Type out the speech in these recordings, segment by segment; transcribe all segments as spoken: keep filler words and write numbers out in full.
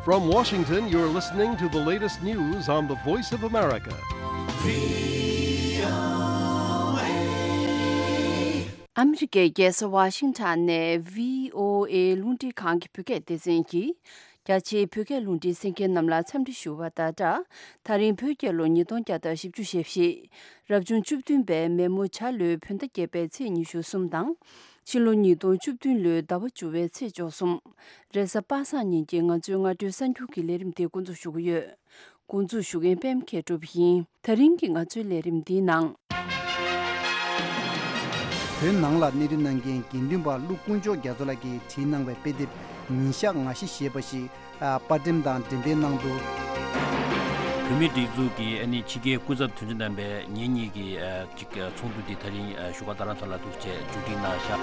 From Washington, you're listening to the latest news on the Voice of America. ཨ་མི་རི་ཀའི་རྒྱལ་ས་ཝ་ཤིང་ཊོན་ནས་བྷི་ཨོ་ཨེ་རླུང་འཕྲིན་ཁང་གི་བོད་སྐད་སྡེ་ཚན་གྱིས། རྒྱ་ཆེའི་བོད་སྐད་རླུང་འཕྲིན་གསན་མཁན་རྣམས་ལ་འཚམས་འདྲི་ཞུ་བ་དང་སྦྲགས། ད་རིང་བོད་རྒྱལ་ལོ་ཉིས་སྟོང་བརྒྱ་དང་བཞི་བཅུ་ཞེ་བཞི། རབ་བྱུང་བཅུ་བདུན་པའི་མེ་མོ་བྱ་ལོའི་བོད་ཟླ་བརྒྱད་པའི་ཚེས་ཉི་ཤུ་གསུམ་དང་། ཕྱི་ལོ་ཉིས་སྟོང་བཅུ་བདུན་ལོའི་ཟླ་བ་བཅུ་བའི་ཚེས་བཅུ་གསུམ། རེས་གཟའ་པ་སངས་ཉིན་གྱི་ང་ཚོའི་སྔ་དྲོའི་གསར་འགྱུར་གྱི་ལས་རིམ་དེ་འགོ་འཛུགས་ཞུ་གི་ཡོད། འགོ་འཛུགས་ཞུ་མཁན་པད་མ་མཁས་གྲུབ་ཡིན། ད་རིང་གི་ང་ཚོའི་ལས་རིམ་འདིའི་ནང་། བོད་ནང་ལ་གནས་སྡོད་གནང་མཁན་དགེ་འདུན་པ་ཀླུ་དཀོན་མཆོག་རྒྱ་མཚོ་ལགས་ཀྱིས་བྲིས་གནང་བའི་དཔེ་དེབ་ཉིན་ཞག་ང་བཞི་ཞེས་པ་ཞིག་ཨ། པར་འགྲེམས་དང་འགྲེམས་སྤེལ་གནང་འདུག་བོད་མིའི་སྒྲིག་འཛུགས་ཀྱི་ཨ་ནི་ཕྱི་རྒྱལ་སྐུ་ཚབ་དོན་གཅོད་རྣམ་པས་ཉིན་གཉིས་ཀྱི་ཨ། ཅིག་ཚོགས་འདུ་འདི་ད་རིང་བཞུགས་སྒར་རྡ་རམ་ས་ལ་འདུག་ཅེས་བརྗོད་སྒྲིག་གནང་བཞག་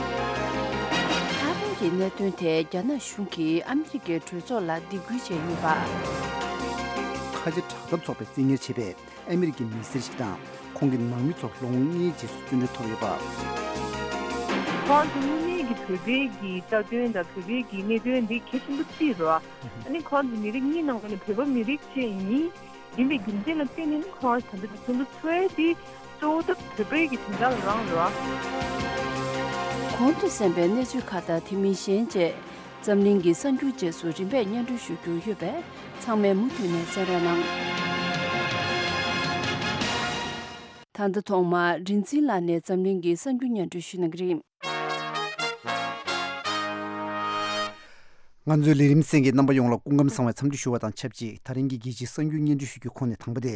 ད་རིང་གི་གནད་དོན་དེ་རྒྱ་ནག་གཞུང་གིས་ཨ་མི་རི་ཀའི་གྲོས་ཚོགས་ལ་སྡིགས་སྐུལ་བྱས་ཡོད་པ། ཁ་ཆེ་དྲག་འཐབ་ཚོགས་པས་བཙན་ཉར་བྱས་པའི་ཨ་མི་རི་ཀའི་མི་སེར་ཞིག་དང་ཁོང་གི་ནང་མི་ཚོ་ལོ་ངོ་ལྔའི་རྗེས་སུ་བཙོན་གྲོལ་ཐོབ་ཡོད་པ། ཁོང་ཚོ་དངོས་གནས་ཀྱི་བོད་པའི་གི་རྩ་དོན་དང་བོད་པའི་གི་གནད་དོན་འདི་གལ་ཆེན་པོ་བརྩིས་རོགས། ཨ་ནི་ཁོང་ཚོ་མི་རིགས་གཉིས་ནང་ནས་བོད་པ་མི་རིགས་གཅིག་ཡིན། ཡིན་པའི་རྒྱུ་མཚན་ལ་བརྟེན་ནས་ནི་ཁོང་ད་ལྟ་དུ་ཚོགས་འདུ་ཚོགས་ཡས་དེ་གཙོ་བོ་ད་བོད་པའི་གི་དོན་དག་ལ་རང་རེད་བ། གོང་དུ་གསན་པའི་གནས་ཚུལ་ཁག་དང་དེ་མིན་གཞན་བཅས་འཛམ་གླིང་གི་གསར་འགྱུར་རྗེས་སུ་རིམ་པས་སྙན་སྒྲོན་ཞུ་རྒྱུ་ཡོད་པས་ཚང་མས་མུ་མཐུད་ནས་གསན་རོགས་གནང་། ད་ལྟ་ཐོག་མར་རིག་འཛིན་ལགས་ནས་འཛམ་གླིང་གི་གསར་འགྱུར་སྙན་སྒྲོན་ཞུ་གནང་གི་རེད། ང་ཚོའི་ལས་རིམ་གསན་མཁན་རྣམ་པ་ཡོངས་ལ་སྐུ་ཁམས་བཟང་བའི་འཚམས་འདྲི་ཞུ་བ་དང་ཆབས་ཅིག་ད་རིང་གི་རྒྱལ་སྤྱིའི་གསར་འགྱུར་སྙན་སྒྲོན་ཞུ་རྒྱུའི་ཁོངས་ནས་དང་པོ་དེ།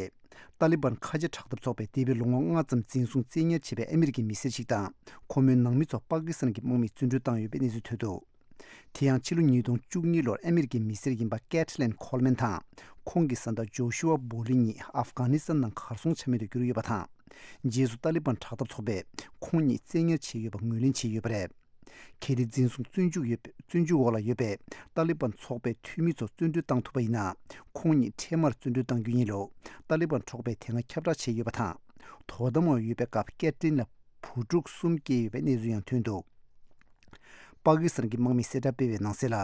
ཏཱ་ལི་བན་ཁ་ཆེ་དྲག་འཐབ་ཚོགས་པས་འདས་པའི་ལོ་ངོ་ལྔ་ཙམ་འཛིན་བཟུང་བཙན་ཉར་བྱས་པའི་ཨ་མི་རི་ཀའི་མི་སེར་ཞིག་དང་ཁོ་མོའི་ནང་མི་ཚོ་པ་ཀི་སི་ཐན་གྱི་དམག་མིས་བཙོན་གྲོལ་བཏང་ཡོད་པའི་གནས་ཚུལ་ཐོན་འདུག་དེ་ཡང་ཕྱི་ལོ་ཉིས་སྟོང་བཅུ་གཉིས་ལོར་ཨ་མི་རི་ཀའི་མི་སེར་ཡིན་པ་ཀེ་ཐི་ལིན་ཁོལ་མན་དང་ཁོང་གི་བཟའ་ཟླ་ཇོ་ཤུ་ཨ་བོ་ལི་གཉིས་ཨབ་གྷ་ནི་སི་ཐན་ནང་གར་སོང་ཆ་མེད་དུ་གྱུར་ཡོད་པ་དང་། རྗེས་སུ་ཏཱ་ལི་བན་དྲག་འཐབ་ཚོགས་པས་ཁོང་གཉིས་བཙན་ཉར་བྱས་ཡོད་པ་ངོས་ལེན་བྱས་ཡོད་པ་རེད། གལ་ཏེ་འཛིན་བཟུང་བཙོན་འཇུག་ཡོད་བཙོན་འཇུག་འོག་ལ་ཡོད་པའི་ཏཱ་ལི་བན་ཚོགས་པའི་འཐུས་མི་ཚོ་བཙོན་གྲོལ་བཏང་ཐུབ་པ་ཡིན་ན། ཁོང་གཉིས་འཕྲལ་མར་བཙོན་གྲོལ་བཏང་རྒྱུ་ཡིན་ལུགས་ཏཱ་ལི་བན་ཚོགས་པས་དེ་སྔ་ཁྱབ་བསྒྲགས་བྱས་ཡོད་པ་དང་། དོ་དམ་འོག་ཡོད་པའི་སྐབས་ཀེ་ཐི་ལིན་ལ་བུ་ཕྲུག་གསུམ་སྐྱེས་ཡོད་པའི་གནས་ཚུལ་ཡང་ཐོན་འདུག་པ་ཀི་སི་ཐན་གྱི་དམག་མིས་གསལ་བསྒྲགས་སྤེལ་བའི་ནང་གསལ་ལ།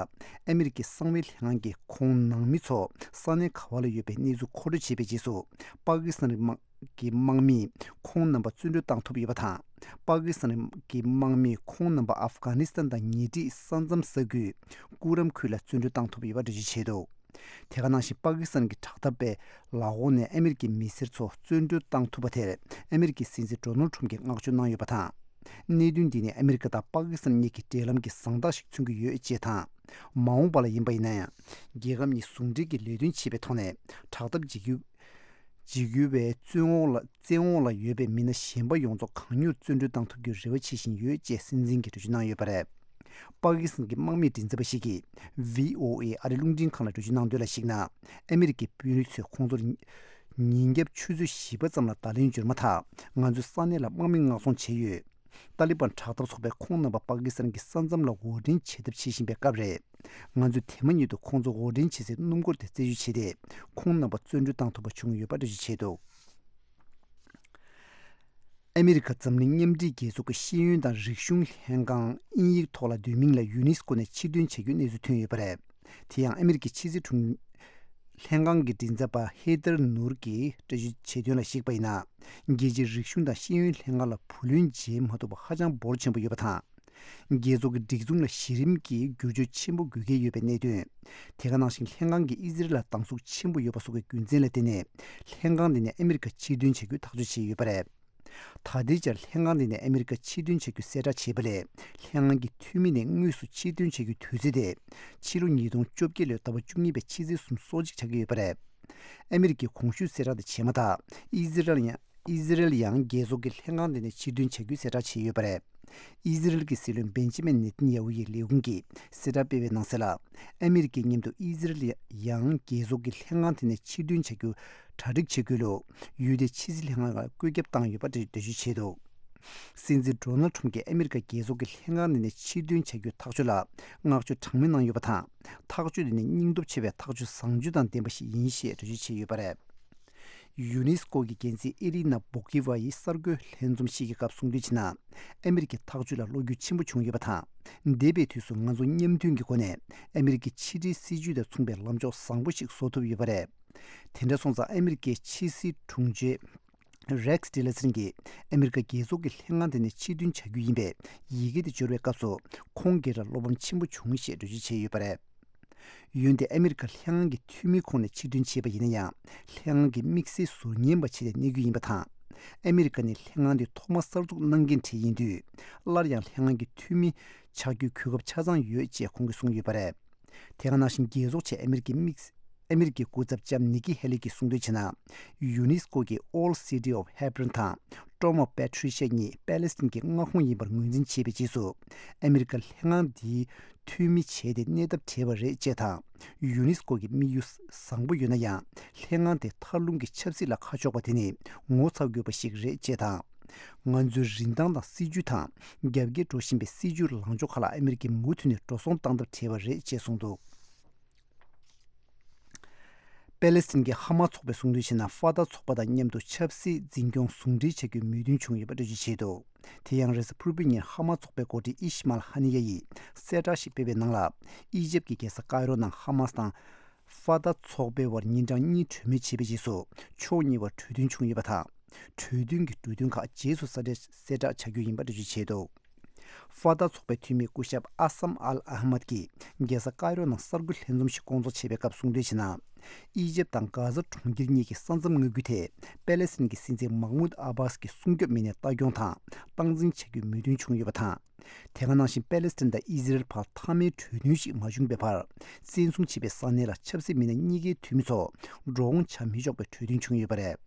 ཨ་མི་རི་ཀའི་གསང་བའི་ལྷན་ཁང་གིས་ཁོང་ནང་མི་ཚོ་ས་གནས་ག་བ་ལ་ཡོད་པའི་གནས་ཚུལ་མཁོ་སྤྲོད་བྱས་པའི་རྗེས་སུ། པ་ཀི་སི་ཐན་གྱི་དམག་གི་དམག་མིས་ཁོང་རྣམ་པ་བཙོན་གྲོལ་བཏང་ཐུབ་ཡོད་པ་དང་། པ་ཀི་སི་ཐན་གྱི་དམག་མིས་ཁོང་རྣམ་པ་ཨབ་གྷ་ནི་སི་ཐན་དང་ཉེ་འཁྲིས་ས་མཚམས་ས་ཁུལ་ཀུ་རམ་ཁུལ་ལ་བཙོན་གྲོལ་བཏང་ཐུབ་ཡོད་པ་འགྲེལ་བརྗོད་བྱས་འདུག་དེ་ག་ནང་བཞིན་པ་ཀི་སི་ཐན་གྱི་དྲག་འཐབ་པའི་ལག་འོག་ནས་ཨ་མི་རི་ཀའི་མི་སེར་ཚོ་བཙོན་གྲོལ་བཏང་ཐུབ་པ་དེར་ཨ་མི་རི་ཀའི་སྲིད་འཛིན་ཌོ་ནལ་ཊམ་གྱིས་བསྔགས་བརྗོད་གནང་ཡོད་པ་དང་། གནད་དོན་འདི་ནི་ཨ་མི་རི་ཀ་དང་པ་ཀི་སི་ཐན་གཉིས་ཀྱི་འབྲེལ་ལམ་གྱི་བཟང་རྟགས་ཤིག་མཚོན་གྱི་ཡོད་ཅེས་དང་། མ་འོངས་པ་ལ་ཡིན་པ་ཡིན་ན་ཡང་། རྒྱལ་ཁབ་གཉིས་ཟུང་འབྲེལ་གྱིས་ལས་དོན་བྱེད་པའི་ཐོག་ནས་དྲག་འཐབ་བྱེད་རྒྱུ། བྱེད་རྒྱུ་བའི་བཙོན་འོག་ལ་བཙན་འོག་ལ་ཡོད་པའི་མི་སྣ་གཞན་པ་ཡོངས་རྫོགས་གང་མྱུར་བཙོན་གྲོལ་བཏང་ཐུབ་རྒྱུའི་རེ་བ་བྱེད་བཞིན་ཡོད་ཅེས་སྲིད་འཛིན་གྱིས་འགྲེལ་བརྗོད་གནང་ཡོད་པ་རེད། པ་ཀི་སི་ཐན་གྱི་དམག་མིའི་མགྲིན་ཚབ་པ་ཞིག་གིས་བྷི་ཨོ་ཨེ་ཨ་རིའི་རླུང་འཕྲིན་ཁང་ལ་འགྲེལ་བརྗོད་གནང་དོན་ལ་གཞིགས་ན། ཨ་མི་རི་ཀའི་དཔོན་རིགས་ཚོས་ཁོང་ཚོར་ཉིན་རྒྱབ་ཆུ་ཚོད་བཞི་པ་ཙམ་ལ་བརྡ་ལན་བསྒྱུར་མ་ཐག་ང་ཚོས་ས་གནས་ལ་དམག་མི་མངགས་ཚོང་བྱས་ཡོད། ཏཱ་ལི་བན་དྲག་འཐབ་ཚོགས་པས་ཁོང་རྣམ་པ་པ་ཀི་སི་ཐན་གྱི་ས་མཚམས་ལ་འོར་འདྲེན་བྱེད་ཐབས་བྱེད་བཞིན་པའི་སྐབས་རེད། ང་ཚོས་དེ་མ་ཉིད་དུ་ཁོང་ཚོ་འོར་འདྲེན་བྱེད་སའི་སྣུམ་འཁོར་དེ་རྩད་གཅོད་བྱས་ཏེ། ཁོང་རྣམ་པ་བཙོན་གྲོལ་བཏང་ཐུབ་པ་བྱུང་ཡོད་པ་འགྲེལ་བརྗོད་བྱས་འདུག་ཨ་མི་རི་ཀ་འཛམ་གླིང་མཉམ་འབྲེལ་རྒྱལ་ཚོགས་ཀྱི་ཤེས་ཡོན་དང་རིག་གཞུང་ལྷན་ཁང་དབྱིན་ཡིག་ཐོག་ལ་བསྡུས་མིང་ལ་ཡུ་ནེ་སི་ཀོ་ནས་ཕྱིར་འདོན་བྱ་རྒྱུའི་གནས་ཚུལ་ཐོན་ཡོད་པ་རེད། དེ་ཡང་ཨ་མི་རི་ཀའི་ཕྱི་སྲིད་དྲུང་ལྷན་ཁང་གི་མགྲིན་ཚབ་པ་ཧེ་ཐར་ནུར་གྱིས་འགྲེལ་བརྗོད་བྱས་དོན་ལ་གཞིགས་པ་ཡིན་ན། རྒྱལ་སྤྱིའི་རིག་གཞུང་དང་ཤེས་ཡོན་ལྷན་ཁང་ལ་བུ་ལོན་འཇལ་མ་ཐུབ་པ་ཧ་ཅང་འབོར་ཆེན་པོ་ཡོད་པ་དང་། རྒྱལ་ཚོགས་ཀྱི་སྒྲིག་འཛུགས་ལ་གཞི་རིམ་གྱི་བསྒྱུར་བཅོས་ཆེན་པོ་དགོས་གལ་ཡོད་པའི་གནད་དོན། དེ་ག་ནང་བཞིན་ལྷན་ཁང་གིས་ཨི་ཟི་རལ་ལ་སྡང་ཟུག་ཆེན་པོ་ཡོད་པ་སོགས་ཀྱི་རྒྱུ་མཚན་ལ་བརྟེན་ནས། ལྷན་ཁང་དེ་ནས་ཨ་མི་རི་ཀ་ཕྱིར་འདོན་བྱ་རྒྱུའི་ཐག་གཅོད་བྱས་ཡོད་པ་རེད། ད་ལྟའི་ཆར་ལྷན་ཁང་དེ་ནས་ཨ་མི་རི་ཀ་ཕྱིར་འདོན་བྱ་རྒྱུ་གསལ་བསྒྲགས་བྱས་པ་ལས། ལྷན་ཁང་གི་འཐུས་མི་ནས་དངོས་སུ་ཕྱིར་འདོན་བྱ་རྒྱུའི་དུས་ཚོད་དེ། ཕྱི་ལོ་ཉིས་སྟོང་བཅོ་བརྒྱད་ལོའི་ཟླ་བ་བཅུ་གཉིས་པའི་ཕྱི་ཚེས་སུམ་ཅུ་སོ་གཅིག་ཆགས་ཀྱི་ཡོད་པ་རེད། ཨ་མི་རི་ཀས་གོང་ཞུས་གསལ་བསྒྲགས་དེ་བྱས་མ་ཐག་ཨི་ཟི་རལ་ཡང་ཨི་ཟི་རལ་ཡང་རྒྱལ་ཚོགས་ཀྱི་ལྷན་ཁང་དེ་ནས་ཕྱིར་འདོན་བྱ་རྒྱུའི་གསལ་བསྒྲགས་བྱས་ཡོད་པ་རེད། ཨི་ཟི་རལ་གྱི་སྲིད་བློན་བེན་ཇི་མིན་ནེ་ཐན་ཡ་ཧུ་ཡི་ལས་ཁུངས་ཀྱིས་གསལ་བསྒྲགས་སྤེལ་བའི་ནང་གསལ་ལ། ཨ་མི་རི་ཀའི་མཉམ་དུ་ཨི་ཟི་རལ་ཡང་རྒྱལ་ཚོགས་ཀྱི་ལྷན་ཁང་དེ་ནས་ཕྱིར་འདོན་བྱ་རྒྱུ་གྲ་སྒྲིག་བྱེད་དགོས་ལུགས་ཡུལ་དེའི་ཕྱི་སྲིད་ལྷན་ཁང་ལ་བཀོད་ཁྱབ་བཏང་ཡོད་པ་འགྲེལ་བརྗོད་བྱས་འདུག་སྲིད་འཛིན་ཌོ་ནལ་ཁྲམ་གྱིས་ཨ་མི་རི་ཀ་རྒྱལ་ཚོགས་ཀྱི་ལྷན་ཁང་དེ་ནས་ཕྱིར་འདོན་བྱ་རྒྱུའི་ཐག་གཅོད་ལ་བསྔགས་བརྗོད་གྲངས་མེད་གནང་ཡོད་པ་དང་། ཐག་གཅོད་དེ་ནི་སྙིང་སྟོབས་ཆེ་བའི་ཐག་གཅོད་བཟང་སྤྱོད་དང་ལྡན་པ་ཞིག་ཡིན་ཞེས་འགྲེལ་བརྗོད་བྱས་ཡོད་པ་རེད། ཡུ་ནེ་སི་ཀོ་གི་འགན་འཛིན་ཨི་རི་ན་བོ་ཀི་ཝ་ཡིས་གསར་འགོད་ལྷན་འཛོམས་ཤིག་གི་སྐབས་གསུངས་དོན་བྱས་ན། ཨ་མི་རི་ཀའི་ཐག་གཅོད་ལ་བློ་འགྱོད་ཆེན་པོ་བྱུང་ཡོད་པ་དང་། འདས་པའི་དུས་སུ་ང་ཚོ་མཉམ་མཐུན་གྱི་སྒོ་ནས་ཨ་མི་རི་ཀའི་ཕྱི་འབྲེལ་སྲིད་ཇུས་དང་མཚུངས་པའི་ལམ་ཕྱོགས་བཟང་པོ་ཞིག་བཟོ་ཐུབ་ཡོད་པ་རེད། དེ་འདྲ་སོང་ཙང་ཨ་མི་རི་ཀའི་ཕྱི་སྲིད་དྲུང་ཆེ་རེག་ཊི་ལེ་སན་གྱིས་ཨ་མི་རི་ཀ་རྒྱལ་ཚོགས་ཀྱི་ལྷན་ཁང་དེ་ནས་ཕྱིར་འདོན་བྱ་རྒྱུ་ཡིན་པའི་ཡི་གེ་དེ་འབྱོར་བའི་སྐབས་སུ། ཁོང་སྒེར་ལ་བློ་ཕམ་ཆེན་པོ་བྱུང་ཞེས་འགྲེལ་བརྗོད་བྱས་ཡོད་པ་རེད། འོན་ཏེ་ཨ་མི་རི་ཀ་ལྷན་ཁང་གི་འཐུས་མིའི་ཁོངས་ནས་ཕྱིར་འདོན་བྱས་པ་ཡིན་ན་ཡང་། ལྷན་ཁང་གི་དམིགས་བསལ་ཟུར་ཉན་པ་བྱས་ཏེ་གནས་རྒྱུ་ཡིན་པ་དང་། ཨ་མི་རི་ཀ་ནི་ལྷན་ཁང་འདི་ཐོག་མ་གསར་འཛུགས་གནང་མཁན་གྲས་ཡིན་དུས། སླར་ཡང་ལྷན་ཁང་གི་འཐུས་མི་ཆགས་རྒྱུའི་གོ་སྐབས་ཆ་ཚང་ཡོད་ཅེས་ཁོང་གིས་གསུངས་ཡོད་པ་རེད། དེ་ག་ནང་བཞིན་རྒྱལ་ཚོགས་ཆེད་ཨ་མི་རི་ཀའི་དམིགས། ཨ་མི་རི་ཀའི་སྐུ་ཚབ་ལྕམ་ནི་ཀི་ཧེ་ལི་གིས་གསུངས་དོན་བྱས་ན། ཡུ་ནེ་སི་ཀོ་གི་Old City of Hebron དང་Dome of Patricia གཉིས་པེ་ལེ་སི་ཐན་གྱི་མངའ་ཁོངས་ཡིན་པར་ངོས་འཛིན་བྱས་པའི་རྗེས་སུ། ཨ་མི་རི་ཀ་ལྷན་ཁང་འདིའི་འཐུས་མི་བྱས་ཏེ་གནས་ཐབས་བྲལ་བ་རེད་ཅེས་དང་། ཡུ་ནེ་སི་ཀོ་གི་དམིགས་ཡུལ་བཟང་པོ་ཡོད་ན་ཡང་། ལྷན་ཁང་དེ་མཐར་ལྷུང་གི་ཆབ་སྲིད་ལ་ཁ་ཕྱོགས་པ་དེ་ནི་ངོ་ཚ་དགོས་པ་ཞིག་རེད་ཅེས་དང་། ང་ཚོའི་རིན་ཐང་དང་སྲིད་ཇུས་དང་། རྒྱ་བསྐྱེད་འགྲོ་བཞིན་པའི་སྲིད་ཇུས་ལངས་ཕྱོགས་ཁག་ལ་ཨ་མི་རི་ཀས་མུ་མཐུད་ནས་འགྲོ་སོང་བཏང་ཐབས་བྲལ་བ་རེད་ཅེས་གསུངས་འདུག་པེ་ལེ་སི་ཐན་གྱི་ཧ་མ་ཚོགས་པས་གསུངས་དོན་བྱས་ན། ཧྥ་ཏཱ་ཚོགས་པ་དང་མཉམ་དུ་ཆབ་སྲིད་འཛིན་སྐྱོང་ཟུང་འབྲེལ་བྱ་རྒྱུའི་མོས་མཐུན་བྱུང་ཡོད་པ་འགྲེལ་བརྗོད་བྱས་འདུག་དེ་ཡང་རེས་གཟའ་ཕུར་བུའི་ཉིན་ཧ་མ་ཚོགས་པའི་འགོ་ཁྲིད་ཨི་ཤི་མཱལ་ཧ་ནི་ཡ་ཡིས་གསལ་བསྒྲགས་ཤིག་སྤེལ་བའི་ནང་ལ། ཨི་ཇེབ་ཀྱི་རྒྱལ་ས་ཀའི་རོ་ནང་ཧ་མཱས་དང་ཧྥ་ཏཱ་ཚོགས་པའི་བར་ཉིན་གྲངས་གཉིས་གྲོས་མོལ་བྱས་པའི་རྗེས་སུ། ཕྱོགས་གཉིས་བར་གྲོས་མཐུན་བྱུང་ཡོད་པ་དང་། གྲོས་མཐུན་གྱི་འབྲུ་དོན་ཁག་རྗེས་སུ་གསལ་བསྒྲགས་གསལ་བསྒྲགས་བྱ་རྒྱུ་ཡིན་པ་འགྲེལ་བརྗོད་བྱས་འདུག་ཧྥ་ཏཱ་ཚོགས་པའི་འཐུས་མི་སྐུ་ཞབས་ཨ་སམ་ཨལ་ཨ་ཧ་མད་ཀྱིས་རྒྱལ་ས་ཀའི་རོ་ནང་གསར་འགོད་ལྷན་འཛོམས་ཤིག་བསྐོང་ཚོགས་བྱས་པའི་སྐབས་གསུངས་དོན་བྱས་ན། ཨི་ཇེབ་དང་གྷ་ཟ་གྲོང་ཁྱེར་གཉིས་ཀྱི་ས་མཚམས་མངའ་ཁུལ་དེ་པེ་ལེ་སི་ཐན་གྱི་སྲིད་འཛིན་མག་མུད་ཨ་བྷཱས་ཀྱི་སྲུང་སྐྱོབ་མི་སྣས་ལྟ་སྐྱོང་དང་སྟངས་འཛིན་བྱ་རྒྱུའི་མོས་མཐུན་བྱུང་ཡོད་པ་དང་། དེ་ག་ནང་བཞིན་པེ་ལེ་སི་ཐན་དང་ཨི་ཟི་རལ་བར་མཐའ་མའི་གྲོས་མཐུན་ཞིག་མ་བྱུང་པའི་བར། བཙན་བཟུང་བྱས་པའི་ས་གནས་ལ་ཆབ་སྲིད་མི་སྣ་གཉིས་ཀའི་འཐུས་མི་ཚོ་འགྲོ་འོང་བྱ་མི་ཆོག་པའི་གྲོས་མཐུན་བྱུང་ཡོད་པ་རེད།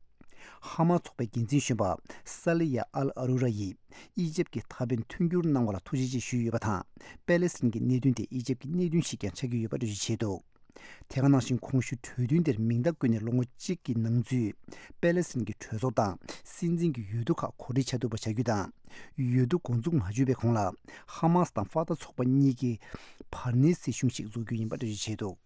ཧ་མ་ཚོགས་པའི་འགན་འཛིན་གཞོན་པ་ས་ལི་ཡ་ཨལ་ཨ་རུ་ར་ཡིས་ཨི་ཇེབ་ཀྱི་ཐའེ་ཝན་མཐུན་འགྱུར་གནང་བ་ལ་ཐུགས་རྗེ་ཆེ་ཞུས་ཡོད་པ་དང་། པེ་ལེ་སི་ཐན་གྱི་གནད་དོན་དེ་ཨི་ཇེབ་ཀྱི་གནད་དོན་ཞིག་ཀྱང་ཆགས་ཀྱི་ཡོད་པ་འགྲེལ་བརྗོད་བྱས་འདུག་དེ་ག་ནང་བཞིན་གོང་ཞུས་གྲོས་མཐུན་དེར་མིང་རྟགས་བཀོད་ནས་ལོ་ངོ་གཅིག་གི་ནང་ཚུད་པེ་ལེ་སི་ཐན་གྱི་གྲོས་ཚོགས་དང་སྲིད་འཛིན་གྱི་འོས་བསྡུ་ཁག་གོ་སྒྲིག་བྱ་ཐུབ་པ་བྱ་རྒྱུ་དང་། འོས་བསྡུ་འགོ་འཛུགས་མ་བྱས་པའི་གོང་ལ་ཧ་མཱས་དང་ཧྥ་ཏཱ་ཚོགས་པ་གཉིས་ཀྱིས་བར་གནས་སྲིད་གཞུང་ཞིག་འཛུགས་རྒྱུ་ཡིན་པ་འགྲེལ་བརྗོད་བྱས་འདུག་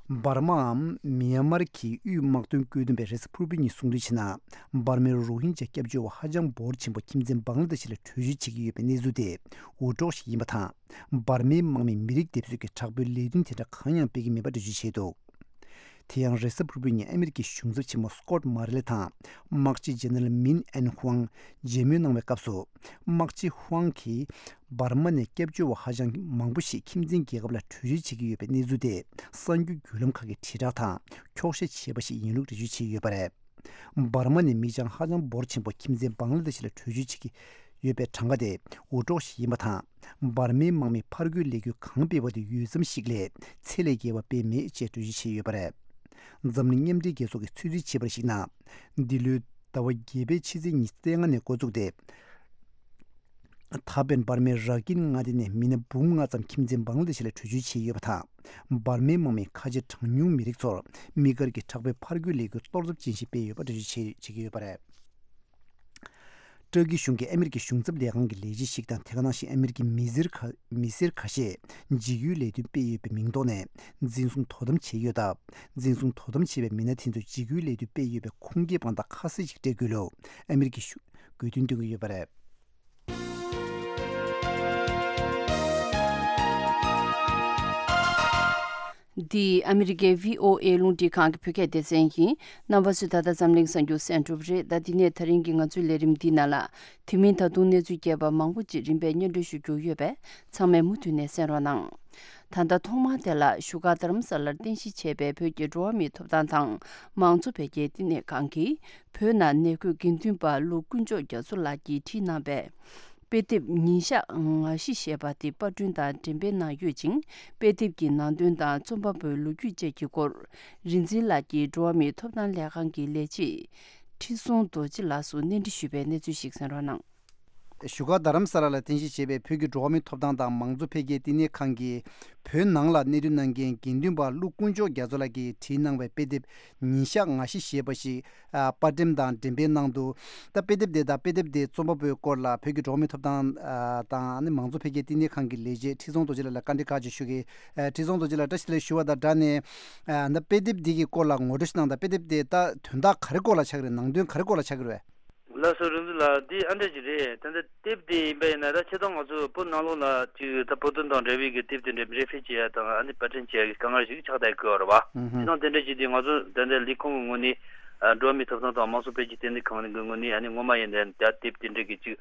འབར་མའམ་མི་ཡན་མར་གྱི་དབུས་དམག་དོན་བཀོད་འདོམས་པས་རེས་གཟའ་ཕུར་བུའི་ཉིན་གསུངས་དོན་བྱས་ན། འབར་མའི་རོ་ཧིན་ཇཱ་སྐྱབས་བཅོལ་བ་ཧ་ཅང་འབོར་ཆེན་པོ་ཁྱིམ་མཚེས་བང་ལ་དེ་ཤི་ལ་བྲོས་བྱོལ་བྱེད་ཀྱི་ཡོད་པའི་གནས་ཚུལ་དེ་འུར་སྒྲོག་ཞིག་ཡིན་པ་དང་། འབར་མའི་དམག་མིས་མི་རིགས་སྡེབ་གསོད་ཀྱི་དྲག་པོའི་ལས་དོན་དེ་འདྲ་གང་ཡང་སྤེལ་གྱི་མེད་པ་འགྲེལ་བརྗོད་བྱས་འདུག་དེ་ཡང་རེས་གཟའ་ཕུར་བུའི་ཉིན་ཨ་མི་རི་ཀའི་གཞུང་ཚབ་ཆེན་མོ་སྐོད་མོ་རེ་ལེ་དང་། དམག་སྤྱི་ཇེ་ནེ་རལ་མིན་ཨན་ཧུའང་མཇལ་མོལ་གནང་བའི་སྐབས་སུ། དམག་སྤྱི་ཧུའང་གིས་འབར་མ་ནས་སྐྱབས་བཅོལ་བ་ཧ་ཅང་མང་པོ་ཞིག་ཁྱིམ་མཚེས་རྒྱལ་ཁབ་ལ་བྲོས་བྱོལ་བྱེད་ཀྱི་ཡོད་པའི་གནས་ཚུལ་དེ་གསར་འགྱུར་བརྒྱུད་ལམ་ཁག་གིས་དྲིལ་བསྒྲགས་དང་འཁྱོག་བཤད་བྱས་པ་ཞིག་ཡིན་ལུགས་འགྲེལ་བརྗོད་བྱས་ཡོད་པ་རེད། འབར་མ་ནས་མི་གྲངས་ཧ་ཅང་འབོར་ཆེན་པོ་ཁྱིམ་མཚེས་བང་ལ་དེ་ཤི་ལ་བྲོས་བྱོལ་བྱེད་ཀྱི་ཡོད་པའི་གྲངས་ཀ་དེ་འུར་སྒྲོག་ཞིག་ཡིན་པ་དང་། འབར་མའི་དམག་མིས་ཕར་རྒོལ་ལས་འགུལ་གང་སྤེལ་བ་དེ་འོས་འཚམ་ཞིག་ལས་ཚད་ལས་བརྒལ་བ་སྤེལ་མེད་ཅེས་འགྲེལ་བརྗོད་བྱས་ཡོད་པ་རེད། འཛམ་གླིང་མཉམ་འབྲེལ་རྒྱལ་ཚོགས་ཀྱིས་ཚོད་རྩིས་བྱས་པར་གཞིགས་ན། འདི་ལོའི་ཟླ་བ་བརྒྱད་པའི་ཕྱི་ཚེས་ཉི་ཤུ་རྩ་ལྔ་ནས་འགོ་བཙུགས་ཏེ། ད་ཕན་འབར་མའི་ར་ཀིན་མངའ་སྡེ་ནས་མི་སྣ་འབུམ་ལྔ་ཙམ་ཁྱིམ་མཚེས་བང་ལ་དེ་ཤི་ལ་བྲོས་བྱོལ་བྱས་ཡོད་པ་དང་། འབར་མའི་དམག་མིས་ཁ་ཆེ་གྲངས་ཉུང་མི་རིགས་ཚོར་དམིགས་བཀར་གྱི་དྲག་པོའི་ཕར་རྒོལ་ལས་འགུལ་གཏོར་ཚབས་ཅན་ཞིག་སྤེལ་ཡོད་པ་འགྲེལ་བརྗོད་བྱེད་བྱེད་ཀྱི་ཡོད་པ་རེད། ཏུར་ཀི་གཞུང་གིས་ཨ་མི་རི་ཀའི་གཞུང་ཚབ་ལས་ཁང་གི་ལས་བྱེད་ཞིག་དང་། དེ་ག་ནང་བཞིན་ཨ་མི་རི་ཀའི་མི་སེར་ཁ་མི་སེར་ཁ་ཤས་འཇིགས་སྐུལ་ལས་དོན་སྤེལ་ཡོད་པའི་མིང་ཐོག་ནས་འཛིན་བཟུང་དོ་དམ་བྱས་ཡོད་སྟབས། འཛིན་བཟུང་དོ་དམ་བྱས་པའི་མི་སྣ་དེ་ཚོས་འཇིགས་སྐུལ་ལས་དོན་སྤེལ་ཡོད་པའི་ཁུངས་སྐྱེལ་དཔང་རྟགས་ཁ་གསལ་ཞིག་སྤྲད་དགོས་ལུགས་ཨ་མི་རི་ཀའི་གཞུང་དགོས་འདུན་བཏོན་གྱི་ཡོད་པ་རེད། འདི་ཨ་མི་རི་ཀའི་བྷི་ཨོ་ཨེ་རླུང་འཕྲིན་ཁང་གི་བོད་སྐད་སྡེ་ཚན་ཡིན། རྣམ་པ་ཚོས་ད་ལྟ་འཛམ་གླིང་གསར་འགྱུར་གསན་གྲུབ་རེད། ད་འདི་ནས་ད་རིང་གི་ང་ཚོའི་ལས་རིམ་འདིའི་ནང་ལ། དེ་མིན་ད་དུང་གནས་ཚུལ་རྒྱས་པ་མང་པོ་ཅིག་རིམ་པས་སྙན་སྒྲོན་ཞུ་རྒྱུ་ཡོད་པས། ཚང་མས་མུ་མཐུད་ནས་གསན་རོགས་གནང་། ད་ལྟ་ཐོག་མར་དེ་ལ་བཞུགས་སྒར་རྡ་རམ་ས་ལར་རྟེན་གཞི་བྱས་པའི་བོད་ཀྱི་འགྲོ་བ་མིའི་ཐོབ་ཐང་དང་མང་གཙོ་འཕེལ་རྒྱས་བསྟི་གནས་ཁང་གིས། བོད་ནང་ནད་འགོས་དགེ་འདུན་པ་ཀླུ་དཀོན་མཆོག་རྒྱ་མཚོ་ལགས་ཀྱིས་བྲིས་གནང་བའི་དཔེ་དེབ་ཉིན་ཞག་ང་བཞི་ཞེས་པ་དེ་པར་སྐྲུན་དང་འགྲེམས་སྤེལ་གནང་ཡོད་ཅིང་། དཔེ་དེབ་ཀྱི་ནང་དོན་དང་རྩོམ་པ་པོའི་ལོ་རྒྱུས་བཅས་ཀྱི་སྐོར། རིག་འཛིན་ལགས་ཀྱིས་འགྲོ་བ་མིའི་ཐོབ་ཐང་ལས་ཁང་གི་ལས་བྱེད་ཁྲི་སྲོང་རྡོ་རྗེ་ལགས་སུ་གནས་འདྲི་ཞུས་པའི་གནས་ཚུལ་ཞིག་གསན་རོགས་གནང་། བཞུགས་སྒར་རྡ་རམ་ས་ལ་ལ་རྟེན་གཞི་བྱས་པའི་བོད་ཀྱི་འགྲོ་བ་མིའི་ཐོབ་ཐང་དང་མང་གཙོ་འཕེལ་རྒྱས་བསྟི་གནས་ཁང་གི་བོད་ནང་ལ་གནས་སྡོད་གནང་མཁན་དགེ་འདུན་པ་ཀླུ་དཀོན་མཆོག་རྒྱ་མཚོ་ལགས་ཀྱིས་བྲིས་གནང་བའི་དཔེ་དེབ་ཉིན་ཞག་ང་བཞི་ཞེས་པ་ཞིག་ཨ། པར་འགྲེམས་དང་འགྲེམས་སྤེལ་གནང་འདུག་ད་དཔེ་དེབ་དེ་དང་དཔེ་དེབ་དེ་རྩོམ་པ་པོའི་སྐོར་ལ་བོད་ཀྱི་འགྲོ་བ་མིའི་ཐོབ་ཐང་ཨ། དང་ཨ་ནི་མང་གཙོ་འཕེལ་རྒྱས་བསྟི་གནས་ཁང་གི་ལས་བྱེད་ཁྲི་སྲོང་རྡོ་རྗེ་ལགས་ལ་བཀའ་འདྲི་ཁག་ཅིག་ཞུ་གི། ཨ། ཁྲི་སྲོང་རྡོ་རྗེ་ལགས་བཀྲ་ཤིས་བདེ་ལེགས་ཞུ་བ་དང་སྦྲགས་ནས། ཨ། ད་དཔེ་དེབ་འདི་གི་སྐོར་ལ་ངོ་སྤྲོད་ཞིག་གནང་དང་། དཔེ་དེབ་དེ་ད་དོན་དག་ག་རེ་སྐོར་ལ་ཆགས་ཀྱི་རེད། ནང་དོན་ག་རེ་སྐོར་ལ་ཆགས་ཀྱི་རེད། ལགས་སོ། རིག་འཛིན་ལགས། འདི་ཨ་འདྲ་ཅིག་རེད། ད་ལྟ་དེབ་དེ་ཡིན་པ་ཡིན་ན། ད་ཆེ་མཐོང་ང་ཚོ་བོད་ནང་ལོགས་ལ་ཅིག་ད་བོད་དོན་དང་འབྲེལ་བའི་གི་དེབ་དེ་འདྲ་འགྲེམས་སྤེལ་བྱེད་ཡ་དང་ཨ་ནི་པར་སྐྲུན་བྱེད་ཡ་གི་དཀའ་ངལ་ཞིག་ཆགས་བསྡད་ཀྱི་ཡོད་རེད་བ། ཨུ་ཧུམ། ཆེ་མཐོང་དེ་འདྲ་ཅིག་དེ་ང་ཚོ་ད་ལྟ་ལས་ཁུངས་ཀྱི་ངོས་ནས། ཨ། འགྲོ་བ་མིའི་ཐོབ་ཐང་དང་མང་གཙོ་འཕེལ་རྒྱས་བསྟི་གནས་ཁང་གི་ངོས་ནས་ཨ་ནི་སྔོན་མ་ཡིན་ན་ད་དེབ་དེ་འདྲ་གི་ཅིག་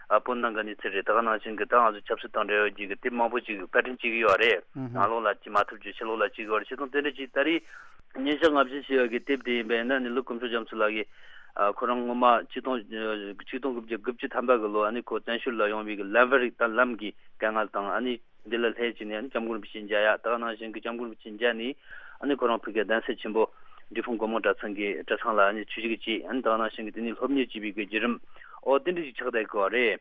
ཨ། བོད་ནང་གི་གནས་ཚུལ་རེད། ད་ག་ནང་བཞིན་གི་ད་ང་ཚོ་ཆབ་སྲིད་དང་འབྲེལ་བའི་གི་དེབ་མང་པོ་ཅིག་པར་སྐྲུན་བྱེད་ཀྱི་ཡོད་རེད། ཨུ་ཧུམ། ནང་ལོགས་ལ་ཅིག་མ་ཐུབ་རྒྱུ་ཕྱི་ལོགས་ལ་བྱེད་ཀྱི་ཡོད་རེད། ཆེ་མཐོང་དེ་འདྲ་ཅིག་ད་རེས་ཉིན་ཞག་ང་བཞི་ཞེས་པ་གི་དེབ་དེ་ཡིན་པ་ཡིན་ན་ནི་ཀླུ་དཀོན་མཆོག་རྒྱ་མཚོ་ལགས་ཀྱིས། ཨ། ཁོ་རང་སྔོན་མ་ཆིག་སྟོང་། ཆིག་སྟོང་དགུ་བརྒྱ་དགུ་བཅུ་ཐམ་པ་གི་ལོ་ཨ་ནི་ཁོ་བཙན་བྱོལ་ལ་ཡོང་བའི་གི་ལམ་བར་རིགས་དང་ལམ་གྱི་དཀའ་ངལ་དང་། ཨ་ནི་འདི་ལ་སླེབས་བྱས་ནས་ཨ་ནི་སྐྱབས་མགོན་རིན་པོ་ཆེ་མཇལ་ཡ། ད་ག་ནང་བཞིན་གི་སྐྱབས་མགོན་རིན་པོ་ཆེ་མཇལ་ནས་ཨ་ནི་ཁོ་རང་ཕ་གིའི་གདན་ས་ཆེན་པོ་འབྲས་སྤུངས་སྒོ་མང་གྲྭ་ཚང་གི་གྲྭ་ཚང་ལ་ཨ་ནི་ཆོས་ཞུགས་བྱས། ཨ་ནི་ད་ག་ནང་བཞིན་གི་དེ་ནས་སློབ་གཉེར་བྱས་པའི་གི་བརྒྱུད་རིམ། ཨོ་དེ་འདྲ་ཞིག་ཆགས་བསྡད་ཀྱི་ཡོད་རེད།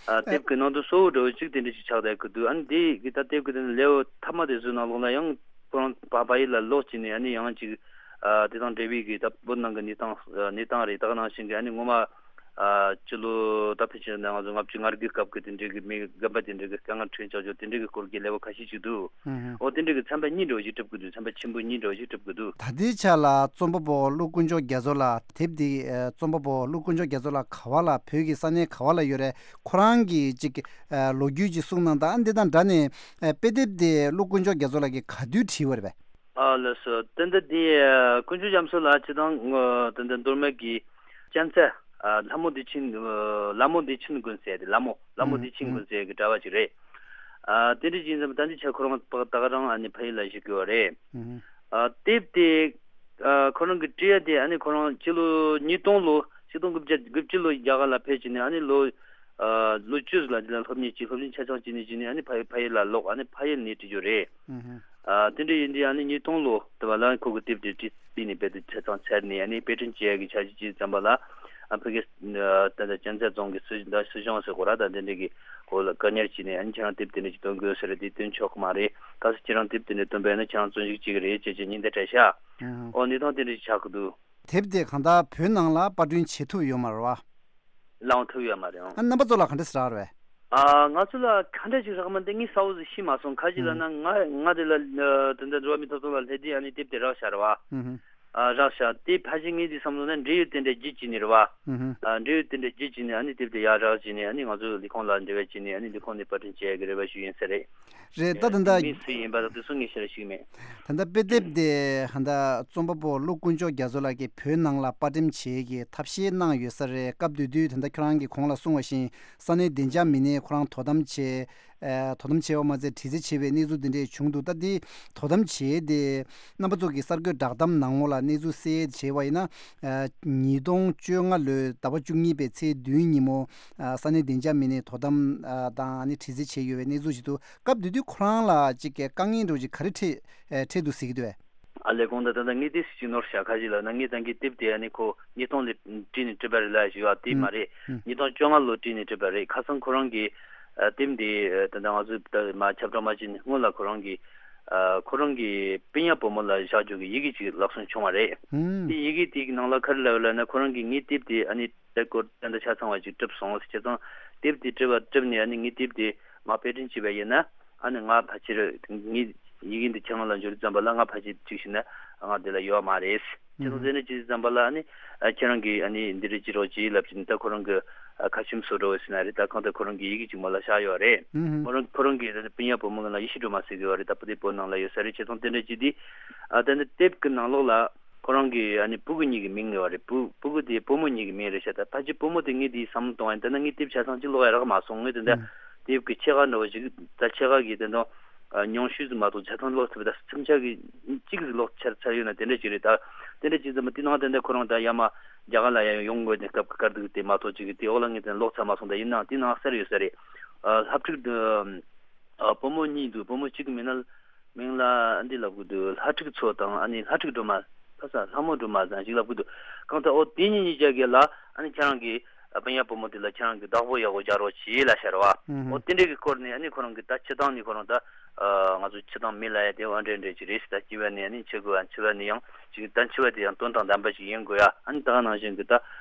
ཨ། དེབ་ཀྱི་ནང་དུ་གཙོ་བོ་འདྲ་བོ་ཅིག་དེ་འདྲ་ཞིག་ཆགས་བསྡད་ཀྱི་འདུག་ཨ་ནི་དེ་གི་ད་དེབ་ཀྱི་དེ་ནི་ལེའུ་མཐའ་མ་དེ་ཚོའི་ནང་ལོགས་ལ་ཡང་ཁོ་རང་ཕ་ཕ་ཡུལ་ལ་ལོག་བྱས་ནས་ཨ་ནི་ཡང་ཅིག་ཨ། དེ་དང་འབྲེལ་བའི་གི་ད་བོད་ནང་གི་གནས་སྟངས། ཨ། གནས་སྟངས་རེད། ད་ག་ནང་བཞིན་གི་ཨ་ནི་སྔོན་མ། ཨ། སྤྱི་ལོ་ད་ཕལ་ཆེར་ན་ང་ཚོ་ལྔ་བཅུ་ང་དགུའི་སྐབས་ཀྱི་དེ་འདྲའི་གི་མི་རྒན་པ་དེ་འདྲའི་གི་དཀའ་ངལ་འཕྲད་བྱུང་ཆོག་དེ་འདྲའི་གི་སྐོར་གྱི་ལེའུ་ཁ་ཤས་ཅིག་འདུག་ཨུ་ཧུམ། ཨོ་དེ་འདྲའི་གི་ཚན་པ་གཉིས་འདྲ་བོ་ཞིག་གྲུབ་ཀྱི་འདུག་ཚན་པ་ཆེན་པོ་གཉིས་འདྲ་བོ་ཞིག་གྲུབ་ཀྱི་འདུག་ད་ལྟའི་ཆ་ལ་རྩོམ་པ་པོ་ཀླུ་དཀོན་མཆོག་རྒྱ་མཚོ་ལགས། དེབ་འདི། ཨ། རྩོམ་པ་པོ་ཀླུ་དཀོན་མཆོག་རྒྱ་མཚོ་ལགས་ག་བ་ལ། བོད་ཀྱི་ས་གནས་ག་བ་ལ་ཡོད་རེད། ཁོ་རང་གི་ཅིག་ཨ། ལོ་རྒྱུས་ཅིག་གསུངས་གནང་དང་། ཨ། འདི་དང་སྦྲགས་ནས། ཨ། དཔེ་དེབ་དེ་ཀླུ་དཀོན་མཆོག་རྒྱ་མཚོ་ལགས་ཀྱིས་ག་དུས་བྲིས་པ་རེད་པས། ཨ། ལགས་སོ། ད་ལྟ་འདི། ཨ། དཀོན་མཆོག་རྒྱ་མཚོ་ལགས་སྤྱིར་བཏང་། ཨ། ད་ལྟ་མདོ་སྨད་ཀྱི་གཅན་ཚ། ཨ། ལྷ་མོ་བདེ་ཆེན། ཨ། ལྷ་མོ་བདེ་ཆེན་དགོན་ཟེར་ཏེ། ལྷ་མོ། ལྷ་མོ་ཨུ་བདེ་ཆེན་ཨུ་དགོན་ཟེར་གྱི་གྲྭ་པ་ཅིག་རེད། ཨ། དེ་འདྲ་ཅིག་ཡིན་ཙང་ད་ལྟའི་ཆར་ཁོ་རང་ད་ག་རང་ཨ་ནི་ཕ་ཡུལ་ལ་བཞུགས་ཀྱི་ཡོད་རེད། ཨུ་ཧུ། ཨ། དེབ་དེ། ཨ། ཁོ་རང་གིས་བྲིས་ཡ་དེ་ཨ་ནི་ཁོ་རང་སྤྱི་ལོ་ཉིས་སྟོང་ལོ། ཆིག་སྟོང་དགུ་བརྒྱ་དགུ་བཅུ་ལོ་རྒྱ་གར་ལ་ཕེབས་བྱས་ནས་ཨ་ནི་ལོ། ཨ། ལོ་བཅུ་ཟིག་ལ་འདི་ལ་སློབ་གཉེར་བྱས། སློབ་གཉེར་ཆ་ཚང་བྱས་ནས་བྱས་ནས་ཨ་ནི་ཕ་ཡུལ། ཕ་ཡུལ་ལ་ལོག་ཨ་ནི་ཕ་ཡུལ་ནས་བྲིས་རྒྱུ་རེད། ཨུ་ཧུ། ཨ། དེ་འདྲ་ཡིན་དུས་ཨ་ནི་ཉིས་སྟོང་ལོ་དེ་བ་ལ་ཁོ་གི་དེབ་དེ་བྲིས་པའི་ནས་དཔེ་དེབ་ཆ་ཚང་ཚར་ནས་ཨ་ནི་དཔེ་སྐྲུན་བྱེད་ཡ་གི་འཆར་གཞི་བྱས་ཙམ་པ་ལ། ཨ། ཕ་གི། ཨ། ད་ལྟ་གཅན་ཚ་རྫོང་གི་སྲིད། ད་སྲིད་གཞུང་ཟེར་དགོས་ར། ད་དེ་འདྲ་གི་སྐོར་ལ་བཀའ་གཉེར་བྱས་ནས་ཨ་ནི་ཁྱེད་རང་དེབ་དེ་འདྲ་ཅིག་བཏོན་དགོས་ཟེར་རེད། དེ་བཏོན་ཆོག་གི་མ་རེད། གལ་སྲིད་ཁྱེད་རང་དེབ་དེ་འདྲ་བཏོན་པ་ཡིན་ན་ཁྱེད་རང་བཙོན་འཇུག་བྱེད་ཀྱི་རེད་ཅེས་ཅེས་ཉེན་བརྡ་སྤྲད་ཤག་ཨུ་ཧུ། ཨོ་གནས་སྟངས་དེ་འདྲ་ཅིག་ཆགས་ཀྱི་འདུག་དེབ་དེ་གང་ལྟར་བོད་ནང་ལ་པར་སྐྲུན་བྱེད་ཐུབ་ཡོད་མ་རེད་བ། ལའང་ཐུབ་ཡོད་མ་རེད། ཨང་། ཨ། རྣམ་པ་ཚོ་ལ་ག་འདྲ་ཟེར་རག་རེད། ཨ། ང་ཚོ་ལ་ག་འདྲ་ཞིག་རག་མ་འདི་ངས་གསལ་བོ་ཞིག་ཤེས་མ་སོང་། ག་ཅི་ལབ་ན། ཨང་། ང་། ང་དེ་ལ། ཨ། དེ་འདྲ་འགྲོ་བ་མིའི་ཐོབ་ཐང་ལ་སླེབས་དུས་ཨ་ནི་དེབ་དེ་རག་ཤག་རེད་བ། ཨུ་ཧུ། ཨ། རག་ཤག་དེ་ཕལ་ཆེར་ངས་དེ་བསམ་བློ་ན་འབྲེལ་ཡོད་དེ་འདྲ་བརྒྱུད་བྱས་ནས་རེད་བ། ཨུ་ཧུ། ཨ། འབྲེལ་ཡོད་དེ་འདྲ་བརྒྱུད་བྱས་ནས་ཨ་ནི་དེབ་དེ་ཡར་རག་བྱས་ནས་ཨ་ནི་ང་ཚོ་ལས་ཁུངས་ལ་འབྲེལ་བ་བྱས་ནས་ཨ་ནི་ལས་ཁུངས་ནས་པར་སྐྲུན་བྱེད་ཡ་གི་རེ་བ་ཞུས་ཡིན་ས་རེད། རེད། ད་ད་ལྟ་མི་སུ་ཡིན་པ་དང་དེ་ཚོ་ངས་ཞེ་དྲག་ཤེས་ཀྱི་མེད། ད་ལྟ་དཔེ་དེབ་དེ་ཧ་ད་རྩོམ་པ་པོ་ཀླུ་དཀོན་མཆོག་རྒྱ་མཚོ་ལགས་ཀྱིས་བོད་ནང་ལ་པར་འགྲེམས་བྱེད་ཀྱི་ཐབས་ཤེས་གནང་ཡོད་ས་རེད། སྐབས་དེ་དུས་ད་ལྟ་ཁྱོད་རང་གིས་གོང་ལ་གསུངས་པ་བཞིན་ས་གནས་བདེ་འཇགས་མི་སྣས་ཁོ་རང་དོ་དམ་བྱས། ཨ། དོ་དམ་བྱས་པ་མ་ཟད་དྲི་རྩད་བྱས་པའི་གནས་ཚུལ་དེ་འདྲས་བྱུང་འདུག་ད་དེ་དོ་དམ་བྱས་ཏེ་རྣམ་པ་ཚོ་གི་གསར་འགོད་བསྒྲགས་གཏམ་ནང་ལོགས་ལ་གནས་ཚུལ་གསལ་བྱས་པ་ཡིན་ན། ཨ། ཉིས་སྟོང་བཅོ་ལྔ་ལོའི་ཟླ་བ་བཅུ་གཉིས་པའི་ཚེས་བདུན་ཉིན་མོ། ཨ། ས་གནས་བདེ་འཇགས་མི་སྣས་དོ་དམ། ཨ། དང་ཨ་ནི་དྲི་རྩད་བྱས་ཡོད་པའི་གནས་ཚུལ་ཞིག་འདུག་སྐབས་དེ་དུས་ཁོ་རང་ལ་ཅིག་གི་དཀའ་ངལ་འདྲ་བོ་ཅིག་ག་རེ་འཕྲད། ཨེ། འཕྲད་འདུག་ཟེར་གྱི་འདུག་གས། ཨ་ལས་གོང་དུ་ད་ལྟ་ངས་དེ་ཅིག་ནོར་ཤག་ག་ཅི་ལབ་ན་ངས་ད་གིན་དེབ་དེ་ཨ་ནི་ཁོ་ཉིས་སྟོང་ལོ་བྲིས་ནས་བྲིས་པ་རེད་ལབ་ཞུས་པ་དེ་མ་རེད། ཨུ། ཉིས་སྟོང་བཅོ་ལྔ་ལོ་བྲིས་ནས་བྲིས་པ་རེད། ཁ་སང་ཁོ་རང་གིས། ཨ། དེབ་འདི། ཨ། ད་ལྟ་ང་ཚོས་ད་མ་ཁྱབ་བསྒྲགས་མ་བྱས་ནས་སྔོན་ལ་ཁོ་རང་གིས། ཨ། ཁོ་རང་གི་སྤུན་ཡ་བུ་མོ་ལ་བཞག་རྒྱུ་གི་ཡི་གེ་ཅིག་ལག་སོན་བྱུང་བ་རེད། ཨུ། དེ་ཡི་གེ་དེའི་ནང་ལ་ག་རེ་ལབ་ཡོད་ལབ་ན། ཁོ་རང་གིས་ངའི་དེབ་དེ་ཨ་ནི། དེ་སྐོར་ཏན་ཏན་ཆ་ཚང་བ་ཅིག་བསྒྲུབས་སོང་། བྱས་ཙང་དེབ་དེ་བསྒྲུབས་པ་བསྒྲུབས་ནས་ཨ་ནི་ངའི་དེབ་དེ་ང་དཔེ་སྐྲུན་བྱས་པ་ཡིན་ན་ཨ་ནི་ང་ཕལ་ཆེར་ངའི་ཡི་གེ་འདི་ཁྱེད་རང་ལ་འབྱོར་དུས་ཙམ་པ་ལ་ང་ཕལ་ཆེར་ཅིག་བྱས་ན་ང་འདི་ལ་ཡོད་མ་རེད། ཁྱེད་རང་ཟེར་ན་ཅི་ཙམ་པ་ལ་ཨ་ནི་ཨ་ཁྱེད་རང་གིས་ཨ་ནི་འདི་རེད་ཅི་རོགས་ཅིག་ལབ་ཅིག་ད་ཁོ་རང་གི་ཨ་ཁ་ཆེམས་བཟོ་འདྲ་བོ་ཟེར་ན་རེད། ད་གང་ལྟར་ཁོ་རང་གི་ཡི་གེ་ཅིག་མོ་ལ་བཞག་ཡོད་རེད། ཨུ་ཧུ། ཁོ་རང་ཁོ་རང་གི་སྤུན་ཡ་བུ་མོ་ལ་ཡེ་ཤེས་སྒྲོལ་མ་ཟེར་གྱི་ཡོད་རེད། ད་བུ་དེ་བོད་ནང་ལ་ཡོད་ས་རེད། བྱས་ཙང་དེ་འདྲ་ཅིག་དེ་ཨ་ད་ནི་དེབ་ཀྱི་ནང་ལོགས་ལ། ཁོ་རང་གི་ཨ་ནི་སྤུ་གུ་གཉིས་ཀྱི་མིང་ཡོད་རེད། སྤུ་སྤུ་གུ་དེ་བུ་མོ་གཉིས་ཀྱི་མིང་རེད་ཤག་ད་ཕལ་ཆེར་བུ་མོ་དེ་ངས་དེའི་བསམ་བློ་གཏོང་བ་ཡིན། ད་ནི་ངས་དེབ་ཆ་ཚང་གཅིག་ཀློག་ཡ་རག་མ་སོང་། ངས་དེ་འདྲ་ཨང་། དེབ་ཀྱི་ཕྱེད་ཀ་འདྲ་བོ་ཞིག་ད་ཕྱེད་ཀ་གི་དེ་འདྲ་ཨ་ཉུང་ཤོས་ཟིག་མ་གཏོགས་ཆ་ཚང་ཀློག་ཐུབ། ད་སེམས་ཆགས་ཀྱི་གཅིག་ཟིག་ཀློག་ཚར་ཚར་ཡོད་ན་དེ་འདྲ་ཅིག་རེད། ད་དེ་འདྲ་ཅིག་ཙམ་དེ་ནང་དེ་འདྲ་ཁོ་རང་ད་ཡར་མར་རྒྱ་གར་ལ་ཡར་ཡོང་དགོས་དེ་སྐབས་ཀྱི་སྐར་དུས་དེ་མ་གཏོགས་ཅིག་གི་དེ་འོག་ལ་ངས་དེ་ཀློག་ཚར་མ་སོང་། ད་ཡིན་ནའང་དེ་ནང་གསལ་ཡོད་ས་རེད། ཨ་སློབ་ཕྲུག་ཨ་བུ་མོ་གཉིས་འདུག་བུ་མོ་གཅིག་གི་མིང་ལ་མིང་ལ་འདི་ལབ་གི་འདུག་ལྷ་ཕྲུག་མཚོ་དང་ཨ་ནི་ལྷ་ཕྲུག་སྒྲོལ་མ། ཁ་ས་ལྷ་མོ་སྒྲོལ་མ་ཟེར་ཞིག་ལབ་གི་འདུག་གང་ལྟར་ཨོ་དེ་གཉིས་གཉིས་ཆ་གི་ལ་ཨ་ནི་ཁྱེད་རང་གི་ ཨ་པ་ཡ་བུ་མོ་དེ་ལ་ཁྱེད་རང་གི་བདག་པོ་ཡག་པོ་རྒྱག་རོགས་བྱེད་ལབ་ཤར་བ། ཨོ་དེ་འདྲས་ཀྱི་སྐོར་ནས་ཨ་ནི་ཁོ་རང་གི་ད་སྤྱི་བཏང་ནས་ཁོ་རང་ད་ང་ཚོ་སྤྱི་བཏང་མི་ལ་ཡ་དེ་འོ་འདྲས་འདྲས་ཅིག་རེད་ཟེར། ད་སྐྱེ་བ་ནས་ཨ་ནི་འཆི་དགོས་ཨ་འཆི་བ་ནས་ཡང་ཅིག་ད་འཆི་བ་དེ་ཡང་དོན་དང་ལྡན་པ་ཞིག་ཡིན་དགོས་ཡ། ཨ་ནི་ད་ག་ནང་བཞིན་གི་ད་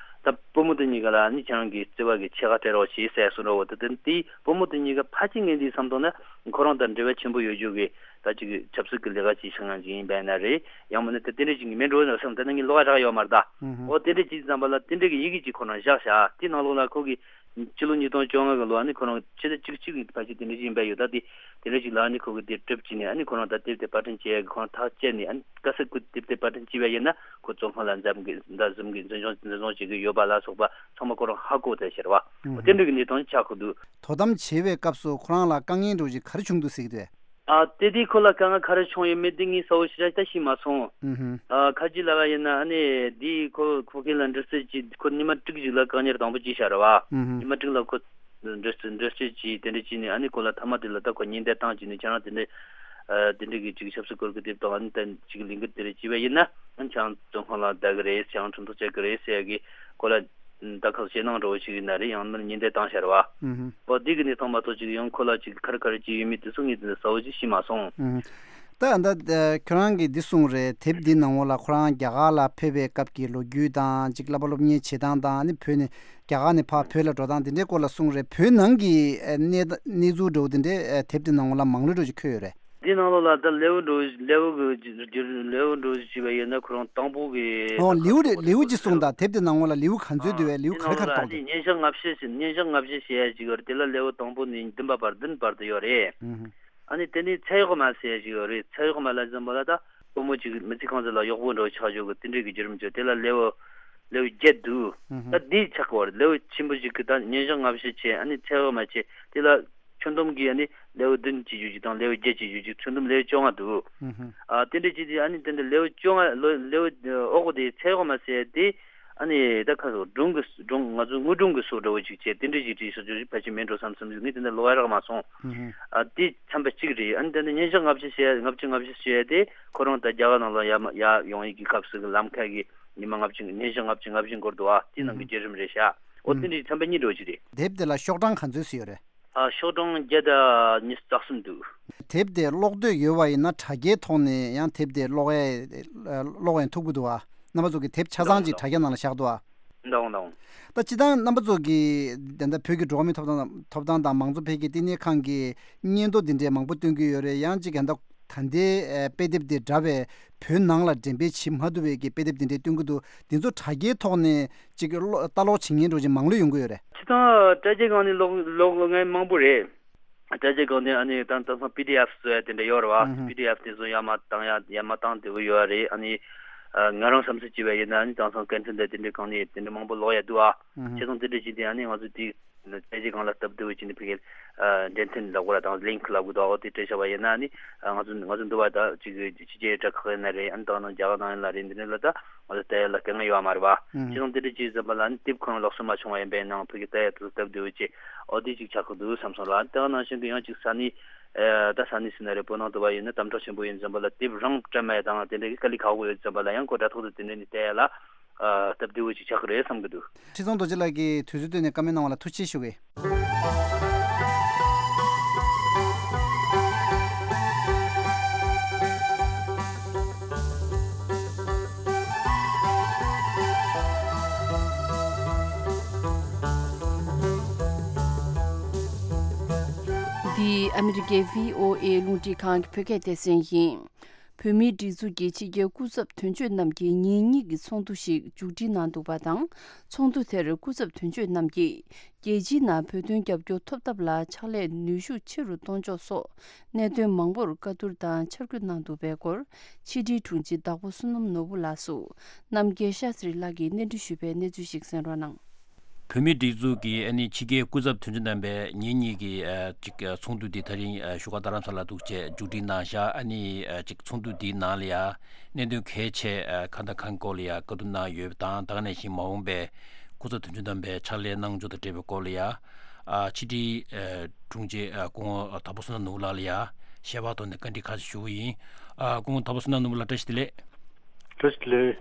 ད་བུ་མོ་དེ་གཉིས་ཀ་ལ་ཨ་ནི་ཁྱེད་རང་གི་བརྩེ་བ་གི་ཕྱེད་ཀ་སྤྲད་རོགས་བྱེད་ཟེར་གསུངས་རོགས། ད་དེ་དེའི་བུ་མོ་དེ་གཉིས་ཀ་ཕལ་ཆེར་ངས་འདི་བསམ་དོན་ན་ཁོ་རང་དང་འབྲེལ་བ་ཆེན་པོ་ཡོད་རྒྱུ་གི་ད་ཅིག་ཆབ་སྲིད་ཀྱི་ལས་ཀ་ཅིག་བྱེད་མཁན་ཅིག་ཡིན་པས་ན་རེད། ཡང་མིན་ན་དེ་དེ་འདྲས་ཅིག་མིན་འགྲོ་ན་བསམ། དེ་ནི་ངའི་བློ་ཁ་རག་ཡོད་མ་རེད་ད། ཨོ་དེ་འདྲས་ཅིག་ཙམ་པ་ལ་དེ་འདྲས་ཀྱི་ཡི་གེ་ཅིག་ཁོ་རང་བཞག་བཞག་དེ་ནང་ལོགས་ལ་ཁོ་གི་སྤྱི་ལོ་ཉིས་སྟོང་བཅོ་ལྔ་གི་ལོ་ཨ་ནི་ཁོ་རང་ཕྱི་ཟླ་བཅུ་གཅིག་གི་ཕལ་ཆེར་དེ་འདྲས་ཅིག་ཡིན་པས་ཡོད། ད་དེ་དེ་འདྲས་ཅིག་ལ་ཨ་ནི་ཁོ་གི་དེབ་དེབ་དེ་པར་སྐྲུན་བྱེད་ཡ་གི་ཁོ་རང་ད་དེབ་དེ་པར་སྐྲུན་བྱེད་ཡ་གི་ཁོ་རང་ཐག་བཅད་ནས། ཨ་ནི་ག་ས་ཁོ་དེབ་དེ་པར་སྐྲུན་བྱས་པ་ཡིན་ན་ཁོ་བཙོན་ཁང་ལ་འཛམ་གི་ཟླ་གསུམ་གི་འཛིན་བཟུང་འཛིན་བཟུང་བྱེད་ཀྱི་ཡོད་པ་ལ་སོགས་པ་ཚང་མ་ཁོ་རང་ཧ་གོ་ཚར་ཤར་བ། ཨོ་དེ་འདྲས་ཀྱི་གནས་སྟངས་ཆགས་ཀྱི་འདུག་དོ་དམ་བྱེད་པའི་སྐབས་སུ་ཁོ་རང་ལ་དཀའ་ངལ་འདྲ་བོ་ཅིག་ག་རེ་བྱུང་འདུག་ཟེར་གྱི་འདུག་ཨ་དེ་དུས་ཁོ་ལ་དཀའ་ངལ་ག་རེ་བྱུང་ཡོད་མེད་དེ་ངས་གསལ་བོ་ཞེ་དྲག་ད་ཤེས་མ་སོང་། ཨུ་ཧུམ། ཨ་ཁ་ཅིག་ལབ་པ་ཡིན་ན་ཨ་ནི་དེ་ཁོ་ཁོ་ཁེ་ལ་འདྲི་རྩད་ཅིག་ཁོ་ཉི་མ་དྲུག་ཅིག་ལ་བཀག་ཉར་དང་པོ་བྱས་ཤར་བ། ཨུ་ཧུམ། ཉི་མ་དྲུག་ལ་ཁོ་འདྲི་རྩད་འདྲི་རྩད་ཅིག་དེ་འདྲ་བྱས་ནས་ཨ་ནི་ཁོ་ལ་ཐ་མ་དེ་ལ་ད་ཁོ་ཉེན་བརྡ་བཏང་བྱས་ནས་ཁྱེད་རང་དེ་འདྲ་ཨ་དེ་འདྲ་གི་ཅིག་ཆབ་སྲིད་སྐོར་གྱི་དེབ་དང་ཨ་ནི་ད་ཅིག་ལས་འགུལ་དེ་འདྲ་བྱས་པ་ཡིན་ན་ཨ་ནི་ཁྱེད་རང་བཙོན་ཁང་ལ་བསྡད་ཀྱི་རེད། ཁྱེད་རང་ཁྲིམས་ཐག་བཅད་ཀྱི་རེད་ཟེར་ཡ་གི་ཁོ་ལ། ད་ཁག་ཞེད་སྣང་འདྲ་བོ་ཞིག་ཡིན་ན་རེད། ཡང་ན་ཉེན་བརྡ་བཏང་ཤར་བ། ཨུ་ཧུམ། ཨོ་དེ་གི་གནས་སྟངས་མ་གཏོགས་ཅིག་ཡང་ཁོ་ལ་ཅིག་ག་རེ་ག་རེ་ཅིག་ཡོད་མེད་དེ་ཚོ་ངས་དེ་འདྲ་གསལ་བོ་ཅིག་ཤེས་མ་སོང་། ཨུ་ཧུམ། ད་ད་ཁྱོད་རང་གིས་འདི་གསུངས་རེད། དེབ་འདི་ནང་ལོགས་ལ་ཁོ་རང་རྒྱ་གར་ལ་ཕེབས་པའི་སྐབས་ཀྱི་ལོ་རྒྱུས་དང་ཅིག་བསླབ་པ་སློབ་གཉེར་བྱེད་སྟངས་དང་ཨ་ནི་བོད་ནས་རྒྱ་གར་ནས་ཕར་བོད་ལ་འགྲོ་སྟངས་དེ་འདྲའི་སྐོར་ལ་གསུངས་རེད། བོད་ནང་གི་གནས་གནས་ཚུལ་འདྲ་བོ་དེ་འདྲའི་དེབ་འདི་ནང་ལོགས་ལ་མང་ལོས་འདྲ་བོ་ཅིག་འཁོད་ཡོད་རེད། འདི་ནང་ལོགས་ལ་ད་ལེའུ་འདྲ་བོ་ལེའུ་གི་ལེའུ་འདྲ་བོ་ཅིག་བྱས་པ་ཡིན་ན་ཁོ་རང་དང་པོ་གི་ཨོ་ལེའུ་རེད། ལེའུ་ཅིག་གསུངས་དང་། དེབ་དེ་ནང་ལོགས་ལ་ལེའུ་ག་ཚོད་འདུག་བས། ལེའུ་ག་རེ་ག་རེ་གཏོགས་འདུག་ཉིན་ཞག་ལྔ་བཅུ་ཞེས་ཉིན་ཞག་ལྔ་བཅུ་ཞེས་ཡ་ཅིག་ཡོད་རེད། དེ་ལ་ལེའུ་དང་པོ་ནས་བདུན་པ་བར་བདུན་བར་དུ་ཡོད་རེད། ཨུ་ཧུམ། ཨ་ནི་དེ་ནས་ཚེ་གཡོག་མ་ཟེར་ཡ་ཅིག་ཡོད་རེད། ཚེ་གཡོག་མ་ལ་འཛིན་པ་ལ་ད་བུ་མོ་ཅིག་མི་ཚེ་གང་ཚེ་ལ་གཡོག་པོ་འདྲ་བོ་ཆགས་ཆོག་གི་དེ་འདྲའི་གི་བརྒྱུད་རིམ་ཅིག་དེ་ལ་ལེའུ་ལེའུ་བརྒྱད་འདུག་ཨུ་ཧུམ། ད་འདི་ཆགས་པ་རེད། ལེའུ་ཆེན་པོ་ཅིག་གི་ད་ཉིན་ཞག་ལྔ་བཅུ་བྱས། ཨ་ནི་ཚེ་གཡོག་མ་བྱས། དེ་ལ་ཁྱོན་བསྡོམས་ཀྱིས་ཨ་ནི་ལེའུ་བདུན་བྱེད་རྒྱུ་ཅིག་དང་ལེའུ་བརྒྱད་བྱེད་རྒྱུ་ཅིག་ཁྱོན་བསྡོམས་ལེའུ་བཅོ་ལྔ་འདུག་ཨུ་ཧུམ། ཨ་དེ་འདྲ་བྱས་ཏེ་ཨ་ནི་དེ་འདྲ་ལེའུ་བཅོ་ལྔ་ལོ་ལེའུ་ཨོ་གོ་དེ་ཚེ་གཡོག་མ་ཟེར་དེ་ཨ་ནི་ད་ཁ་སོ་སྒྲུང་གི་སྒྲུང་ང་ཚོ་དངོས་སྒྲུང་གི་སོ་འདྲ་བོ་ཅིག་བྱས། དེ་འདྲ་ཅིག་བྲིས་སོ་ཅིག་ཕལ་ཆེར་མིན་འགྲོ་བསམ་བསམ་ཞིག་ངས་དེ་འདྲ་ལོ་ཡ་རག་མ་སོང་། ཨུ་ཧུམ། ཨ་དེ་ཚན་པ་གཅིག་རེད། ཨ་ནི་དེ་ནི་ཉིན་ཞག་ལྔ་བཅུ་བྱས། ལྔ་བཅུ་ལྔ་བཅུ་བྱས་ཏེ་ཁོ་རང་ད་རྒྱ་གར་ནང་ལ་ཡར་མ་ཡར་ཡོང་ཡིག་གི་སྐབས་སུ་གི་ལམ་ཁ་གི་ཉི་མ་ལྔ་བཅུ་ཉིན་ཞག་ལྔ་བཅུ་ལྔ་བཅུ་འགོར་འདུག་ཨ་དེ་ནང་གི་བརྒྱུད་རིམ་རེད་ཤག་ཨོ་དེ་འདྲའི་ཚན་པ་གཉིས་འགྲོ་གི་རེད། དེབ་དེ་ལ་ཤོག་གྲངས་ག་ཚོད་ཙམ་ཡོད་རེད། ཨ་ཤོག་གྲངས་བརྒྱ་དང་ཉི་ཤུ་རྩ་གསུམ་འདུག་དེབ་དེ་ཀློག་འདོད་ཡོད་པ་ཡིན་ན་དྲ་རྒྱའི་ཐོག་ནས་ཡང་དེབ་དེ་ཀློག་ཡས་ཀློག་ཡས་ཐུབ་ཀྱི་འདུག་ཨ། རྣམ་པ་ཚོ་གི་དེབ་ཆ་ཚང་ཅིག་དྲ་རྒྱ་ནང་ལ་བཞག་འདུག་ཨ། འདུག་འདུག་ད་སྤྱིར་བཏང་རྣམ་པ་ཚོ་གི་ད་ལྟ་བོད་ཀྱི་འགྲོ་བ་མིའི་ཐོབ་ཐང་ཐོབ་ཐང་དང་མང་གཙོ་འཕེལ་རྒྱས་བསྟི་གནས་ཁང་གི་སྙན་ཐོ་འདི་འདྲའི་མང་པོ་སྟོན་གྱི་ཡོད་རེད། ཡང་ཅིག་ད་ལྟ་ད་ལྟའི་ཨ་དཔེ་དེབ་དེ་འདྲ་བའི་བོད་ནང་ལ་འགྲེམས་སྤེལ་བྱེད་མ་ཐུབ་པའི་གི་དཔེ་དེབ་དེ་འདྲའི་སྟོན་གྱི་འདུག་འདི་ཚོ་དྲ་རྒྱའི་ཐོག་ནས་ཅིག་ཀློག་ལྟ་ཀློག་བྱེད་མཁན་འདྲ་ཅིག་མང་ལོས་ཡོང་གི་ཡོད་རེད། སྤྱིར་བཏང་དྲ་རྒྱའི་སྒང་ནས་ཀློག་ཀློག་མཁན་མང་པོ་རེད། དྲ་རྒྱའི་སྒང་ནས་ཨ་ནི་ད་དེང་སང་པི་ཌི་ཨེཕ་བཟོ་ཡ་དེ་འདྲ་ཡོད་རེད་བ། ཨུ་ཧུམ། པི་ཌི་ཨེཕ་དེ་ཚོ་ཡར་མར་བཏང་ཡ་ཡར་མར་བཏང་བདེ་པོ་ཡོད་རེད། ཨ་ནི་ཨ་ང་རང་བསམ་ཚུལ་བྱས་པ་ཡིན་ན་ཨ་ནི་དེང་སང་སྐད་འཕྲིན་དང་དེ་འདྲའི་སྒང་ནས་དེ་འདྲ་མང་པོ་ཀློག་ཡ་འདུག་ཨ། ཨུ་ཧུམ། བྱས་ཙང་དེ་འདྲ་བྱས་ཏེ་ཨ་ནི་ང་ཚོ་དེ་དྲ་རྒྱའི་སྒང་ལ་སྟབས་བདེ་པོ་བྱས་ནས་ཕ་གིར་ཨ་འགྲེམས་སྟོན་ལབ་དགོས་ར་དང་ལིང་ཀི་ལབ་དགོས་དང་ཨོ་དེ་སྤྲད་བཞག་པ་ཡིན་ན་ཨ་ནི་ཨ་ང་ཚོ་ང་ཚོ་འདི་བ་ད་ཅིག་ཕྱི་རྒྱལ་དྲ་ཁག་ཡིན་ན་རེད། ཨ་ནི་ད་ནང་རྒྱ་གར་ནང་ཡིན་ན་རེད། འདི་འདྲ་ལ་ད་ང་ཚོ་ལྟ་ཡ་ལ་དཀའ་ངལ་ཡོད་མ་རེད་བ། ཨུ་ཧུམ། བྱས་ཙང་དེ་འདྲ་བྱས་ཙམ་པ་ལ་ཨ་ནི་དེབ་ཁོ་རང་ལག་སོན་མ་བྱུང་བ་ཡིན་པས་ན་ཕ་གི་ལྟ་ཡ་དེ་ཚོ་སྟབས་བདེ་པོ་བྱས་ཨོ་དེ་ཅིག་ཆགས་ཀྱི་འདུག་བསམ་སོང་ར། དེ་ག་ནང་བཞིན་གྱི་ཡང་ཅིག་ས་གནས་ཨེ་ད་ས་གནས་ཟེར་ན་རེད། བོད་ནང་དུ་བ་ཡིན་ན་དམ་དྲག་ཆེན་པོ་ཡིན་ཙམ་པ་ལ་དེབ་རང་སྤྲད་མ་ཡ་དང་དེ་འདྲ་གི་དཀའ་ལས་ཁག་པོ་ཡོད་ཙམ་པ་ལ་ཡང་ཁོ་དྲ་ཐོག་ཏུ་དེ་འདྲ་ནས་བལྟ་ཡ་ལ་ཨ་སྟབས་བདེ་པོ་ཅིག་ཆགས་ཀྱི་རེད་བསམ་གྱི་འདུག་ཁྲི་སྲོང་རྡོ་རྗེ་ལགས་ཀྱིས་དུས་ཚོད་བཏོན་ནས་བཀའ་མོལ་གནང་བ་ལ་ཐུགས་རྗེ་ཆེ་ཞུ་གི། འདི་ཨ་མི་རི་ཀའི་བྷི་ཨོ་ཨེ་རླུང་འཕྲིན་ཁང་གི་བོད་སྐད་སྡེ་ཚན་ཡིན། བོད་མིའི་སྒྲིག་འཛུགས་ཀྱི་ཕྱི་རྒྱལ་སྐུ་ཚབ་དོན་གཅོད་རྣམས་ཀྱིས་ཉིན་གཉིས་ཀྱི་ཚོགས་འདུ་ཞིག་མཇུག་སྒྲིལ་གནང་འདུག་པ་དང་། ཚོགས་འདུ་དེར་སྐུ་ཚབ་དོན་གཅོད་རྣམས་ཀྱིས་རྒྱལ་སྤྱིའི་ནང་བོད་དོན་རྒྱབ་སྐྱོར་ཐོབ་ཐབས་ལ་ཕྱག་ལས་ནུས་ཤུགས་ཆེ་རུ་གཏོང་ཕྱོགས་སོགས་གནད་དོན་མང་པོར་བཀའ་བསྡུར་དང་འཆར་འགོད་གནང་འདུག་པའི་སྐོར་ཕྱི་དྲིལ་དྲུང་ཆེ་བདག་པོ་བསོད་ནམས་ནོར་བུ་ལགས་སུ་རྣམ་རྒྱལ་ཤཱ་སྟྲི་ལགས་ཀྱིས་གནས་འདྲི་ཞུས་པའི་གནས་ཚུལ་ཞིག་གསན་རོགས་གནང་། བོད་མིའི་སྒྲིག་འཛུགས་ཀྱི་ཨ་ནི་ཕྱི་རྒྱལ་སྐུ་ཚབ་དོན་གཅོད་རྣམ་པས་ཉིན་གཉིས་ཀྱི་ཨ་ཅིག་ཚོགས་འདུ་འདི་ད་རིང་བཞུགས་སྒར་རྡ་རམ་ས་ལ་འདུག་བྱས་མཇུག་སྒྲིལ་གནང་བཞག་ཨ་ནི་ཅིག་ཚོགས་འདུ་འདིའི་ནང་ལ་ཡ་གནད་དོན་གལ་ཆེ་ཁ་དང་ཁ་སྐོར་ལ་ཡ་བཀའ་བསྡུར་གནང་ཡོད་པ་དང་། ད་ག་ནང་བཞིན་མ་འོངས་པའི་སྐུ་ཚབ་དོན་གཅོད་རྣམ་པས་ཕྱག་ལས་གནང་ཕྱོགས་དང་འབྲེལ་བའི་སྐོར་ལ་ཡ་ཕྱི་དྲིལ་དྲུང་ཆེ་སྐུ་ངོ་དྭགས་པོ་བསོད་ནམས་ནོར་བུ་ལགས་ལ་ཡ་ཞལ་པར་ཐོག་ནས་བཀའ་འདྲི་ཁ་ཤས་ཞུ་གི་ཡིན། སྐུ་ངོ་དྭགས་པོ་བསོད་ནམས་ནོར་བུ་ལགས་བཀྲ་ཤིས་བདེ་ལེགས། བཀྲ་ཤིས་བདེ་ལེགས།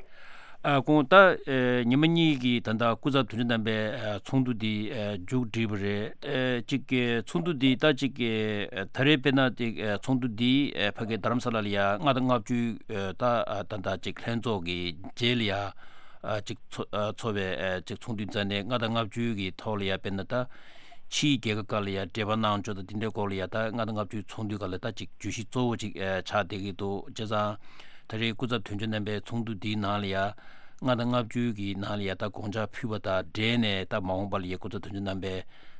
ཨ་ཁོང་ད་ཨེ་ཉི་མ་གཉིས་ཀྱི་ད་ལྟ་སྐུ་ཚབ་དོན་གཅོད་རྣམ་པའི་ཨ་ཚོགས་འདུ་འདི་ཨ་མཇུག་བསྒྲིལ་བ་རེད། ཨེ་གཅིག་གི་ཚོགས་འདུ་འདི་ད་གཅིག་གི་ཨ་ད་རེས་དཔེར་ན་དེ་ཨ་ཚོགས་འདུ་འདི་ཨེ་ཕ་གི་རྡ་རམ་ས་ལ་ལ་ཡ་ལྔ་དང་ལྔ་བཅུའི་ཨེ་ད་ཨ་ད་ད་གཅིག་ལྷན་ཚོགས་ཀྱི་རྗེས་ལ་ཡ་ཨ་གཅིག་ཚོ་ཨ་ཚོགས་པའི་ཨེ་གཅིག་ཚོགས་འདུ་མཛད་ནས་ལྔ་དང་ལྔ་བཅུའི་གི་ཐོག་ལ་ཡ་དཔེར་ན་ད་ཕྱིའི་རྒྱལ་ཁབ་ཁག་ལ་ཡ་འབྲེལ་བ་གནང་ཕྱོགས་དང་དེ་འདྲའི་སྐོར་ལ་ཡ་ད་ལྔ་དང་ལྔ་བཅུའི་ཚོགས་འདུའི་སྒང་ལ་ད་གཅིག་བརྗོད་གཞི་གཙོ་བོ་གཅིག་ཨེ་ཆགས་བསྡད་ཀྱི་འདུག་བྱས་ཙང་། ད་རེས་སྐུ་ཚབ་དོན་གཅོད་རྣམ་པའི་ཚོགས་འདུ་འདིའི་ནང་ལ་ཡ་ལྔ་དང་ལྔ་བཅུའི་གི་ནང་ལ་ཡ་ད་དགོངས་འཆར་ཕུལ་བ་དང་འབྲེལ་ནས་ད་མ་འོངས་པ་ལ་ཡ་སྐུ་ཚབ་དོན་གཅོད་རྣམ་པའི་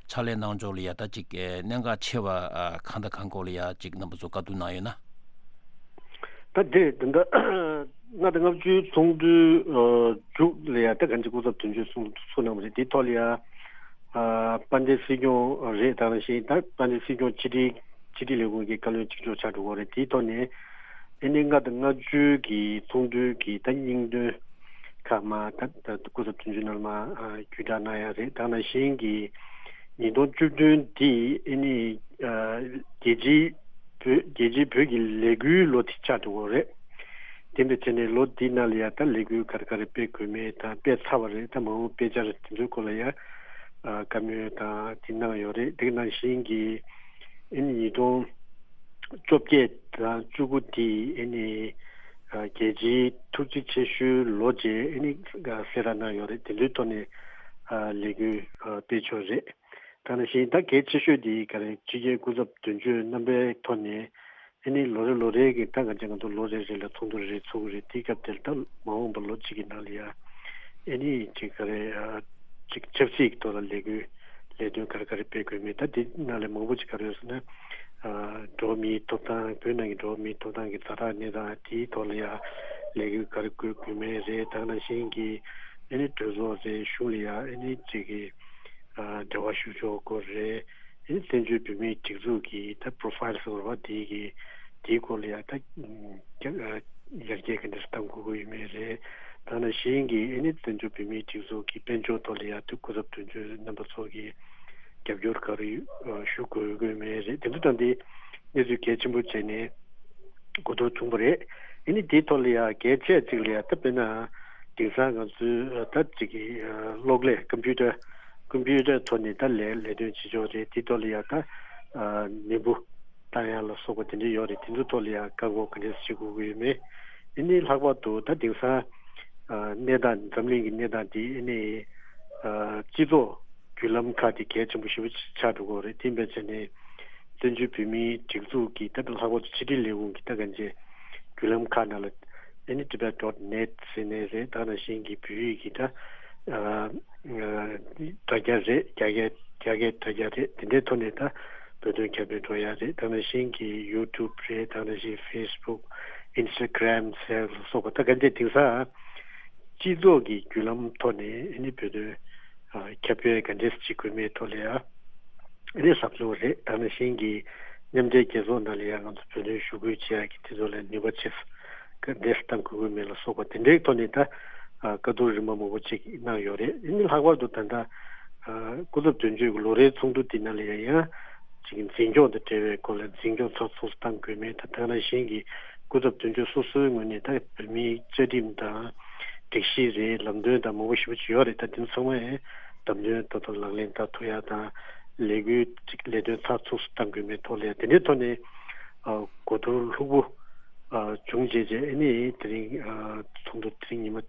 ཕྱག་ལས་གནང་ཕྱོགས་ལ་ཡ་ད་ཅིག་ཨེ་གནད་འགག་ཆེ་བ་ཨ་གང་དང་གང་སྐོར་ལ་ཡ་ཅིག་རྣམ་པ་ཚོ་བཀའ་བསྡུར་གནང་ཡོད་ན། ད་དེ་ད་ལྟ་ལྔ་དང་ལྔ་བཅུའི་ཚོགས་འདུའི་ཨ་མཇུག་ལ་ཡ་ད་གང་ཅི་སྐུ་ཚབ་དོན་གཅོད་ཚོགས་འདུ་ཚོགས་གནང་བ་རེད། དེའི་ཐོག་ལ་ཡ་ཨ་དཔལ་ལྡན་སྲིད་སྐྱོང་རེད། ད་ནང་བཞིན་ད་དཔལ་ལྡན་སྲིད་སྐྱོང་ཕྱི་དྲིལ་ཕྱི་དྲིལ་ལས་ཁུངས་ཀྱི་བཀའ་བློན་གཅིག་ལྕོགས་ཆགས་འགྲོ་གི་རེད། དེའི་ཐོག་ནས་ཨ་ནི་ལྔ་དང་ལྔ་བཅུའི་གི་ཚོགས་འདུའི་གི་ད་སྙིང་དོན་ཁག་མ་ད་ད་སྐུ་ཚབ་དོན་གཅོད་རྣམ་པ་ཨ་བརྒྱུད་བསྒྲགས་གནང་ཡ་རེད། ད་ནང་བཞིན་གི་ཉིས་སྟོང་བཅུ་བདུན་འདི་ཨ་ནི་ཨ་རྒྱལ་སྤྱིའི་བོད་རྒྱལ་སྤྱིའི་བོད་ཀྱི་ལས་འགུལ་ལོ་དེ་ཆགས་འགྲོ་གི་རེད། དེ་འདྲ་བྱས་ནས་ལོ་འདི་ནང་ལ་ཡ་ད་ལས་འགུལ་ག་རེ་ག་རེ་སྤེལ་དགོས་མེད་དང་སྤེལ་ཚར་བ་རེད། ད་མ་འོངས་སྤེལ་འཆར་དེ་ཚོའི་སྐོར་ལ་ཡ་ཨ་བཀའ་མོལ་དང་དེ་གནང་ཡོད་རེད། དེ་ནང་བཞིན་གྱི་ཨ་ནི་ཉིས་སྟོང་བཅོ་བརྒྱད་དང་བཅུ་དགུ་དེ་ཨ་ནི་ཨ་རྒྱལ་སྤྱིའི་ཐུགས་རྗེ་ཆེ་ཞུའི་ལོ་བཅས་ཨ་ནི་གསལ་བསྒྲགས་གནང་ཡོད་རེད། དེ་ཚོའི་ཐོག་ནས་ཨ་ལས་འགུལ་ཨ་སྤེལ་ཆོག་རེད། ད་ནང་བཞིན་ད་གལ་ཆེ་ཤོས་དེ་ག་རེ་ཕྱི་རྒྱལ་སྐུ་ཚབ་དོན་གཅོད་རྣམ་པའི་ཐོག་ནས་ཨ་ནི་ལོ་རེ་ལོ་རེ་གི་ད་ག་ཅིག་ང་ཚོ་ལོ་རེ་རེ་ལ་ཚོགས་འདུ་རེ་ཚོགས་ཀྱི་རེད། དེའི་སྐབས་དེར་ད་མ་འོངས་པ་ལོ་གཅིག་གི་ནང་ལ་ཡ་ཨ་ནི་ཅིག་ག་རེ་ཨ་ཅིག་ཆབ་སྲིད་ཀྱི་ཐོག་ལ་ལས་འགུལ་ལས་དོན་ག་རེ་ག་རེ་སྤེལ་དགོས་མེད། ད་དེ་ནང་ལ་མང་པོ་ཅིག་ག་རེ་ཡོད་ཟེར་ན་ཨ་འགྲོ་བ་མིའི་ཐོབ་ཐང་བོད་ནང་གི་འགྲོ་བ་མིའི་ཐོབ་ཐང་གི་ཛ་དྲག་གནས་སྟངས་དེའི་ཐོག་ལ་ཡ་ལས་འགུལ་ག་རེ་དགོས་དགོས་མེད་རེད། ད་ནང་བཞིན་གྱི་ཨ་ནི་གྲོས་ཚོགས་རེད། གཞུང་ལ་ཡ་ཨ་ནི་ཅིག་གི་ཨ་འབྲེལ་བ་ཞུ་ཕྱོགས་སྐོར་རེད། ཨ་ནི་བཙན་བྱོལ་བོད་མིའི་སྒྲིག་འཛུགས་ཀྱི་ད་པོ་རོ་ཕ་ཡིལ་ཟེར་བ་དེ་གི་དེའི་སྐོར་ལ་ཡ་ད་ཨ་ཡར་རྒྱས་ག་འདྲ་བཏང་དགོས་ཀྱི་ཡོད་མེད་རེད། ད་ནང་བཞིན་གྱི་ཨ་ནི་བཙན་བྱོལ་བོད་མིའི་སྒྲིག་འཛུགས་ཀྱི་དཔལ་འབྱོར་ཐོག་ལ་ཡ་དེ་སྐུ་ཚབ་དོན་གཅོད་རྣམ་པ་ཚོ་གི་རྒྱབ་སྐྱོར་ག་རེ་ཨ་ཞུ་དགོས་ཀྱི་ཡོད་མེད་རེད། དེ་ཚོ་དང་དེ་གནས་ཚུལ་གལ་ཆེན་པོ་བྱས་ནས་གོ་བསྡུར་བྱུང་བ་རེད། ཨ་ནི་དེའི་ཐོག་ལ་ཡ་གལ་ཆེ་གཅིག་ལ་ཡ་ད་དཔེར་ན་དེང་སང་ང་ཚོའི་ད་ཅིག་གི་གློག་ཀླད་ཀམ་པུ་ཊར་ཀམ་པུ་ཊར་ཐོག་ནས་ད་ལས་ལས་དོན་བྱེད་ཕྱོགས་རེད། དེའི་ཐོག་ལ་ཡ་ད་མི་འབོར་བཏང་ཡ་ལ་སོགས་པ་དེ་འདྲ་ཡོད་རེད། དེ་ཚོའི་ཐོག་ལ་ཡ་བཀག་འགོག་ག་འདྲས་བྱེད་དགོས་ཀྱི་ཡོད་མེད། ཨ་ནི་ལྷག་པར་དུ་ད་དེང་སང་གནས་སྟངས་འཛམ་གླིང་གི་གནས་སྟངས་དེ་ཨ་ནི་སྤྱི་ཚོགས་བརྒྱུད་ལམ་ཁག་དེ་གལ་ཆེན་པོ་ཞེ་པོ་ཆགས་འགྲོ་གི་རེད། དེ་འབད་བྱས་ནས་བཙན་བྱོལ་བོད་མིའི་སྒྲིག་འཛུགས་ཀྱི་ད་ལྷག་པར་དུ་ཕྱི་དྲིལ་ལས་ཁུངས་ཀྱི་ད་གང་ཅི་བརྒྱུད་ལམ་ཁག་ནང་ལ་ཨ་ནི་Tibet dot net ཟེར་ནས་རེད། ད་ནང་བཞིན་གྱི་བོད་ཡིག་གི་ད་དྲ་རྒྱ་རེད། རྒྱ་སྐད་རྒྱ་སྐད་དྲ་རྒྱ་རེད། དེ་འདྲའི་ཐོག་ནས་ད་བོད་དོན་ཁྱབ་སྤེལ་འགྲོ་ཡ་རེད། ད་ནང་བཞིན་གྱི་ཡུ་ཊུབ་རེད། ད་ནང་བཞིན་ཕེ་སི་བུག་ཨིན་སི་ཊ་གྷ་རམ་ཟེར་ལ་སོགས་པ་ད་གང་ཅི་དེང་སང་སྤྱི་ཚོགས་ཀྱི་བརྒྱུད་ལམ་ཐོག་ནས་ཨ་ནི་བོད་དོན་ཨ་ཁྱབ་སྤེལ་ག་འདྲས་བྱེད་དགོས་མེད་ཐོག་ལ་ཡ་ཨ་ནི་ཟབ་སྦྱོང་རེད། ད་ནང་བཞིན་གྱི་མཉམ་འབྲེལ་རྒྱལ་ཚོགས་ནང་ལ་ཡ་ང་ཚོ་བོད་དོན་ཞུ་སྐུལ་བྱེད་ཡ་གི་དེ་ཚོ་ལ་ནུས་པ་ཆེ་ས་ག་འདྲས་བཏང་དགོས་ཀྱི་མེད་ལ་སོགས་པ་དེ་འདྲའི་ཐོག་ནས་ད་ཨ་བཀའ་བསྡུར་རིམ་པ་མང་པོ་ཅིག་གནང་ཡོད་རེད། ཨ་ནི་ལྷག་པར་དུ་ད་ལྟ་ཨ་སྐུ་ཚབ་དོན་གཅོད་ཀྱི་ལོ་རེའི་ཚོགས་འདུ་དེ་ནང་ལ་ཡ་ཡང་ཅིག་འཛིན་སྐྱོང་དང་འབྲེལ་བའི་སྐོར་ལ་འཛིན་སྐྱོང་ཚགས་ཚུད་སུ་གཏང་དགོས་མིན་དང་། དེ་ནང་བཞིན་གྱི་སྐུ་ཚབ་དོན་གཅོད་སོ་སོའི་ངོས་ནས་ད་བོད་མིའི་བཅའ་ཁྲིམས་དང་སྒྲིག་གཞི་རེད། ལམ་སྟོན་དང་མང་པོ་ཞེ་པོ་ཅིག་ཡོད་རེད། ད་དེ་ཚོ་ཚང་མ་ཡང་བདམས་ཐོན་ཏག་ཏག་ལག་ལེན་བསྟར་ཐུབ་ཡ་དང་། ལས་འགུལ་ཅིག་ལས་དོན་ཚགས་ཚུད་སུ་གཏང་དགོས་མིན་ཐོག་ལ་ཡ་དེ་འདྲའི་ཐོག་ནས་ཨ་གོ་བསྡུར་ལྷུག་པོ་ཨ་བྱུང་རྗེས་རྗེས་ཨ་ནི་དེ་རིང་ཨ་ཚོགས་འདུ་དེ་རིང་ཉི་མ་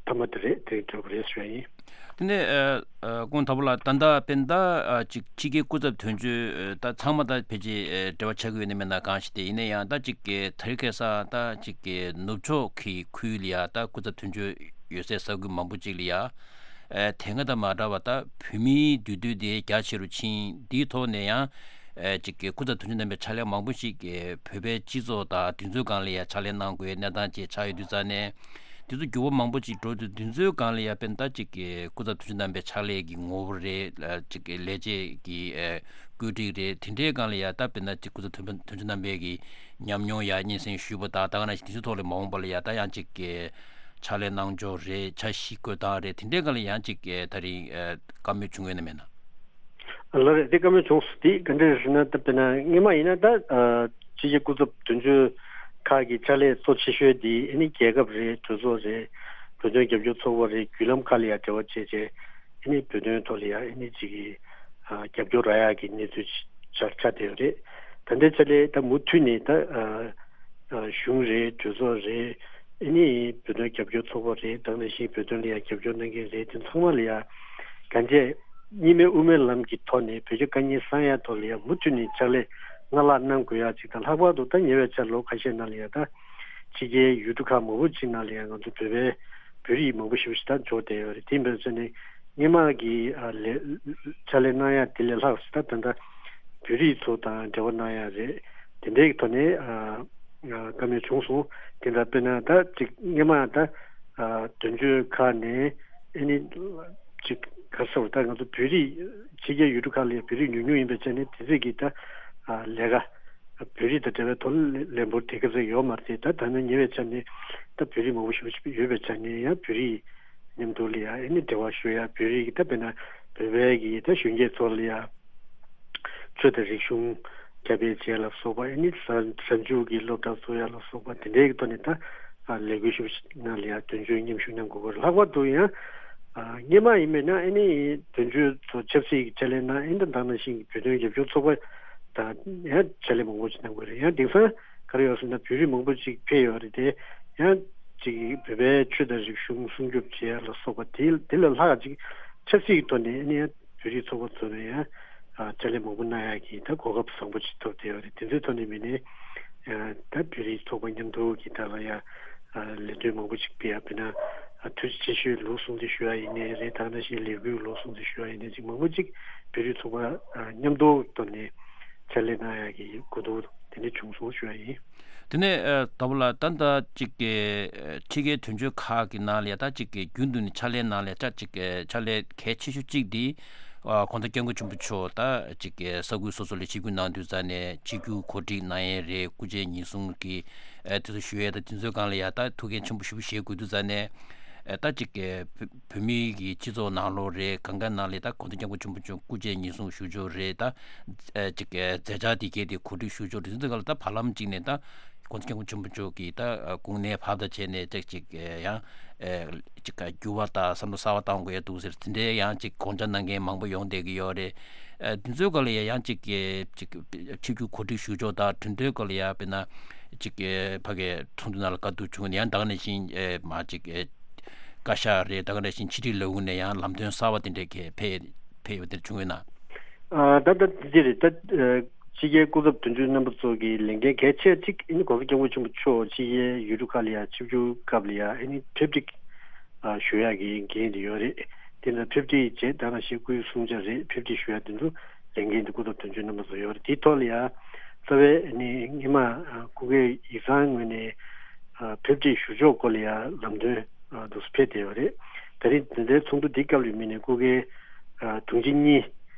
མཐའ་མ་དེ་རེད། དེ་རིང་གྲོལ་བ་རེད་ཞུ་ཡ་ཡིན། དེ་ནས་ཨ་ཨ་ཁོང་ད་བུ་ལ་ད་ལྟ་དཔེར་ན་ད་ཨ་ཅིག་ཕྱི་རྒྱལ་སྐུ་ཚབ་དོན་གཅོད་ཨ་ད་ཚང་མ་ད་ཕལ་ཆེར་ཨ་འབྲེལ་བ་ཆགས་ཀྱི་ཡོད་ནི་མེད་ན་གང་ཞིག་དེ་ཡིན་ན་ཡང་ད་ཅིག་གི་དེ་རིང་ཁ་སང་ད་ཅིག་གི་ནུབ་ཕྱོགས་ཀྱི་ཁུལ་ལ་ཡ་ད་སྐུ་ཚབ་དོན་གཅོད་ཡོད་སའི་ས་ཁུལ་མང་པོ་ཅིག་ལ་ཡ། ཨ་དེ་སྔ་དང་མ་འདྲ་བ་ད་བོད་མིའི་འདུས་སྡོད་དེ་རྒྱ་ཆེ་རུ་ཕྱིན། འདིའི་ཐོག་ནས་ཡང་ཨ་ཅིག་གི་སྐུ་ཚབ་དོན་གཅོད་རྣམ་པའི་ཕྱག་ལས་མང་པོ་ཞིག་གི་བོད་པའི་སྤྱི་ཚོགས་དང་དེ་ཚོའི་སྒང་ལ་ཡང་ཕྱག་ལས་གནང་དགོས་གནས་སྟངས་ཅིག་ཆགས་ཡོད་དུས་ཙང་ནས། དེ་ཚོ་འགྱུར་བ་མང་པོ་ཅིག་འགྲོ་དུས་དེ་ཚོའི་སྒང་ལ་ཡང་དཔེར་ན་ད་ཅིག་གི་སྐུ་ཚབ་དོན་གཅོད་རྣམ་པའི་ཕྱག་ལས་ཀྱི་ངོ་བོ་རེད། ཨ་ཅིག་གི་ལས་བྱེད་ཀྱི་ཨ་བཀོད་སྒྲིག་རེད། དེ་འདྲའི་སྒང་ལ་ཡང་ད་དཔེར་ན་ཅིག་སྐུ་ཚབ་དོན་དོན་གཅོད་རྣམ་པའི་གི་ཉམས་མྱོང་ཡ་སྙན་སེང་ཞུས་པ་དང་། ད་ག་ནང་བཞིན་དེ་ཚོའི་ཐོག་ལ་མ་འོངས་པ་ལ་ཡ་ད་ཡང་ཅིག་གི་ཕྱག་ལས་གནང་ཕྱོགས་རེད། འཆར་གཞི་བཀོད་སྟངས་རེད། དེ་འདྲའི་སྒང་ལ་ཡང་ཅིག་གི་ད་རིང་ཨ་བཀའ་མོལ་བྱུང་ཡོད་ན་མེད་ན། ལགས་རེད། དེ་བཀའ་མོལ་བྱུང་སོང་། དེ་ག་འདྲ་རེད་ཟེར་ན་ད་དཔེར་ན་སྔོན་མ་ཡིན་ན་ད་ཨ་ཕྱི་རྒྱལ་སྐུ་ཚབ་དོན་གཅོད་ཁག་གི་ཕྱག་ལས་གཙོ་ཆེ་ཤོས་དེ་ཨ་ནི་རྒྱལ་ཁབ་རེད། གྲོས་ཚོགས་རེད། བོད་དོན་རྒྱབ་སྐྱོར་ཚོགས་པ་རེད། བརྒྱུད་ལམ་ཁག་ལ་ཡང་འབྲེལ་བ་བྱས་བྱས་ཨ་ནི་བོད་དོན་ཐོག་ལ་ཡང་ཨ་ནི་ཅིག་གི་ཨ་རྒྱབ་སྐྱོར་རག་ཡག་གི་གནས་ཚུལ་ཆགས་ཆགས་བསྡད་ཡོད་རེད། ད་ལྟའི་ཆ་ལས་ད་མུ་མཐུད་ནས་ད་ཨ་ཨ་གཞུང་རེད། གྲོས་ཚོགས་རེད། ཨ་ནི་བོད་དོན་རྒྱབ་སྐྱོར་ཚོགས་པ་རེད། ད་ག་ནང་བཞིན་བོད་དོན་ལ་ཡང་རྒྱབ་སྐྱོར་གནང་མཁན་རེད། དེ་ཚང་མ་ལ་ཡང་གང་བྱས་གཉིས་སྨན་དབུ་མའི་ལམ་གྱི་ཐོག་ནས་བོད་རྒྱ་དཀའ་ངལ་སེལ་ཡག་ཐོག་ལ་ཡང་མུ་མཐུད་ནས་ཕྱག་ལས་སྔར་ལྷག་གནང་དགོས་ཡག་ཅིག་དང་། ལྷག་པར་དུ་ད་ཉེ་བའི་ཆར་ལོ་ཁ་ཤས་ནང་ལ་ཡང་ད་ཕྱི་རྒྱལ་ཡུལ་གྲུ་ཁག་མང་པོ་ཅིག་ནང་ལ་ཡང་ང་ཚོ་བོད་པའི་བོད་རིགས་མང་པོ་ཞེ་པོ་ཅིག་ད་འབྱོར་བསྡད་ཡོད་རེད། དེ་ཡིན་པའི་ཆ་ནས་སྔོན་མ་གི་ཨ་ལས་ཕྱག་ལས་གནང་ཡག་དེ་ལས་ལྷག་ཙམ་ད་ད་ལྟ་བོད་རིགས་ཚོ་དང་འབྲེལ་བ་གནང་ཡག་རེད། དེ་འདྲའི་གི་ཐོག་ནས་ཨ་ཨ་བཀའ་མོལ་བྱུང་སོང་། དེ་འདྲ་དཔེར་ན་ད་ཅིག་སྔོན་མ་ད་ཨ་དོན་གཅོད་ཁག་ནས་ཨ་ནི་ཅིག་ག་རེ་ཟེར་བ། ད་ང་ཚོ་བོད་རིགས་ཕྱི་རྒྱལ་ཡུལ་གྲུ་ཁག་ལ་ཡང་བོད་རིགས་ཉུང་ཉུང་ཡིན་པའི་ཆ་ནས་དེ་ཚོས་ཀྱི་ད་ཨ་ལས་ཀ་བོད་རིགས་དང་འབྲེལ་བའི་ཐོག་ལ་ལས་འབོར་དེ་ག་ཚོད་ཡོད་མ་རེད། ད་ད་ནི་ཉེ་བའི་ཆ་ནས་ད་བོད་རིགས་མང་པོ་ཞེ་པོ་ཅིག་ཡོད་པའི་ཆ་ནས་ཡང་བོད་རིགས་མཉམ་དུ་ལ་ཡང་ཨ་ནི་འབྲེལ་བ་ཞུ་ཡ། བོད་རིགས་ཀྱི་ད་དཔེར་ན་བོད་པའི་གི་ད་གཞོན་སྐྱེས་ཚོ་ལ་ཡང་ཆོས་དང་རིག་གཞུང་ཁྱབ་སྤེལ་བྱས་ལ་སོགས་པ། ཨ་ནི་གཟའ་གཟའ་མཇུག་གི་སློབ་གྲྭ་བཙུགས་ཡ་ལ་སོགས་པ་དེ་འདྲའི་གི་ཐོག་ནས་ད་ཨ་ལས་འགུལ་ཞུ་ནང་ལ་ཡང་དོན་གཅོད་མཉམ་ཞུགས་གནང་དགོས་པ་རེད། ལྷག་པར་དུ་ཡང་ཨ་སྔོན་མ་ཡིན་པས་ན་ཨ་ནི་དོན་གཅོད་ཚོ་ཆབ་སྲིད་ཀྱི་ཕྱག་ལས་གནང་། ཨ་ནི་ད་ག་ནང་བཞིན་གྱི་བོད་དོན་རྒྱབ་སྐྱོར་ཚོགས་པ་དང་ཡང་ཕྱག་ལས་མང་པོ་ཞིག་གནང་དགོས་རེད། ཡང་དེང་སང་ག་རེ་ཡོད་ཟེར་ན་བོད་རིགས་མང་པོ་ཅིག་ཕེབས་ཡོད་རེད་དེ། ཡང་ཅིག་བོད་པའི་ཆོས་དང་རིག་གཞུང་སྲུང་སྐྱོབ་བྱེད་ཡ་ལ་སོགས་པ་དེ་དེ་ལས་ལྷག་ཅིག་ཆབ་སྲིད་ཀྱི་ཐོག་ནས་ཨ་ནི་ཡང་བོད་རིགས་ཚོགས་པ་ཚོ་ནས་ཡང་ཨ་ཕྱག་ལས་མང་པོ་གནང་ཡ་གི་ད་གོ་སྐབས་བཟང་པོ་ཅིག་ཐོབ་བསྡད་ཡོད་རེད། དེ་ཚོའི་ཐོག་ནས་མི་སྣས་ཨ་ད་བོད་རིགས་ཚོགས་པ་མཉམ་དུ་གི་ད་ལ་ཡ་ཨ་ལས་དོན་མང་པོ་ཅིག་སྤེལ་ཡ། དཔེར་ན་ཨ་ཐུགས་རྗེ་ཆེ་ཞུའི་ལུགས་སྲུང་དེ་ཞུ་ཡ་ཡིན་ནའི་རེད། ད་ག་ནང་བཞིན་ལས་འགུལ་ལུགས་སྲུང་དེ་ཞུ་ཡ་ཡིན་ནའི་ཅིག་མང་པོ་ཅིག་བོད་རིགས་ཚོགས་པ་ཨ་མཉམ་དུ་ཐོག་ནས་ཕྱག་ལས་གནང་ཡ་གི་གོ་བསྡུར་དེ་འདྲ་བྱུང་སོང་ཞུ་ཡ་ཡིན། དེ་ནས་ཨ་ཟླ་བ་ལགས། ད་ལྟ་ཅིག་གི་ཨ་ཕྱི་རྒྱལ་དོན་གཅོད་ཁག་གི་ནང་ལ་ཡ་ད་ཅིག་གི་རྒྱུན་དུ་ནས་ཕྱག་ལས་གནང་ལས་ད་ཅིག་གི་ཕྱག་ལས་གལ་ཆེ་ཤོས་གཅིག་འདི་ཨ་གོང་ས་སྐྱབས་མགོན་ཆེན་པོ་མཆོག་ད་ཅིག་གི་ས་ཁུལ་སོ་སོ་ལ་ཆིབས་བསྒྱུར་གནང་དུས་ཙ་ནས་ཆིབས་བསྒྱུར་གོ་སྒྲིག་གནང་ཡས་རེད། སྐུ་མཇལ་ཉིན་གསུམ་གྱི་ཨ་དེ་ཚོ་ཞུ་ཡས། ད་དེ་ཚོའི་སྒང་ལ་ཡ་ད་ཐུགས་འགན་ཆེན་པོ་ཞེ་པོ་བཞེས་དགོས་དུས་ཙ་ནས་ཨ་ད་ཅིག་གི་བོད་བོད་མི་གི་སྤྱི་ཚོགས་ནང་ལོགས་རེད། གང་ག་ནང་ལ་ད་གོང་ས་སྐྱབས་མགོན་ཆེན་པོ་མཆོག་སྐུ་མཇལ་ཉིན་གསུམ་ཞུ་ཕྱོགས་རེད། ད་ཨ་ཅིག་གི་མཛད་འཆར་དེ་གའི་དེ་གོ་སྒྲིག་ཞུ་ཕྱོགས་རེད། དེ་ཚོའི་སྒང་ལ་ད་བར་ལམ་གཅིག་ནས་ད་གོང་ས་སྐྱབས་མགོན་ཆེན་པོ་མཆོག་གིས་ད་ཨ་དགུང་ནས་བར་དུ་བྱས་ནས་ཅིག་ཅིག་ཨ་ཡང་ཨ་ཅིག་ག་འགྱུར་བ་དང་བསམ་བློ་གསར་བ་བཏང་དགོས་ཡ་འདུག་ཟེར། དེ་འདྲའི་ཡང་ཅིག་དགོངས་འཆར་གནང་མཁན་མང་པོ་ཡོང་བསྡད་ཀྱི་ཡོད་རེད། ཨ་དེ་ཚོའི་སྐོར་ལ་ཡ་ཡང་ཅིག་གི་ཅིག་ཆིབས་བསྒྱུར་གོ་སྒྲིག་ཞུ་ཕྱོགས་དང་གྲོས་མཐུན་སྐོར་ལ་ཡ་དཔེར་ན་ཅིག་གི་ཕ་གི་ཚོགས་འདུ་ནང་ལ་བཀའ་བསྡུར་བྱུང་ནས་ཡང་ད་ག་ནང་བཞིན་ཨེ་མ་ཅིག་ཨེ་བཀའ་ཤག་རེད། ད་ག་ནང་བཞིན་ཕྱི་དྲིལ་ལས་ཁུངས་ནས་ཡང་ལམ་སྟོན་གསར་བ་དེ་འདྲའི་གི་ཕེབས་ཕེབས་ཡོད་དེ་བྱུང་ཡོད་ན། ཨ་ད་ལྟ་དེ་རེད། ད་ཨ་ཕྱི་རྒྱལ་སྐུ་ཚབ་དོན་གཅོད་རྣམ་པ་ཚོ་གི་ལས་འགན་གལ་ཆེ་གཅིག་ཨ་ནི་གོང་ས་སྐྱབས་མགོན་ཆེན་པོ་མཆོག་ཕྱི་རྒྱལ་ཡུལ་གྲུ་ཁག་ལ་ཡ་ཆིབས་བསྒྱུར་སྐབས་ལ་ཡ་ཨ་ནི་ཕེབས་སྒྲིག་ཨ་ཞུ་ཡག་གི་འགན་དེ་ཡོད་རེད། དེ་ལ་ཕེབས་སྒྲིག་བྱས། ད་ག་ནང་བཞིན་སྐུའི་གསུང་བྱ་རེད། ཕེབས་སྒྲིག་ཞུ་ཡག་དེ་ཚོ་ལས་འགན་དེ་སྐུ་ཚབ་དོན་གཅོད་རྣམ་པ་ཚོ་ཡོད་རེད། དེའི་ཐོག་ལ་ཡ་རྩ་བའི་ཨ་ནི་སྔོན་མ་ཨ་སྐུ་སྒེར་ཡིག་ཚང་ངོས་ནས་ཨ་ཕེབས་སྒྲིག་ཞུ་ཕྱོགས་སྐོར་ལ་ཡ་ལམ་སྟོན་ཨ་དུ་ཕེབས་བསྡད་ཡོད་རེད། ད་རིང་འདི་འདྲའི་ཚོགས་འདུ་འདི་སྐབས་ལ་དམིགས་ནས་སྐུ་སྒེར་ཨ་དྲུང་ཆེ་གཉིས་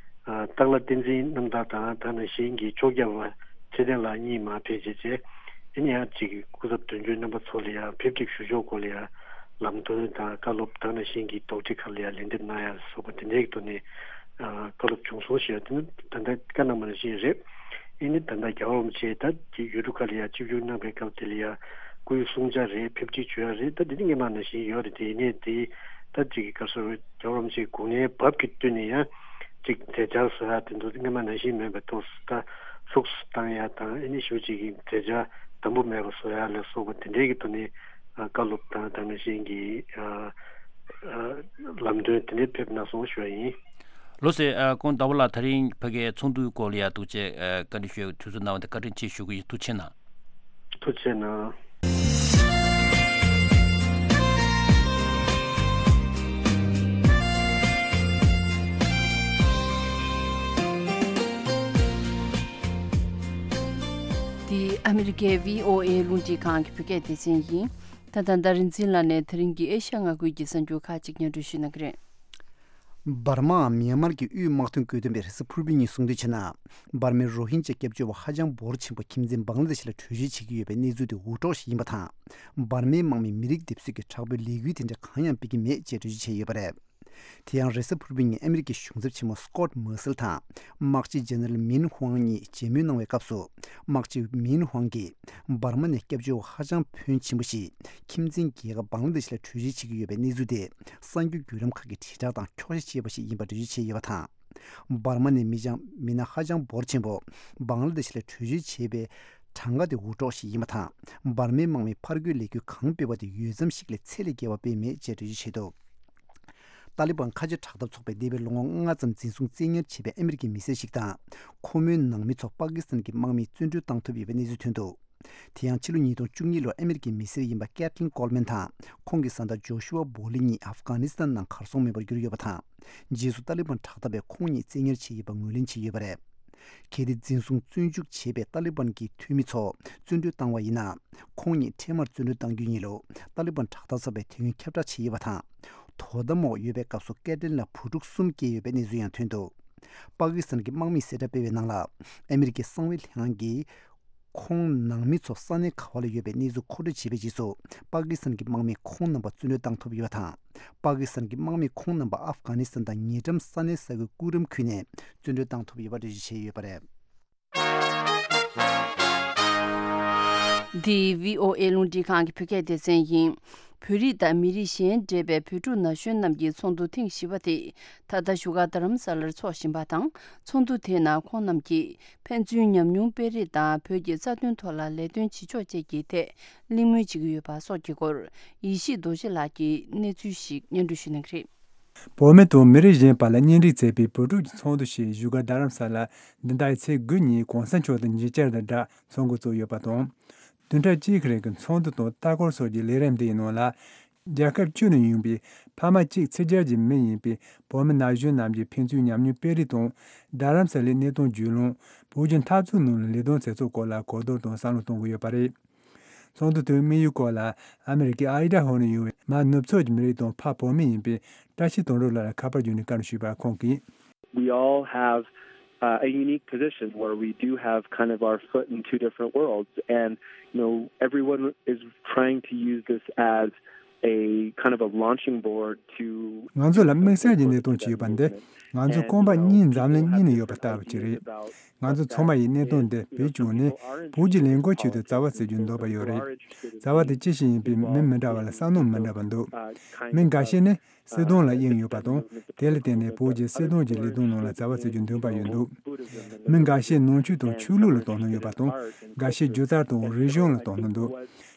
ཨ་སྟག་ལྷ་བསྟན་འཛིན་རྣམ་དག་དང་ད་ག་ནང་བཞིན་གྱི་ཕྱོགས་བརྒྱ་པ་ཚེ་བརྟན་ལགས་གཉིས་མར་ཕེབས་བྱས་བྱས། ཨ་ནི་ཡང་ཅིག་སྐུ་ཚབ་དོན་གཅོད་རྣམ་པ་ཚོ་ལ་ཡང་ཕེབས་སྒྲིག་ཞུ་ཕྱོགས་སྐོར་ལ་ཡང་ལམ་སྟོན་དང་བཀའ་སློབ་ད་ག་ནང་བཞིན་གྱི་དོགས་འདྲི་ཁག་ལ་ཡང་ལན་འདེབས་གནང་ཡ་སོགས་པ་དེ་འདྲའི་ཐོག་ནས་ཨ་བཀའ་སློབ་བྱུང་སོང་ཞེས་པ་དེ་ནི་ད་ལྟ་བཀའ་གནང་བ་ནང་བཞིན་རེད། ཨ་ནི་ད་ལྟ་རྒྱལ་བ་རིན་པོ་ཆེ་ད་ཀྱི་ཡུལ་གྲུ་ཁག་ལ་ཡང་ཆིབས་བསྒྱུར་གནང་པའི་སྐབས་དེ་ལ་ཡང་སྐུའི་གསུང་བྱ་རེད། ཕེབས་སྒྲིག་བྱེད་ཡ་རེད། ད་དེ་ནི་སྔོན་མ་ནང་བཞིན་ཡོད་རེད། དེ་ཡིན་ནའི་དེ་ད་ཅིག་ག་རེ་ཟེར། རྒྱལ་བ་རིན་པོ་ཆེའི་དགུང་ལོའི་བབ་ཀྱི་བསྟུན་ནས་ཡང་ཅིག་མཛད་འཆར་བཟོ་ཡ་དེ་ཚོ་སྔོན་མ་ནང་བཞིན་མེད་པའི་ཐོག་ད་ལྷུགས་སུ་བཏང་ཡ་དང་། ཨ་ནི་ཞེ་པོ་ཅིག་གི་མཛད་འཆར་དམ་པོ་མེད་པ་བཟོ་ཡ་ལ་སོགས་པ་དེ་འདྲའི་གི་ཐོག་ནས་ཨ་བཀའ་སློབ་དང་ད་ག་ནང་བཞིན་གྱི་ཨ་ཨ་ལམ་སྟོན་དེ་འདྲའི་ཕེབས་གནང་སོང་ཞུ་བ་ཡིན། ལགས་སོ། ཨ་སྐུ་ངོ་ཟླ་བ་ལགས། དེ་རིང་ཕ་གིའི་ཚོགས་འདུའི་སྐོར་ལ་ཡ་ཐུགས་རྗེ་ཆེ་ཨ་བཀའ་འདྲི་ཞུ་ཡའི་དུས་ཚོད་གནང་བ་དེ་བཀའ་དྲིན་ཆེ་ཞུ་གི་ཡིན། ཐུགས་རྗེ་གནང་། ཐུགས་རྗེ་གནང་། འདི་ཨ་མི་རི་ཀའི་བྷི་ཨོ་ཨེ་རླུང་འཕྲིན་ཁང་གི་བོད་སྐད་སྡེ་ཚན་ཡིན། ད་ལྟ་ཟླ་རིན་འཛིན་ལགས་ནས་དེ་རིང་གི་ཨེ་ཤ་ཡ་མངའ་ཁུལ་གྱི་གསར་འགྱུར་ཁག་ཅིག་སྙན་སྒྲོན་ཞུ་གནང་གི་རེད། འབར་མའམ་མིའན་མར་གྱི་དབུས་དམག་དོན་བཀོད་འདོམས་པས་རེས་གཟའ་ཕུར་བུའི་ཉིན་གསུངས་དོན་བྱས་ན། འབར་མའི་རོ་ཧིན་ཇཱ་སྐྱབས་བཅོལ་བ་ཧ་ཅང་འབོར་ཆེན་པོ་ཁྱིམ་མཚེས་བང་ལ་དེ་ཤི་ལ་བྲོས་བྱོལ་བྱེད་ཀྱི་ཡོད་པའི་གནས་ཚུལ་དེ་འུར་སྒྲོག་ཞིག་ཡིན་པ་དང་། འབར་མའི་དམག་མིས་མི་རིགས་འདེབས་གསོའི་དྲག་པོའི་ལས་འགུལ་དེ་འདྲ་གང་ཡང་སྤེལ་གྱི་མེད་ཅེས་འགྲེལ་བརྗོད་བྱས་ཡོད་པ་རེད། དེ་ཡང་རེས་གཟའ་ཕུར་བུའི་ཉིན་ཨ་མི་རི་ཀའི་གཞུང་ཚབ་ཆེན་མོ་སྐོད་མར་སེལ་དང་དམག་སྤྱི་ཇེ་ནེ་རལ་མིན་ཧུའང་གཉིས་མཇལ་མོལ་གནང་བའི་སྐབས་སུ། དམག་སྤྱི་མིན་ཧུའང་གིས་འབར་མ་ནས་སྐྱབས་བཅོལ་བ་ཧ་ཅང་ཕོན་ཆེན་པོ་ཞིག་ཁྱིམ་མཚེས་རྒྱལ་ཁབ་བང་ལ་དེ་ཤི་ལ་བྲོས་བྱོལ་བྱེད་ཀྱི་ཡོད་པའི་གནས་ཚུལ་དེ་གསར་འགྱུར་བརྒྱུད་ལམ་ཁག་གིས་དྲིལ་བསྒྲགས་དང་འཁྱོག་བཤད་བྱས་པ་ཞིག་ཡིན་པ་འགྲེལ་བརྗོད་བྱས་ཡོད་པ་དང་། འབར་མ་ནས་མི་ཅང་མི་སྣ་ཧ་ཅང་འབོར་ཆེན་པོ་བང་ལ་དེ་ཤི་ལ་བྲོས་བྱོལ་བྱས་པའི་གྲངས་ཀ་དེ་འུར་སྒྲོག་ཞིག་ཡིན་པ་དང་། འབར་མའི་དམག་མིས་ཕར་རྒོལ་ལས་འགུལ་གང་སྤེལ་བ་དེ་འོས་འཚམ་ཞིག་ལས་ཚད་ལས་བརྒལ་བ་སྤེལ་མེད་ཅེས་འགྲེལ་བརྗོད་བྱས་འདུག་ཏཱ་ལི་བན་ཁ་ཆེ་དྲག་འཐབ་ཚོགས་པས་འདས་པའི་ལོ་ངོ་ལྔ་ཙམ་འཛིན་བཟུང་བཙན་ཉར་བྱས་པའི་ཨ་མི་རི་ཀའི་མི་སེར་ཞིག་དང་། ཁོ་མོའི་ནང་མི་ཚོ་པ་ཀི་སི་ཐན་གྱི་དམག་མིས་བཙོན་གྲོལ་བཏང་ཐུབ་ཡོད་པའི་གནས་ཚུལ་ཐོན་འདུག་དེ་ཡང་ཕྱི་ལོ་ཉིས་སྟོང་བཅུ་གཉིས་ལོར་ཨ་མི་རི་ཀའི་མི་སེར་ཡིན་པ་ཀེ་ཐི་ལིན་ཀོལ་མན་དང་ཁོང་གི་བཟའ་ཟླ་ཇོ་ཤུ་ཨ་བོ་ལི་གཉིས་ཨབ་གྷ་ནི་སི་ཐན་ནང་གར་སོང་མེད་པར་གྱུར་ཡོད་པ་དང་། རྗེས་སུ་ཏཱ་ལི་བན་དྲག་འཐབ་པས་ཁོང་གཉིས་བཙན་ཉར་བྱས་ཡོད་པ་ངོས་ལེན་བྱས་ཡོད་པ་རེད། གལ་ཏེ་འཛིན་བཟུང་བཙོན་འཇུག་བྱས་པའི་ཏཱ་ལི་བན་གྱི་འཐུས་མི་ཚོ་བཙོན་གྲོལ་བཏང་བ་ཡིན་ན། ཁོང་ཉིད་འཕྲལ་མར་བཙོན་གྲོལ་གཏང་རྒྱུ་ཡིན་ལུགས་ཏཱ་ལི་བན་དྲག་འཐབ་ཚོགས་པས་དུས་ཡུན་ཁྱབ་བསྒྲགས་བྱས་ཡོད་པ་དང་། དོ་དམ་འོག་ཡོད་པའི་སྐབས་སུ་སྐྱེ་ཕྲེང་ལ་བུ་ཕྲུག་གསུམ་སྐྱེས་ཡོད་པའི་གནས་ཚུལ་ཡང་ཐོན་འདུག་པ་ཀི་སི་ཐན་གྱི་དམག་མིས་གསལ་བསྒྲགས་སྤེལ་བའི་ནང་ལ། ཨ་མི་རི་ཀའི་གསང་བའི་ལྷན་ཁང་གིས་ཁོང་ནང་མི་ཚོ་ས་གནས་ག་བ་ལ་ཡོད་པའི་གནས་ཚུལ་མཁོ་སྤྲོད་བྱས་པའི་རྗེས་སུ། པ་ཀི་སི་ཐན་གྱི་དམག་མིས་ཁོང་རྣམ་པ་བཙོན་གྲོལ་བཏང་ཐུབ་ཡོད་པ་དང་། པ་ཀི་སི་ཐན་གྱི་དམག་མིས་ཁོང་རྣམ་པ་ཨབ་གྷ་ནི་སི་ཐན་དང་ཉེ་འགྲམ་ས་གནས་ས་ཁུལ་ཀུ་རམ་ཁུལ་ནས་བཙོན་གྲོལ་བཏང་ཐུབ་ཡོད་པ་འགྲེལ་བརྗོད་བྱས་ཡོད་པ་རེད། འདི་བྷི་ཨོ་ཨེ་རླུང་འཕྲིན་ཁང་གི་བོད་སྐད་སྡེ་ཚན་ཡིན། བོད་རིགས་དང་མི་རིགས་གཞན་འདྲེས་པའི་བོད་ཕྲུག་ན་གཞོན་རྣམས་ཀྱི་ཚོགས་འདུ་ཐེངས་བཞི་པ་དེ་ད་ལྟ་བཞུགས་སྒར་རྡ་རམ་ས་ལར་འཚོགས་བཞིན་པ་དང་། ཚོགས་འདུ་དེའི་ནང་ཁོང་རྣམས་ཀྱིས་ཕན་ཚུན་ཉམས་མྱོང་སྤེལ་རེས་དང་བོད་ཀྱི་རྩ་དོན་ཐོག་ལ་ལས་དོན་བྱེད་ཕྱོགས་བཅས་ཀྱི་ཐད་གླེང་མོལ་བྱེད་ཀྱི་ཡོད་པ་སོགས་ཀྱི་སྐོར་ཡེ་ཤེས་རྡོ་རྗེ་ལགས་ཀྱིས་གནས་ཚུལ་ཞིག་སྙན་སྒྲོན་ཞུ་གནང་གི་རེད། བོད་མི་དང་མི་རིགས་གཞན་བར་ལ་གཉེན་སྒྲིག་མཛད་པའི་བོད་ཕྲུག་ཀྱི་ཚོགས་འདུ་ཞིག་བཞུགས་སྒར་རྡ་རམ་ས་ལར་འདི་ཟླའི་ཚེས་དགུ་ཉིན་གོང་ས་མཆོག་དང་མཇལ་བཅར་དང་སྦྲགས་ཚོགས་འགོ་བཙུགས་ཡོད་པ་དང་། བདུན་ཕྲག་གཅིག་གི་རིང་གི་ཚོགས་འདུ་དང་ལྟ་སྐོར་སོགས་ཀྱི་ལས་རིམ་འདིའི་ནང་ལ། རྒྱལ་ཁབ་བཅུ་ནས་ཡོང་པའི་ཕ་མ་གཅིག་ཕྱི་རྒྱལ་གྱི་མི་ཡིན་པའི་བོད་མི་ན་གཞོན་རྣམས་ཀྱིས་ཕན་ཚུན་ཉམས་མྱོང་སྤེལ་རེས་དང་། རྡ་རམ་ས་ལའི་གནས་སྟངས་བརྒྱུད་ལམ། བོད་ཀྱི་འཐབ་རྩོད་ནང་ལ་ལས་དོན་མཛད་ཚུལ་སྐོར་ལ་གོ་བསྡུར་དང་བསམ་བློ་གཏོང་གི་ཡོད་པ་རེད། ཚོགས་འདུ་དེའི་དམིགས་ཡུལ་སྐོར་ལ་ཨ་མི་རི་ཀའི་ཨའི་ཌ་ཧོ་ནས་ཡོང་བའི་མ་ནུབ་ཕྱོགས་ཀྱི་མི་རིགས་དང་ཕ་བོད་མི་ཡིན་པའི་བཀྲ་ཤིས་དོན་གྲུབ་ལགས་ལ་ཁ་པར་བརྒྱུད་ནས་བཀའ་འདྲི་ཞུས་པར་ཁོང་གིས། We all have uh, a unique position where we do have kind of our foot in two different worlds, and you know everyone is trying to use this as a kind of a launching board to ང་ཚོ་ལ་དམིགས་བསལ་གྱི་གནད་དོན་ཅིག་ཡོད་པ་འདི་ང་ཚོ་རྐང་པ་གཉིས་འཛམ་གླིང་གཉིས་ནས་ཡོད་པ་ལྟ་བུ་ཅིག་རེད། ང་ཚོ་ཚང་མ་ཡིས་གནད་དོན་འདི་བེད་སྤྱོད་ནས་བོད་ཀྱི་ལས་འགུལ་ཆེད་དུ་རྩ་བ་རྩེ་རྒྱུའི་འདོད་པ་ཡོད་རེད། རྩ་བ་དེ་ཅི་ཞིག་ཡིན་པའི་མི་མི་འདྲ་བ་ལ་བསམ་བློ་མི་འདྲ་བ་འདུག་མི་འགའ་ཤས་ནི་སྲིད་དོན་ལ་དབྱིངས་ཡོད་པ་དང་དེ་ལ་བརྟེན་ནས་བོད་ཀྱི་སྲིད་དོན་གྱི་ལས་དོན་ནང་ལ་རྩ་བ་རྩེ་རྒྱུའི་འདུན་པ་ཡོད་འདུག་མི་འགའ་ཤས་ནང་ཆོས་དང་ཆོས་ལུགས་ལ་དོ་སྣང་ཡོད་པ་དང་འགའ་ཤས་སྒྱུ་རྩལ་དང་རིག་གཞུང་ལ་དོ་སྣང་འདུག་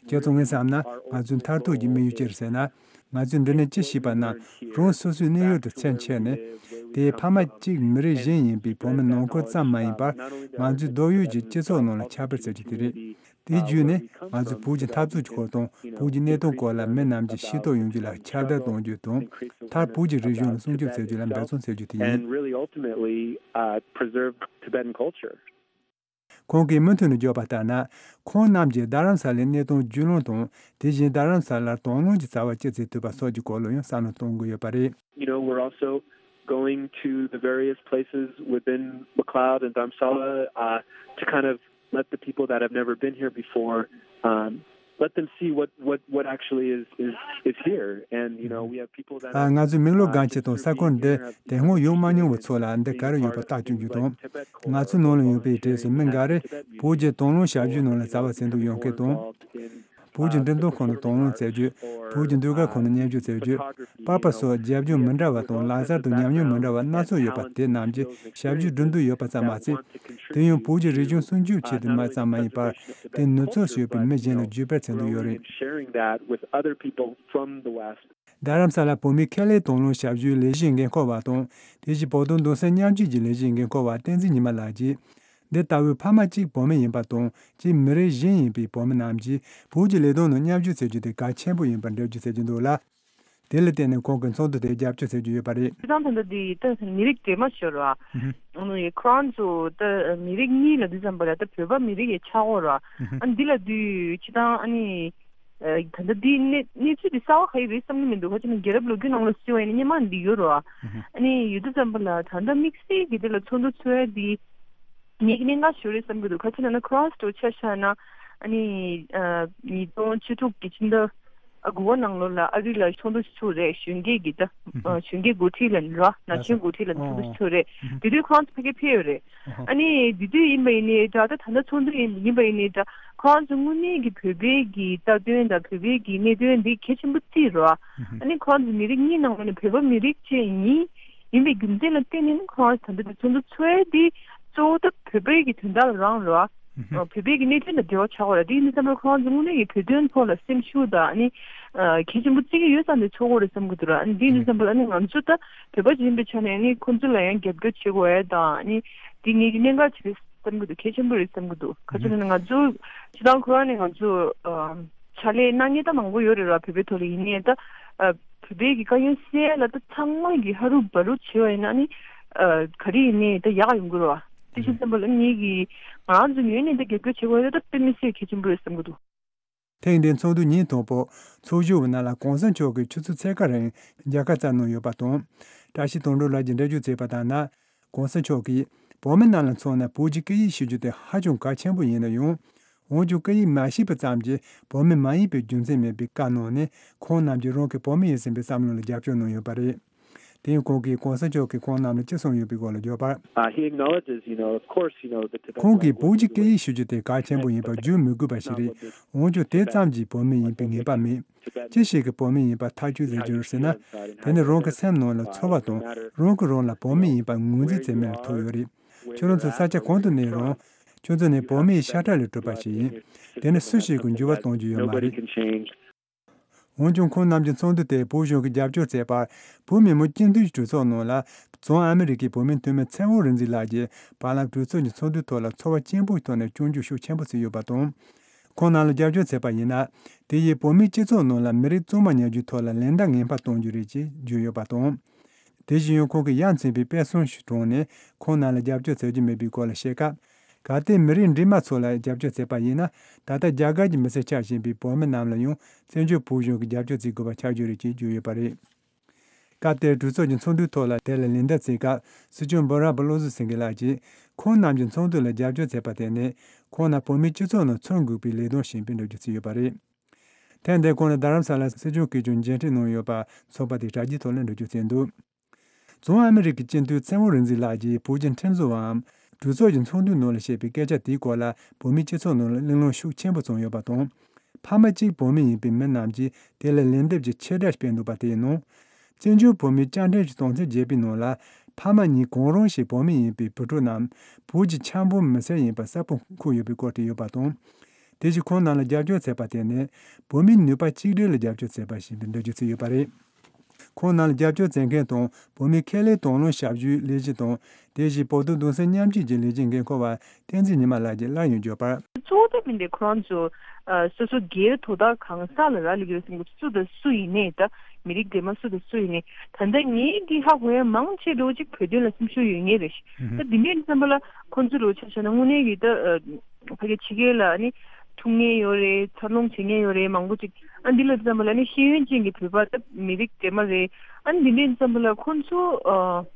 ཁྱེད་ཚོ་ངས་བསམ་ན་ང་ཚོའི་མཐར་ཐུག་གི་དམིགས་ཡུལ་ཅི་རེད་ཟེར་ན། ང་ཚོས་འདི་ནས་ཅི་ཤེས་པ་ན་རང་སོ་སོའི་གནས་ཡུལ་དུ་ཚུར་ཁྱེར་ནས་དེའི་ཕ་མ་གཅིག་མི་རིགས་གཞན་ཡིན་པའི་བོད་མི་ནང་ཁུལ་ཙམ་མ་ཡིན་པར་ང་ཚོའི་སྡོད་ཡུལ་གྱི་སྤྱི་ཚོགས་ནང་ལ་ཁྱབ་པར་བྱ་རྒྱུ་དེ་རེད། དེའི་བརྒྱུད་ནས་ང་ཚོས་བོད་ཀྱི་འཐབ་རྩོད་ཀྱི་སྐོར་དང་བོད་ཀྱི་གནད་དོན་སྐོར་ལ་མི་རྣམས་ཀྱིས་ཤེས་རྟོགས་ཡོང་རྒྱུ་ལ་ཁྱབ་བརྡལ་གཏོང་རྒྱུ་དང་མཐར་བོད་ཀྱི་རིག་གཞུང་ལ་སྲུང་སྐྱོབ་བྱ་རྒྱུ་ལ་འབད་བརྩོན་བྱ་རྒྱུ་དེ་ཡིན། And really ultimately uh, preserve Tibetan culture. ཁོང་གིས་མུ་མཐུད་ནས་བརྗོད་པ་ལྟར་ན། ཁོང་རྣམས་ཀྱིས་རྡ་རམ་ས་ལའི་གནད་དོན་བརྒྱུད་ལམ་དང་དེ་བཞིན་རྡ་རམ་ས་ལར་དང་བླངས་ཀྱི་རྩ་བ་ཅི་བཙུགས་ཐུབ་པ་སོགས་ཀྱི་སྐོར་ལ་ཡང་བསམ་བློ་གཏོང་གི་ཡོད་པ་རེད། You know, we're also going to the various places within McLeod and Dharamsala uh, to kind of let the people that have never been here before um, let them see what what what actually is is is here. And you know, we have people that ཨ། ང་ཚོས་མིག་ལོག་སྒང་ཆེ་དང་ས་ཁུལ་འདི་དེ་སྔོན་ཡོང་མ་མྱོང་བའི་ཚོ་ལ་འདི་ག་རེ་ཡོད་པ་བརྟག་བཅུག་རྒྱུ་དང་། ང་ཚོའི་ནང་ལ་ཡོད་པའི་གྲས་སུ་མི་འགའ་རེ་བོད་ཀྱི་དང་བླངས་ཞབས་ཞུའི་ནང་ལ་རྩ་བ་ཟིན་འདུག་ཡོང་མཁན་དང་། བོད་ཀྱི་འགྲེམས་སྟོན་ཁང་ནང་དང་བླངས་བྱ་རྒྱུ། བོད་ཀྱི་ཟློས་གར་ཁང་ནང་མཉམ་ཞུགས་བྱ་རྒྱུ། པར་པ་སོགས་རྒྱབ་ལྗོངས་མི་འདྲ་བ་དང་ལག་རྩལ་དང་ཉམས་མྱོང་མི་འདྲ་བ་སྣ་ཚོགས་ཡོད་པ་དེ་རྣམས་ཀྱིས་ཞབས་ཞུ་སྒྲུབ་འདོད་ཡོད་པ་ཙམ་མ་ཟད། དེ་ཡང་བོད་ཀྱི་རིག་གཞུང་སྲུང་སྐྱོབ་ཆེད་དུ་མ་ཙམ་མ་ཡིན་པར་དེ་ནུབ་ཕྱོགས་སུ་ཡོད་པའི་མི་གཞན་ལ་བརྒྱུད་སྤེལ་བྱེད་འདོད་ཡོད་རེད། Sharing that with other people from the West. རྡ་རམ་ས་ལ་བོད་མིའི་ཁེ་ལས་དང་བླངས་ཞབས་ཞུའི་ལས་གཞིའི་འགན་འཁུར་བ་དང་དེ་བཞིན་བོད་དོན་རྡོག་རྩ་མཉམ་སྐྱེད་ཀྱི་ལས་གཞིའི་འགན་འཁུར་བ་བསྟན་འཛིན་ཉི་མ་ལགས་ཀྱིས། འདི་ལྟ་བུའི་ཕ་མ་གཅིག་བོད་མི་ཡིན་པ་དང་གཅིག་མི་རིགས་གཞན་ཡིན་པའི་བོད་མི་རྣམས་ཀྱིས་བོད་ཀྱི་ལས་དོན་ནང་མཉམ་ཞུགས་བྱེད་རྒྱུ་དེ་གལ་ཆེན་པོ་ཡིན་པར་འགྲེལ་བརྗོད་བྱེད་ཀྱི་འདུག་ལ། དེ་ལ་བརྟེན་ནས་ཁོང་གིས་ཚོགས་འདུ་དེ་རྒྱབ་སྐྱོར་བྱེད་ཀྱི་ཡོད་པ་རེད། སྤྱིར་བཏང་ད་ལྟ་འདི་ད་མི་རིགས་འདྲེས་མ་ཤོར་བ། ཨ་ནི་ཁོ་རང་ཚོ་ད་མི་རིགས་གཉིས་ལ་འདི་ཙམ་པ་ལ་ད་བོད་པ་མི་རིགས་ཡི་ཆགས་ཡོད་རེད་བ། ཨ་ནི་འདི་ལ་དུས་སྤྱིར་བཏང་ཨ་ནི་ད་ལྟ་འདི་གནས་གནས་ཚུལ་འདི་གསར་བ་ག་ཡི་རེད་བསམ་གྱི་མི་འདུག་ག་ཅི་ན་རྒྱལ་རབས་ལོ་རྒྱུས་ནང་ལ་གཟིགས་པ་ཡིན་ན་སྔོན་མ་འདི་ཡོད་རེད་བ། ཨ་ནི་ཡོད་དུས་ཙམ་པ་ལ་ད་ལྟ་དམིགས་བསལ་གྱི་འདི་ལ་ཚོགས་འདུ་ཚོགས་ཡ་འདི་ངེད་ཀྱི་གནད་འགག་ཤོར་རེད་བསམ་གྱི་འདུག་ག་ཅི་ན་ན་ཁོ་རང་ཚོ་ཆ་བཞག་ན་ཨ་ནི་ཉིས་སྟོང་བཅུ་དྲུག་གི་ཕྱི་ཟླ། ཨ་དགུ་པ་ནང་ལོགས་ལ་ཨ་རི་ལ་ཚོགས་འདུ་ཞིག་ཚོགས་རེད། གཞོན་སྐྱེས་ཀྱི་ད་ཨ་གཞོན་སྐྱེས་འགོ་ཁྲིད་ལ་ར་ན་གཞོན་འགོ་ཁྲིད་ལ་ཚོགས་འདུ་ཞིག་ཚོགས་རེད། དེ་དུས་ཁོང་ཚོ་ཕ་གིར་ཕེབས་ཡོད་རེད། ཨ་ནི་དེ་དུས་ཡིན་པ་ཡིན་ནའི་འདྲ། ད་ད་ལྟ་ཚོགས་འདུ་ཡིན་ཡིན་པ་ཡིན་ནའི་འདྲ། ཁོང་ཚོ་དངོས་གནས་ཀྱི་བོད་པའི་གི་རྩ་དོན་དང་བོད་པའི་གི་གནད་དོན་འདི་གལ་ཆེན་པོ་བརྩིས་རོ། ཨ་ནི་ཁོང་ཚོ་མི་རིགས་གཉིས་ནང་ལོགས་ནས་བོད་པ་མི་རིགས་གཅིག་ཡིན། ཡིན་པའི་རྒྱུ་མཚན་ལ་བརྟེན་ནས་ནི་ཁོང་ཚོ་ད་ལྟ་དེ་ཚོགས་འདུ་ཚོགས་ཡས་དེ་གཙོ་བོ་ད་བོད་པའི་གི་དོན་དག་ལ་རང་རོ། ཨ་བོད་པའི་གི་གནད་དོན་དང་འབྲེལ་བ་ཆགས་པ་རེད། དེ་ཡིན་དུས་ཙམ་པར་ཁོང་ཚོ་དངོས་གནས་ཀྱི་བོད་དོན་ཐོག་ལ་སེམས་ཤུགས་དང་ཨ་ནི་གལ་ཆེན་པོ་བརྩི་གི་ཡོད་ཙང་དེ་ཚོགས་དགོས་རེད་བསམ་གི་འདུག་ར། ཨ་ནི་དེ་ཡིན་དུས་ཙམ་པར་ཨ་ནི་ང་ཚོ་ད་བོད་པ་ཅིག་ཡིན་པའི་ཆ་ནས་ཨ་ནི་ཁོང་ཚོ་ལ་ཡང་རྒྱབ་སྐྱོར་བྱེད་དགོས་ཡས་དང་ཨ་ནི་དེ་ངེད་ཀྱི་གནད་འགག་ཅིག་རེད་བསམ་གི་འདུག་གལ་ཆེན་པོ་རེད་བསམ་གི་འདུག་ག་ཚོད་ན་ང་ཚོ་སྤྱི་བཏང་ཁོ་རང་ནས་ང་ཚོ་ཕྱག་ལས་གནང་མཁན་ད་མང་པོ་ཡོད་རེད་ར། བོད་པའི་ཐོག་ལ་ཡིན་ནའི་ད་བོད་པའི་གི་དཀའ་ངལ་སེལ་ཡ་ལ་ད་ཚང་མ་གི་ཧ་རུ་བ་རུ་བྱེད་པ་ཡིན་ན་ནི་ག་རེ་ཡིན་ནའི་ད་ཡག་ཡོང་གི་རེད་བ། དེ་བཞིན་བསམ་པ་ལ་ངེད་ཀྱི་ང་རང་ཚོ་ངོས་ནས་ད་རྒྱབ་སྐྱོར་བྱེད་དགོས་ཡ་ད་དཔེ་མི་སྲིད་གལ་ཆེན་པོ་རེད་བསམ་གི་འདུག་ཐེངས་འདིའི་ཚོགས་འདུ་ཉིན་དང་པོ་ཚོགས་བཞུགས་པ་རྣམས་ལ་གོང་ས་མཆོག་གིས་ཆུ་ཚོད་ཕྱེད་ཀ་རིང་མཇལ་ཁ་བསྩལ་གནང་ཡོད་པ་དང་། བཀྲ་ཤིས་དོན་གྲུབ་ལགས་ཀྱིས་འགྲེལ་བརྗོད་བྱས་པ་ལྟར་ན། གོང་ས་མཆོག་གིས་བོད་མི་རྣམས་ལ་མཚོན་ན་བོད་ཀྱི་སྐད་ཡིག་ཤེས་རྒྱུ་དེ་ཧ་ཅང་གལ་ཆེན་པོ་ཡིན་ན་ཡང་། འོན་ཀྱང་སྐད་ཡིག་མ་ཤེས་པ་ཙམ་གྱིས་བོད་མི་མ་ཡིན་པའི་རྒྱུ་མཚན་མེད་པའི་བཀའ་གནང་ནས་ཁོང་རྣམས་ཀྱིས་རང་གི་བོད་མི་ཡིན་ཟིན་པའི་བསམ་བློ་ལ་རྒྱབ་སྐྱོར་གནང་ཡོད་པ་རེད། དེ་ཡང་ཁོང་གིས་གོང་ས་མཆོག་གིས་ཁོང་རྣམས་ལ་ཅི་གསུངས་ཡོད་པའི་སྐོར་ལ་བརྗོད་པར། Uh, he acknowledges, you know, of course, you know, the Tibetan ཁོང་གིས་language བོད་ཀྱི་is སྐད་ཡིག་ཤེས་རྒྱུ་དེ་གལ་ཆེན་པོ་ཡིན་པ་བརྗོད་མི་དགོས་པ་ཞིག་རེད། འོན་ཀྱང་དེ་ཙམ་གྱིས་བོད་མི་ཡིན་པའི་ངེས་པ་མེད། ཅི་ཞིག་གིས་བོད་མི་ཡིན་པ་ཐག་གཅོད་བྱེད་རྒྱུ་རེད་ཟེར་ན། དེ་ནི་རང་གི་སེམས་ནང་ལ་ཚོར་བ་དང་རང་གིས་རང་ལ་བོད་མི་ཡིན་པ་ངོས་འཛིན་བྱེད་མིན་ལ་ཐུག་ཡོད་རེད། ཁྱོད་རང་ཚོ་ས་ཆ་གང་དུ་གནས་རུང་། ཁྱོད་ཚོ་ནི་བོད་མིའི་ཤ་ཁྲག་ལས་གྲུབ་པ་ཞིག་ཡིན། དེ་ནི་སུ་ཞིག་གིས་འགྱུར་བ་གཏོང་རྒྱུ་ཡོད་མ་རེད། འོན་ཀྱང་ཁོང་རྣམས་ཀྱི་ཚོགས་འདུ་དེ་བོད་གཞུང་གིས་རྒྱབ་སྐྱོར་བྱས་པར་བོད་མི་མང་སྤྱི་འཐུས་ཀྱི་གྲོས་ཚོགས་ནང་ལ་བྱང་ཨ་མི་རི་ཀའི་བོད་མིའི་འཐུས་མི་ཚེ་དབང་རིག་འཛིན་ལགས་ཀྱིས་བར་ལམ་གྲོས་ཚོགས་ཀྱི་ཚོགས་འདུའི་ཐོག་ལ་ཚོར་བ་སྐྱེན་པོའི་ཐོག་ནས་སྐྱོན་བརྗོད་ཤུགས་ཆེན་པོ་བྱས་ཡོད་པ་དང་། ཁོང་རྣམས་ལ་རྒྱབ་སྐྱོར་བྱས་པ་ཡིན་ན། དེ་ཡིས་བོད་མིའི་སྤྱི་ཚོགས་ནང་ལ་མི་རིགས་གཙང་མ་ཉར་རྒྱུའི་ཐོག་ལ་ལན་འདེབས་ངན་པ་གཏོང་རྒྱུ་རེད་ཅེས་བརྗོད་ཡོད་པ་དང་། དེ་བཞིན་ཡང་ཁོང་གིས་ཡ་མཚན་པའི་དཔེ་མཚོན་ཞིག་དྲངས་ནས་ཁོང་རྣམས་ལ་རྒྱབ་སྐྱོར་བྱ་རྒྱུ་མེད་པའི་སྐོར་ལ་བཤད་སྐབས། གལ་ཏེ་མི་རིགས་འདྲེས་མ་ཚོ་ལ་རྒྱབ་སྐྱོར་བྱས་པ་ཡིན་ན། ད་ལྟ་རྒྱ་གར་གྱི་མི་སེར་ཆགས་བཞིན་པའི་བོད་མི་རྣམས་ལ་ཡང་བཙན་བྱོལ་བོད་གཞུང་གིས་རྒྱབ་སྐྱོར་བྱེད་དགོས་པ་ཆགས་རྒྱུ་རེད་ཅེས་བརྗོད་ཡོད་པ་རེད། སྐབས་དེར་གྲོས་ཚོགས་ཀྱི་ཚོགས་འདུའི་ཐོག་ལ་དེ་ལ་ལན་འདེབས་བྱེད་སྐབས་སྲིད་སྐྱོང་འབུམ་རམས་པ་བློ་བཟང་སེང་གེ་ལགས་ཀྱིས་ཁོང་རྣམས་ཀྱི་ཚོགས་འདུ་ལ་རྒྱབ་སྐྱོར་བྱས་པ་དེ་ནི་ཁོང་རྣམས་བོད་མིའི་སྤྱི་ཚོགས་ནང་ཚུར་འགུག་པའི་ལས་དོན་ཞིག་ཡིན་པའི་འགྲེལ་བརྗོད་བྱས་ཡོད་པ་རེད། ཐེངས་འདིར་ཁོང་ལ་རྡ་རམ་ས་ལ་སྲིད་སྐྱོང་གིས་ཀྱང་མཇལ་འཕྲད་གནང་ཡོད་པ་ཚོགས་པ་དེའི་དྲ་རྒྱའི་ཐོག་ལ་འགྲེལ་བརྗོད་བྱས་འདུག་བྱང་ཨ་མི་རི་ཀའི་སྤྱི་འཐུས་ཚེ་དབང་རིག་འཛིན་ལགས་ཀྱིས་བོད་ཀྱི་ཁྲིམས་བཟོ་བའམ་གྲོས་ཚོགས་ཀྱི་ཚོགས་འདུའི་ནང་ལ་བཤད་པའི་སྐད་ཆ་དེའི་སྐོར་ལ་བོད་མིའི་སྤྱི་ཚོགས་ནང་ལ་གླེང་སློང་ཤུགས་ཆེན་པོ་བྱུང་ཡོད་པ་དང་། ཕ་མ་གཅིག་བོད་མི་ཡིན་པའི་མི་རྣམས་ཀྱིས་དེ་ལ་ལན་འདེབས་ཀྱི་ཆེད་སྒྲ་སྤེལ་འདུག་པ་དེའི་ནང་། བཙན་བྱོལ་བོད་མིའི་བཅའ་ཁྲིམས་ཀྱི་དོན་ཚན་བརྒྱད་པའི་ནང་ལ་ཕ་མ་གཉིས་གང་རུང་ཞིག་བོད་མི་ཡིན་པའི་བུ་ཕྲུག་རྣམས་བོད་ཀྱི་འཆར་འབུལ་མི་སེར་ཡིན་པ་གསལ་པོ་འཁོད་ཡོད་པའི་སྐོར་དུ་ཡོད་པ་དང་། དེ་བཞིན་ཁོང་རྣམས་ལ་རྒྱབ་སྐྱོར་བྱས་པ་དེ་ནི་བོད་མིའི་ནུས་པ་གཅིག་སྒྲིལ་ལ་རྒྱབ་སྐྱོར་བྱས་པ་ཞིག་ཡིན་པའི་འགྲེལ་བརྗོད་བྱས་ཡོད་པ་རེད། ཁོང་རྣམས་ལ་རྒྱབ་སྐྱོར་བྱེད་མཁན་དང་བོད་མིའི་ཁེ་ལས་དང་བླངས་ཞབས་ཞུའི་ལས་གཞི་དང་དེ་བཞིན་བོད་དོན་གདུང་སེམས་མཉམ་སྐྱེད་ཀྱི་ལས་གཞིའི་འགན་འཁུར་བ་བསྟན་འཛིན་ཉི་མ་ལགས་ཀྱིས་སླར་ཡང་བརྗོད་པར། གཙོ་བོ་ད་མི་འདི་ཁོ་རང་ཚོ་ཨ་སོ་སོ་སྒེར་དོ་བདག་གང་ཟག་ལ་རག་ལས་ཀྱི་རེད་བསམ་གྱི་འདུག་སུ་དང་སུ་ཡིན་ནའི་ད་མི་རིགས་འདྲེས་མ་སུ་དང་སུ་ཡིན་ནའི་ད་ལྟ་ངས་འདི་ཧ་གོ་ཡ་མང་ཆེ་འགྲོ་གཅིག་བོད་དོན་ལ་སེམས་ཤུགས་ཡོད་ངེས་རེད། ད་འདི་འདྲའི་བསམ་པ་ལ་ཁོང་ཚོ་རུ་ཆ་བཞག་ན་དངོས་གནས་ཀྱི་ད་ཨ་ཕ་གི་ཕྱི་རྒྱལ་ལ་ཨ་ནི་ཐུག་མཁན་ཡོད་རེད། འཚར་ལོངས་བྱེད་མཁན་ཡོད་རེད། མང་པོ་ཅིག་ཨ་འདི་ལ་བསམ་པ་ལ་ཨ་ནི་ཤེས་ཡོན་ཅན་གྱི་བོད་པ་ད་མི་རིགས་འདྲེས་མ་རེད། ཨ་ནི་འདི་འདྲའི་བསམ་པ་ལ་ཁོང་ཚོ་ཨ།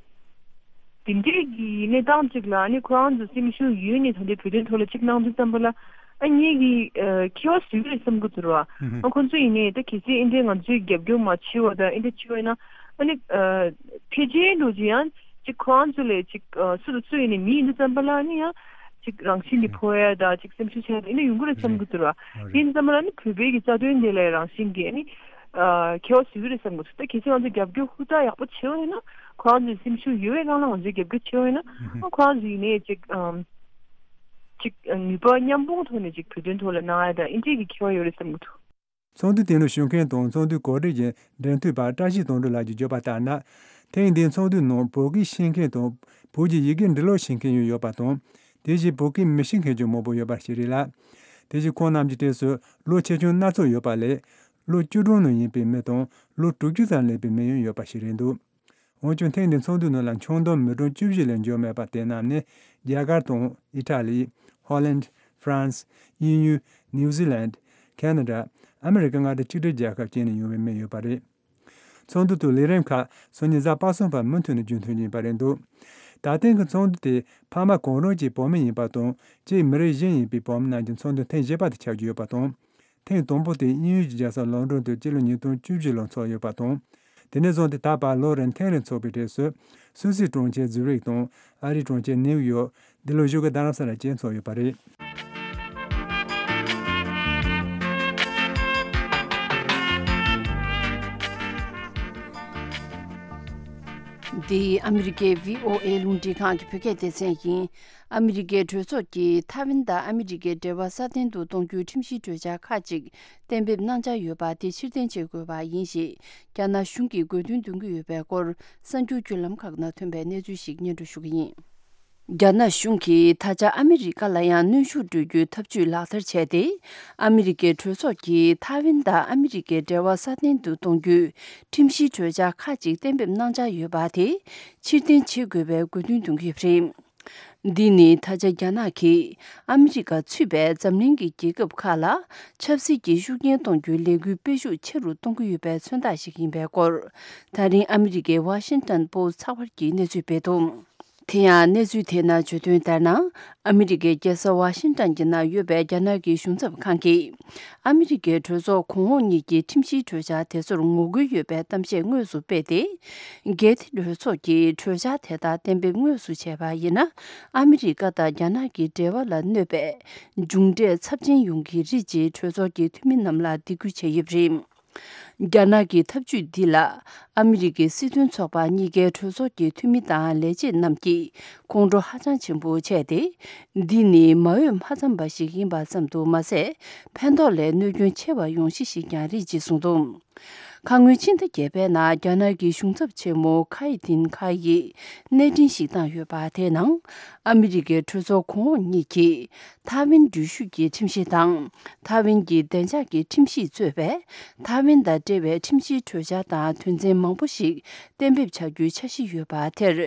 དེ་འདྲའི་གི་གནས་སྟངས་ཅིག་ལ་ཨ་ནི་ཁོ་རང་ཚོ་སེམས་ཤུགས་ཡོད་ནས་ད་ལྟའི་བོད་དོན་ཐོག་ལ་ཅིག་གནང་དུས་ཙམ་པ་ལ་ཨ་ངེད་ཀྱི་ཨ་ཁྱད་པར་ཟིག་རེད་བསམ་གི་འདུག་ར། ཨ་ཁོ་ཚོ་ཡིན་ནའི་ད་གལ་སྲིད་ཨེ་འདྲའི་ང་ཚོའི་རྒྱབ་སྐྱོར་མ་བྱས་པ་དང་ཨེ་འདྲ་བྱས་པ་ཡིན་ན་ཨ་ནི་ཨ་ཕལ་ཆེར་འགྲོ་ཅིག་ཡང་ཅིག་ཁོ་རང་ཚོ་ལས་ཅིག་ཨ་སུ་དང་སུ་ཡིན་ནའི་མི་ཡིན་དུས་ཙམ་པ་ལ་ཨ་ནི་ཡང་ཅིག་རང་བཞིན་གྱིས་ཕོ་ཡ་དང་ཅིག་སེམས་ཤུགས་ཆག་ཡ་དང་ཨེ་འདྲ་ཡོང་གི་རེད་བསམ་གི་འདུག་ར། ཡིན་དུས་ཙམ་པ་ལ་ཨ་ནི་བོད་པའི་གི་རྩ་དོན་དེ་ལ་རང་བཞིན་གྱིས་ཨ་ནི་ཨ་ཁྱད་པར་ཟིག་རེད་བསམ་གི་འདུག་ད་གལ་སྲིད་ང་ཚོ་རྒྱབ་སྐྱོར་ཧུར་ཐག་ཡག་པོ་བྱས་པ་ཡིན་ན། ཁོ་རང་ཚོའི་སེམས་ཤུགས་ཡོད་པའི་སྒང་ལ་ང་ཚོས་རྒྱབ་སྐྱོར་བྱེད་པ་ཡིན་ན། ཨ་ཁོ་རང་ཚོ་ཡིན་ནའི་ཅིག་ཨམ་ཅིག་ནུས་པ་མཉམ་སྤུངས་ཐོག་ནས་ཅིག་བོད་དོན་ཐོག་ལ་གནང་ཡ་དང་ཨེ་འདྲའི་གི་ཁྱད་པར་ཡོད་རེད་བསམ་གྱི་འདུག་ཚོགས་འདུ་དེ་ནང་ཞུགས་མཁན་དང་ཚོགས་འདུའི་གོ་སྒྲིག་གི་འབྲེལ་མཐུད་པ་བཀྲ་ཤིས་དོན་གྲུབ་ལགས་ཀྱིས་བརྗོད་པ་ལྟར་ན། ཐེངས་འདིའི་ཚོགས་འདུའི་ནང་བོད་སྐད་ཤེས་མཁན་དང་བོད་ཀྱི་ཡི་གེ་འབྲི་ཀློག་ཤེས་མཁན་ཡང་ཡོད་པ་དང་། དེ་བཞིན་བོད་སྐད་མི་ཤེས་མཁན་ཀྱང་མང་པོ་ཡོད་པ་ཞིག་རེད་ལ། དེ་བཞིན་ཁོང་རྣམས་ཀྱི་གྲས་སུ་ལོ་ཆེ་ཆུང་སྣ་ཚོགས་ཡོད་པ་ལས། ལོ་བཅུ་གྲངས་ནང་ཡིན་པའི་མི་དང་ལོ་དྲུག་ཅུ་ཙམ་སླེབས་པའི་མི་ཡང་ཡོད་པ་ཞིག་རེད་འདུག་འོན་ཀྱང་ཐེངས་འདིའི་ཚོགས་འདུའི་ནང་ལ་ཆུང་མཐོ་མི་གྲངས་བཅུ་བཞི་ལས་འབྱོར་མེད་པ་དེ་རྣམས་ནི་རྒྱ་གར་དང་ཨི་ཊ་ལི། ཧོ་ལན། ཧྥ་རན་སི། དབྱིན་ཡུལ། ནིའུ་ཛི་ལན། ཁེ་ན་ཌ། ཨ་མི་རི་ཀ་མངའ་སྡེ་གཅིག་སྒྲིལ་རྒྱལ་ཁབ་བཅས་ནས་ཡོང་བའི་མི་ཡོད་པ་རེད། ཚོགས་འདུ་དང་ལས་རིམ་ཁག་སང་ཉིན་གཟའ་པ་སངས་བར་མུ་མཐུད་ནས་རྒྱུན་འཁྱོངས་ཡིན་པ་རེད་འདུག་ད་ཐེངས་ཀྱི་ཚོགས་འདུ་དེ་ཕ་མ་གང་རུང་གཅིག་བོད་མི་ཡིན་པ་དང་གཅིག་མི་རིགས་གཞན་ཡིན་པའི་བོད་མི་རྣམས་ཀྱི་ཚོགས་འདུ་ཐེངས་བཞི་པ་དེ་ཆགས་ཀྱི་ཡོད་པ་དང་། ཐེངས་དང་པོ་དེ་དབྱིན་ཡུལ་གྱི་རྒྱལ་ས་ལོན་ཌོན་དུ་སྤྱི་ལོ་ཉིས་སྟོང་བཅུ་བཞི་ལོར་འཚོགས་ཡོད་པ་དང་། དེ་ནས་བཟུང་སྟེ་ད་བར་ལོ་རེར་ཐེངས་རེ་འཚོགས་པའི་གྲས་སུ། སུད་སིའི་གྲོང་ཁྱེར་ཛུ་རིག་དང་། ཨ་རིའི་གྲོང་ཁྱེར་ནེའུ་ཡོག་འདི་ལོ་བཞུགས་སྒར་རྡ་རམ་ས་ལར་བཅས་འཚོགས་ཡོད་པ་རེད། འདི་ཨ་མི་རི་ཀའི་བྷི་ཨོ་ཨེ་རླུང་འཕྲིན་ཁང་གི་བོད་སྐད་སྡེ་ཚན་ཡིན། ཨ་མི་རི་ཀའི་གྲོས་ཚོགས་ཀྱིས་ཐའེ་ཝན་དང་ཨ་མི་རི་ཀའི་འབྲེལ་བ་སྲ་བརྟན་དུ་གཏོང་རྒྱུའི་ཁྲིམས་གཞིའི་གྲོས་འཆར་ཁག་ཅིག་གཏན་འབེབས་གནང་འཆར་ཡོད་པ་དེ་ཕྱིར་འཐེན་བྱེད་དགོས་པ་ཡིན་ཞེས་རྒྱ་ནག་གཞུང་གིས་དགོས་འདུན་འདོན་གྱི་ཡོད་པའི་སྐོར་གསར་འགྱུར་བརྒྱུད་ལམ་ཁག་ནང་ཐོན་པའི་གནས་ཚུལ་ཞིག་སྙན་སྒྲོན་ཞུ་གི་ཡིན། རྒྱ་ནག་གཞུང་གིས་ད་ཆ་ཨ་མི་རི་ཀ་ལ་ཡང་གནོན་ཤུགས་སྤྲོད་རྒྱུའི་ཐབས་ཇུས་ལག་བསྟར་བྱས་ཏེ། ཨ་མི་རི་ཀའི་གྲོས་ཚོགས་ཀྱིས་ཐའེ་ཝན་དང་ཨ་མི་རི་ཀའི་འབྲེལ་བ་སྲ་བརྟན་དུ་གཏོང་རྒྱུའི་ཁྲིམས་གཞིའི་གྲོས་འཆར་ཁག་ཅིག་གཏན་འབེབས་གནང་འཆར་ཡོད་པ་དེ་ཕྱིར་འཐེན་བྱེད་དགོས་པའི་དགོས་འདུན་འདོན་གྱི་ཡོད་པ་རེད། འདི་ནི་ད་ཆ་རྒྱ་ནག་གིས་ཨ་མི་རི་ཀ་ཚུད་པའི་འཛམ་གླིང་གི་རྒྱལ་ཁབ་ཁག་ལ་ཆབ་སྲིད་ཀྱི་ཤུགས་རྐྱེན་གཏོང་རྒྱུའི་ལས་འགུལ་སྤེལ་ཤུགས་ཆེ་རུ་གཏོང་གི་ཡོད་པའི་མཚོན་རྟགས་ཤིག་ཡིན་པའི་སྐོར། ད་རིང་ཨ་མི་རི་ཀའི་ཝ་ཤིང་ཏོན་པོ་སི་ཚགས་པར་གྱིས་གནས་ཚུལ་སྤེལ་འདུག་དེ་ཡང་གནས་ཚུལ་དེའི་ནང་བརྗོད་དོན་ལྟར་ན། ཨ་མི་རི་ཀའི་རྒྱལ་ས་ཝ་ཤིང་ཏོན་གྱི་ནང་ཡོད་པའི་རྒྱ་ནག་གི་གཞུང་ཚབ་ཁང་གིས། ཨ་མི་རི་ཀའི་གྲོས་ཚོགས་གོང་འོག་གཉིས་ཀྱི་ཁྲིམས་གཞིའི་གྲོས་འཆར་དེ་ཚོར་ངོ་རྒོལ་ཡོད་པའི་གཏམ་བཤད་དངོས་སུ་སྤེལ་ཏེ། གལ་ཏེ་གྲོས་ཚོགས་ཀྱིས་གྲོས་འཆར་དེ་དག་གཏན་འབེབས་དངོས་སུ་བྱས་པ་ཡིན་ན། ཨ་མི་རི་ཀ་དང་རྒྱ་ནག་གི་འབྲེལ་བ་ལ་གནོད་པའི་མཇུག་འབྲས་ཚབས་ཆེན་ཡོང་གི་རེད་ཅེས་གྲོས་ཚོགས་ཀྱི་འཐུས་མི་རྣམས་ལ་འདེད་སྐུལ་བྱས་ཡོད་པ་རེད། རྒྱ་ནག་གི་ཐབས་ཇུས་འདི་ལ་ཨ་མི་རི་ཀའི་སྲིད་དོན་ཚོགས་པ་གཉིས་ཀའི་གྲོས་ཚོགས་ཀྱི་འཐུས་མི་དང་ལས་བྱེད་རྣམས་ཀྱིས་ཁོང་ཁྲོ་ཧ་ཅང་ཆེན་པོ་བྱས་ཏེ། འདི་ནི་མ་འོས་མ་འཚམས་པ་ཞིག་ཡིན་པ་ཙམ་དུ་མ་ཟད། ཕན་ཐོགས་ལས་གནོད་སྐྱོན་ཆེ་བ་ཡོང་གཞི་ཞིག་ཀྱང་རེད་ཅེས་གསུངས་འདུག་ཁ་སྔོན་ཕྱི་ཟླ་བརྒྱད་པའི་ནང་རྒྱ་ནག་གི་གཞུང་ཚབ་ཆེན་མོ་ཁའི་ཏིན་ཁའེ་ཡིས་གནས་འཕྲིན་ཞིག་བཏང་ཡོད་པ་དེའི་ནང་། ཨ་མི་རི་ཀའི་གྲོས་ཚོགས་གོང་འོག་གཉིས་ཀྱིས། ཐའེ་ཝན་འགྲུལ་བཞུད་ཀྱི་ཁྲིམས་གཞི་དང་། ཐའེ་ཝན་གྱི་བདེ་འཇགས་ཀྱི་ཁྲིམས་གཞིས་གཙོས་པའི་ཐའེ་ཝན་དང་འབྲེལ་བའི་ཁྲིམས་གཞིའི་གྲོས་འཆར་དང་དོན་ཚན་མང་པོ་ཞིག་གཏན་འབེབས་བྱ་རྒྱུའི་འཆར་གཞི་ཡོད་པ་དེར།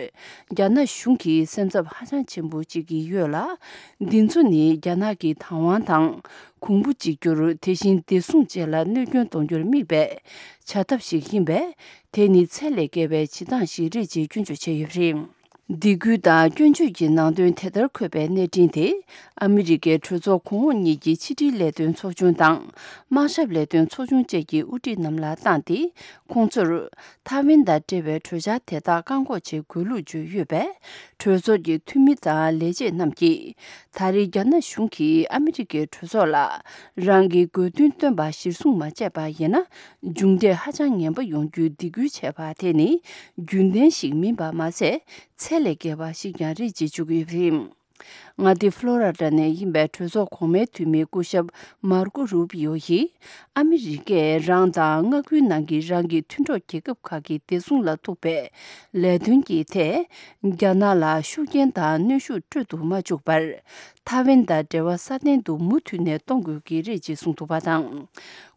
རྒྱ་ནག་གཞུང་གིས་སེམས་འཚབ་ཧ་ཅང་ཆེན་པོ་བྱེད་ཀྱི་ཡོད་ལ། འདི་ཚོ་ནི་རྒྱ་ནག་གི་བདག་དབང་དང་། གོང་བུ་གཅིག་གྱུར། དེ་བཞིན་བདེ་སྲུང་བཅས་ལ་གནོད་སྐྱོན་གཏོང་རྒྱུར་དམིགས་པའི་བྱ་ཐབས་ཤིག་ཡིན་པས། དེ་ནི་ཚད་ལས་བརྒལ་བའི་བྱེད་སྟངས་ཤིག་རེད་ཅེས་སྐྱོན་བརྗོད་བྱས་ཡོད་པ་རེད། སྡིགས་སྐུལ་དང་སྐྱོན་བརྗོད་ཀྱི་ནང་དོན་དེ་ལྟར་འཁོད་པའི་གནས་འཕྲིན་དེ། ཨ་མི་རི་ཀའི་གྲོས་ཚོགས་གོང་འོག་གཉིས་ཀྱི་ཕྱི་དྲིལ་ལས་དོན་ཚོགས་ཆུང་དང་། དམག་ཞབས་ལས་དོན་ཚོགས་ཆུང་བཅས་ཀྱི་དབུ་ཁྲིད་རྣམས་ལ་བཏང་སྟེ། ཁོང་ཚོར་ཐའེ་ཝན་དང་འབྲེལ་བའི་གྲོས་འཆར་དེ་དག་བཀག་འགོག་བྱེད་དགོས་ལུགས་བརྗོད་ཡོད་པས། གྲོས་ཚོགས་ཀྱི་འཐུས་མི་དང་ལས་བྱེད་རྣམས་ཀྱིས། ད་རེས་རྒྱ་ནག་གཞུང་གིས་ཨ་མི་རི་ཀའི་གྲོས་ཚོགས་ལ། རང་གི་དགོས་འདུན་བཏོན་པ་གཞིར་བཟུང་མ་བྱས་པ་ཡིན་ན། མཇུག་འབྲས་ཧ་ཅང་ངན་པ་ཡོང་རྒྱུའི་སྡིགས་སྐུལ་བྱས་པ་དེ་ནི། རྒྱུན་ལྡན་ཞིག་མིན་པ་མ་ཟད། ཚད་ལས་བརྒལ་བ་ཞིག་ཀྱང་རེད་ཅེས་བརྗོད་ཀྱི་ཡོད་པ་རེད། མངའ་སྡེ་ཕློ་ར་ཌ་ནས་ཡིན་པའི་གྲོས་ཚོགས་གོང་མའི་འཐུས་མི་སྐུ་ཞབས་མར་ཀོ་རུ་པི་ཡོ་ཡིས། ཨ་མི་རི་ཀས་རང་དང་མངའ་ཁུལ་ནང་གི་རང་གི་མཐུན་གྲོགས་རྒྱལ་ཁབ་ཁག་གི་བདེ་སྲུང་ལ་ཐུག་པའི་ལས་དོན་གྱི་ཐད། རྒྱ་ནག་ལ་ཤུགས་རྐྱེན་དང་གནོན་ཤུགས་སྤྲོད་དུ་མ་བཅུག་པར། ཐའེ་ཝན་དང་འབྲེལ་བ་སྲ་བརྟན་དུ་མུ་མཐུད་ནས་གཏོང་དགོས་ཀྱི་རེད་ཅེས་གསུངས་འདུག་པ་དང་།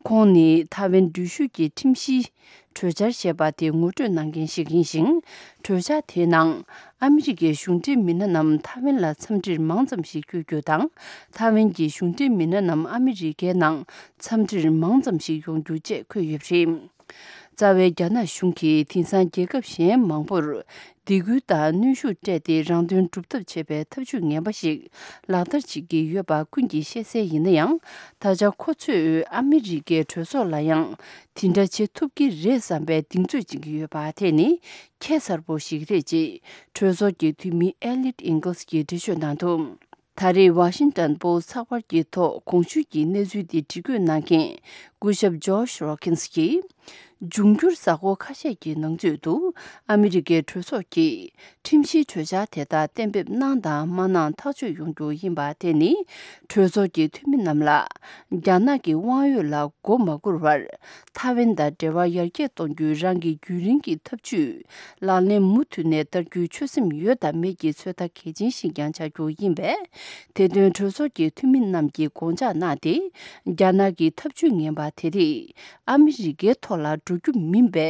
ཁོང་ནི་ཐའེ་ཝན་འགྲུལ་བཞུད་ཀྱི་ཁྲིམས་གཞིའི་གྲོས་འཆར་ཞེས་པ་དེ་ངོ་སྤྲོད་གནང་མཁན་ཞིག་ཡིན་ཞིང་། གྲོས་འཆར་དེའི་ནང་། ཨ་མི་རི་ཀའི་གཞུང་འབྲེལ་མི་སྣ་རྣམས་ཐའེ་ཝན་ལ་འཚམས་འདྲིར་མང་ཙམ་ཞིག་བསྐྱོད་རྒྱུ་དང་། ཐའེ་ཝན་གྱི་གཞུང་འབྲེལ་མི་སྣ་རྣམས་ཨ་མི་རི་ཀའི་ནང་འཚམས་འདྲིར་མང་ཙམ་ཞིག་ཡོང་རྒྱུ་བཅས་འཁོད་ཡོད་པ་རེད། རྩ་བའི་རྒྱ་ནག་གཞུང་གིས་དེང་སང་རྒྱལ་ཁབ་གཞན་མང་པོར་སྡིགས་སྐུལ་དང་གནོན་ཤུགས་སྤྲད་དེ་རང་དོན་སྒྲུབ་ཐབས་བྱེད་པའི་ཐབས་ཇུས་ངན་པ་ཞིག་ལག་བསྟར་བྱེད་ཀྱི་ཡོད་པ་ཀུན་གྱིས་ཤེས་གསལ་ཡིན་ན་ཡང་། ད་ཆ་ཁོ་ཚོས་ཨ་མི་རི་ཀའི་གྲོས་ཚོགས་ལ་ཡང་དེ་འདྲ་བྱེད་ཐུབ་ཀྱི་རེད་བསམ་པའི་གདེང་ཚོད་བྱེད་ཀྱི་ཡོད་པ་དེ་ནི་ཁྱད་མཚར་པོ་ཞིག་རེད་ཅེས་གྲོས་ཚོགས་ཀྱི་འཐུས་མི་ཨེ་ལིཊ་ཨིང་གལ་སི་གྱིས་འགྲེལ་བརྗོད་གནང་འདུག་ད་རེས་ཝ་ཤིང་ཏོན་པོ་སི་ཚགས་པར་གྱི་ཐོག་གོང་ཞུས་ཀྱི་གནས་ཚུལ་འདི་བྲིས་བཀོད་གནང་མཁན་སྐུ་ཞབས་ཇོ་ཤ་རོ་ཁིན་སི་གྱིས། འབྱུང་འགྱུར་གཟའ་འཁོར་ཁ་ཤས་ཀྱི་ནང་ཚུད་དུ་ཨ་མི་རི་ཀའི་གྲོས་ཚོགས་ཀྱིས་ཁྲིམས་གཞིའི་གྲོས་འཆར་དེ་དག་གཏན་འབེབས་གནང་དང་མ་གནང་ཐག་གཅོད་ཡོང་རྒྱུ་ཡིན་པ་དེ་ནི་གྲོས་ཚོགས་ཀྱི་འཐུས་མི་རྣམས་ལ་རྒྱ་ནག་གི་དབང་ཡོད་ལ་མགོ་མ་སྒུར་བར། ཐའེ་ཝན་དང་འབྲེལ་བ་ཡར་རྒྱས་གཏོང་རྒྱུའི་རང་གི་རྒྱུན་རིང་གི་ཐབས་ཇུས་ལག་ལེན་མུ་མཐུད་ནས་བསྟར་རྒྱུའི་ཆོད་སེམས་ཡོད་དམ་མེད་ཀྱི་ཚོད་ལྟ་གལ་ཆེན་ཞིག་ཀྱང་བྱ་རྒྱུ་ཡིན་པས། དེ་དོན་གྲོས་ཚོགས་ཀྱི་འཐུས་མི་རྣམས་ཀྱིས་དགོངས་འཇགས་གནང་སྟེ། རྒྱ་ནག་གི་ཐབས་ཇུས་ངན་པ་དེ་རིགས་ཨ་མི་རི་ཀའི་ཐོག་ལ་འགྲོ་རྒྱུ་མིན་པའི་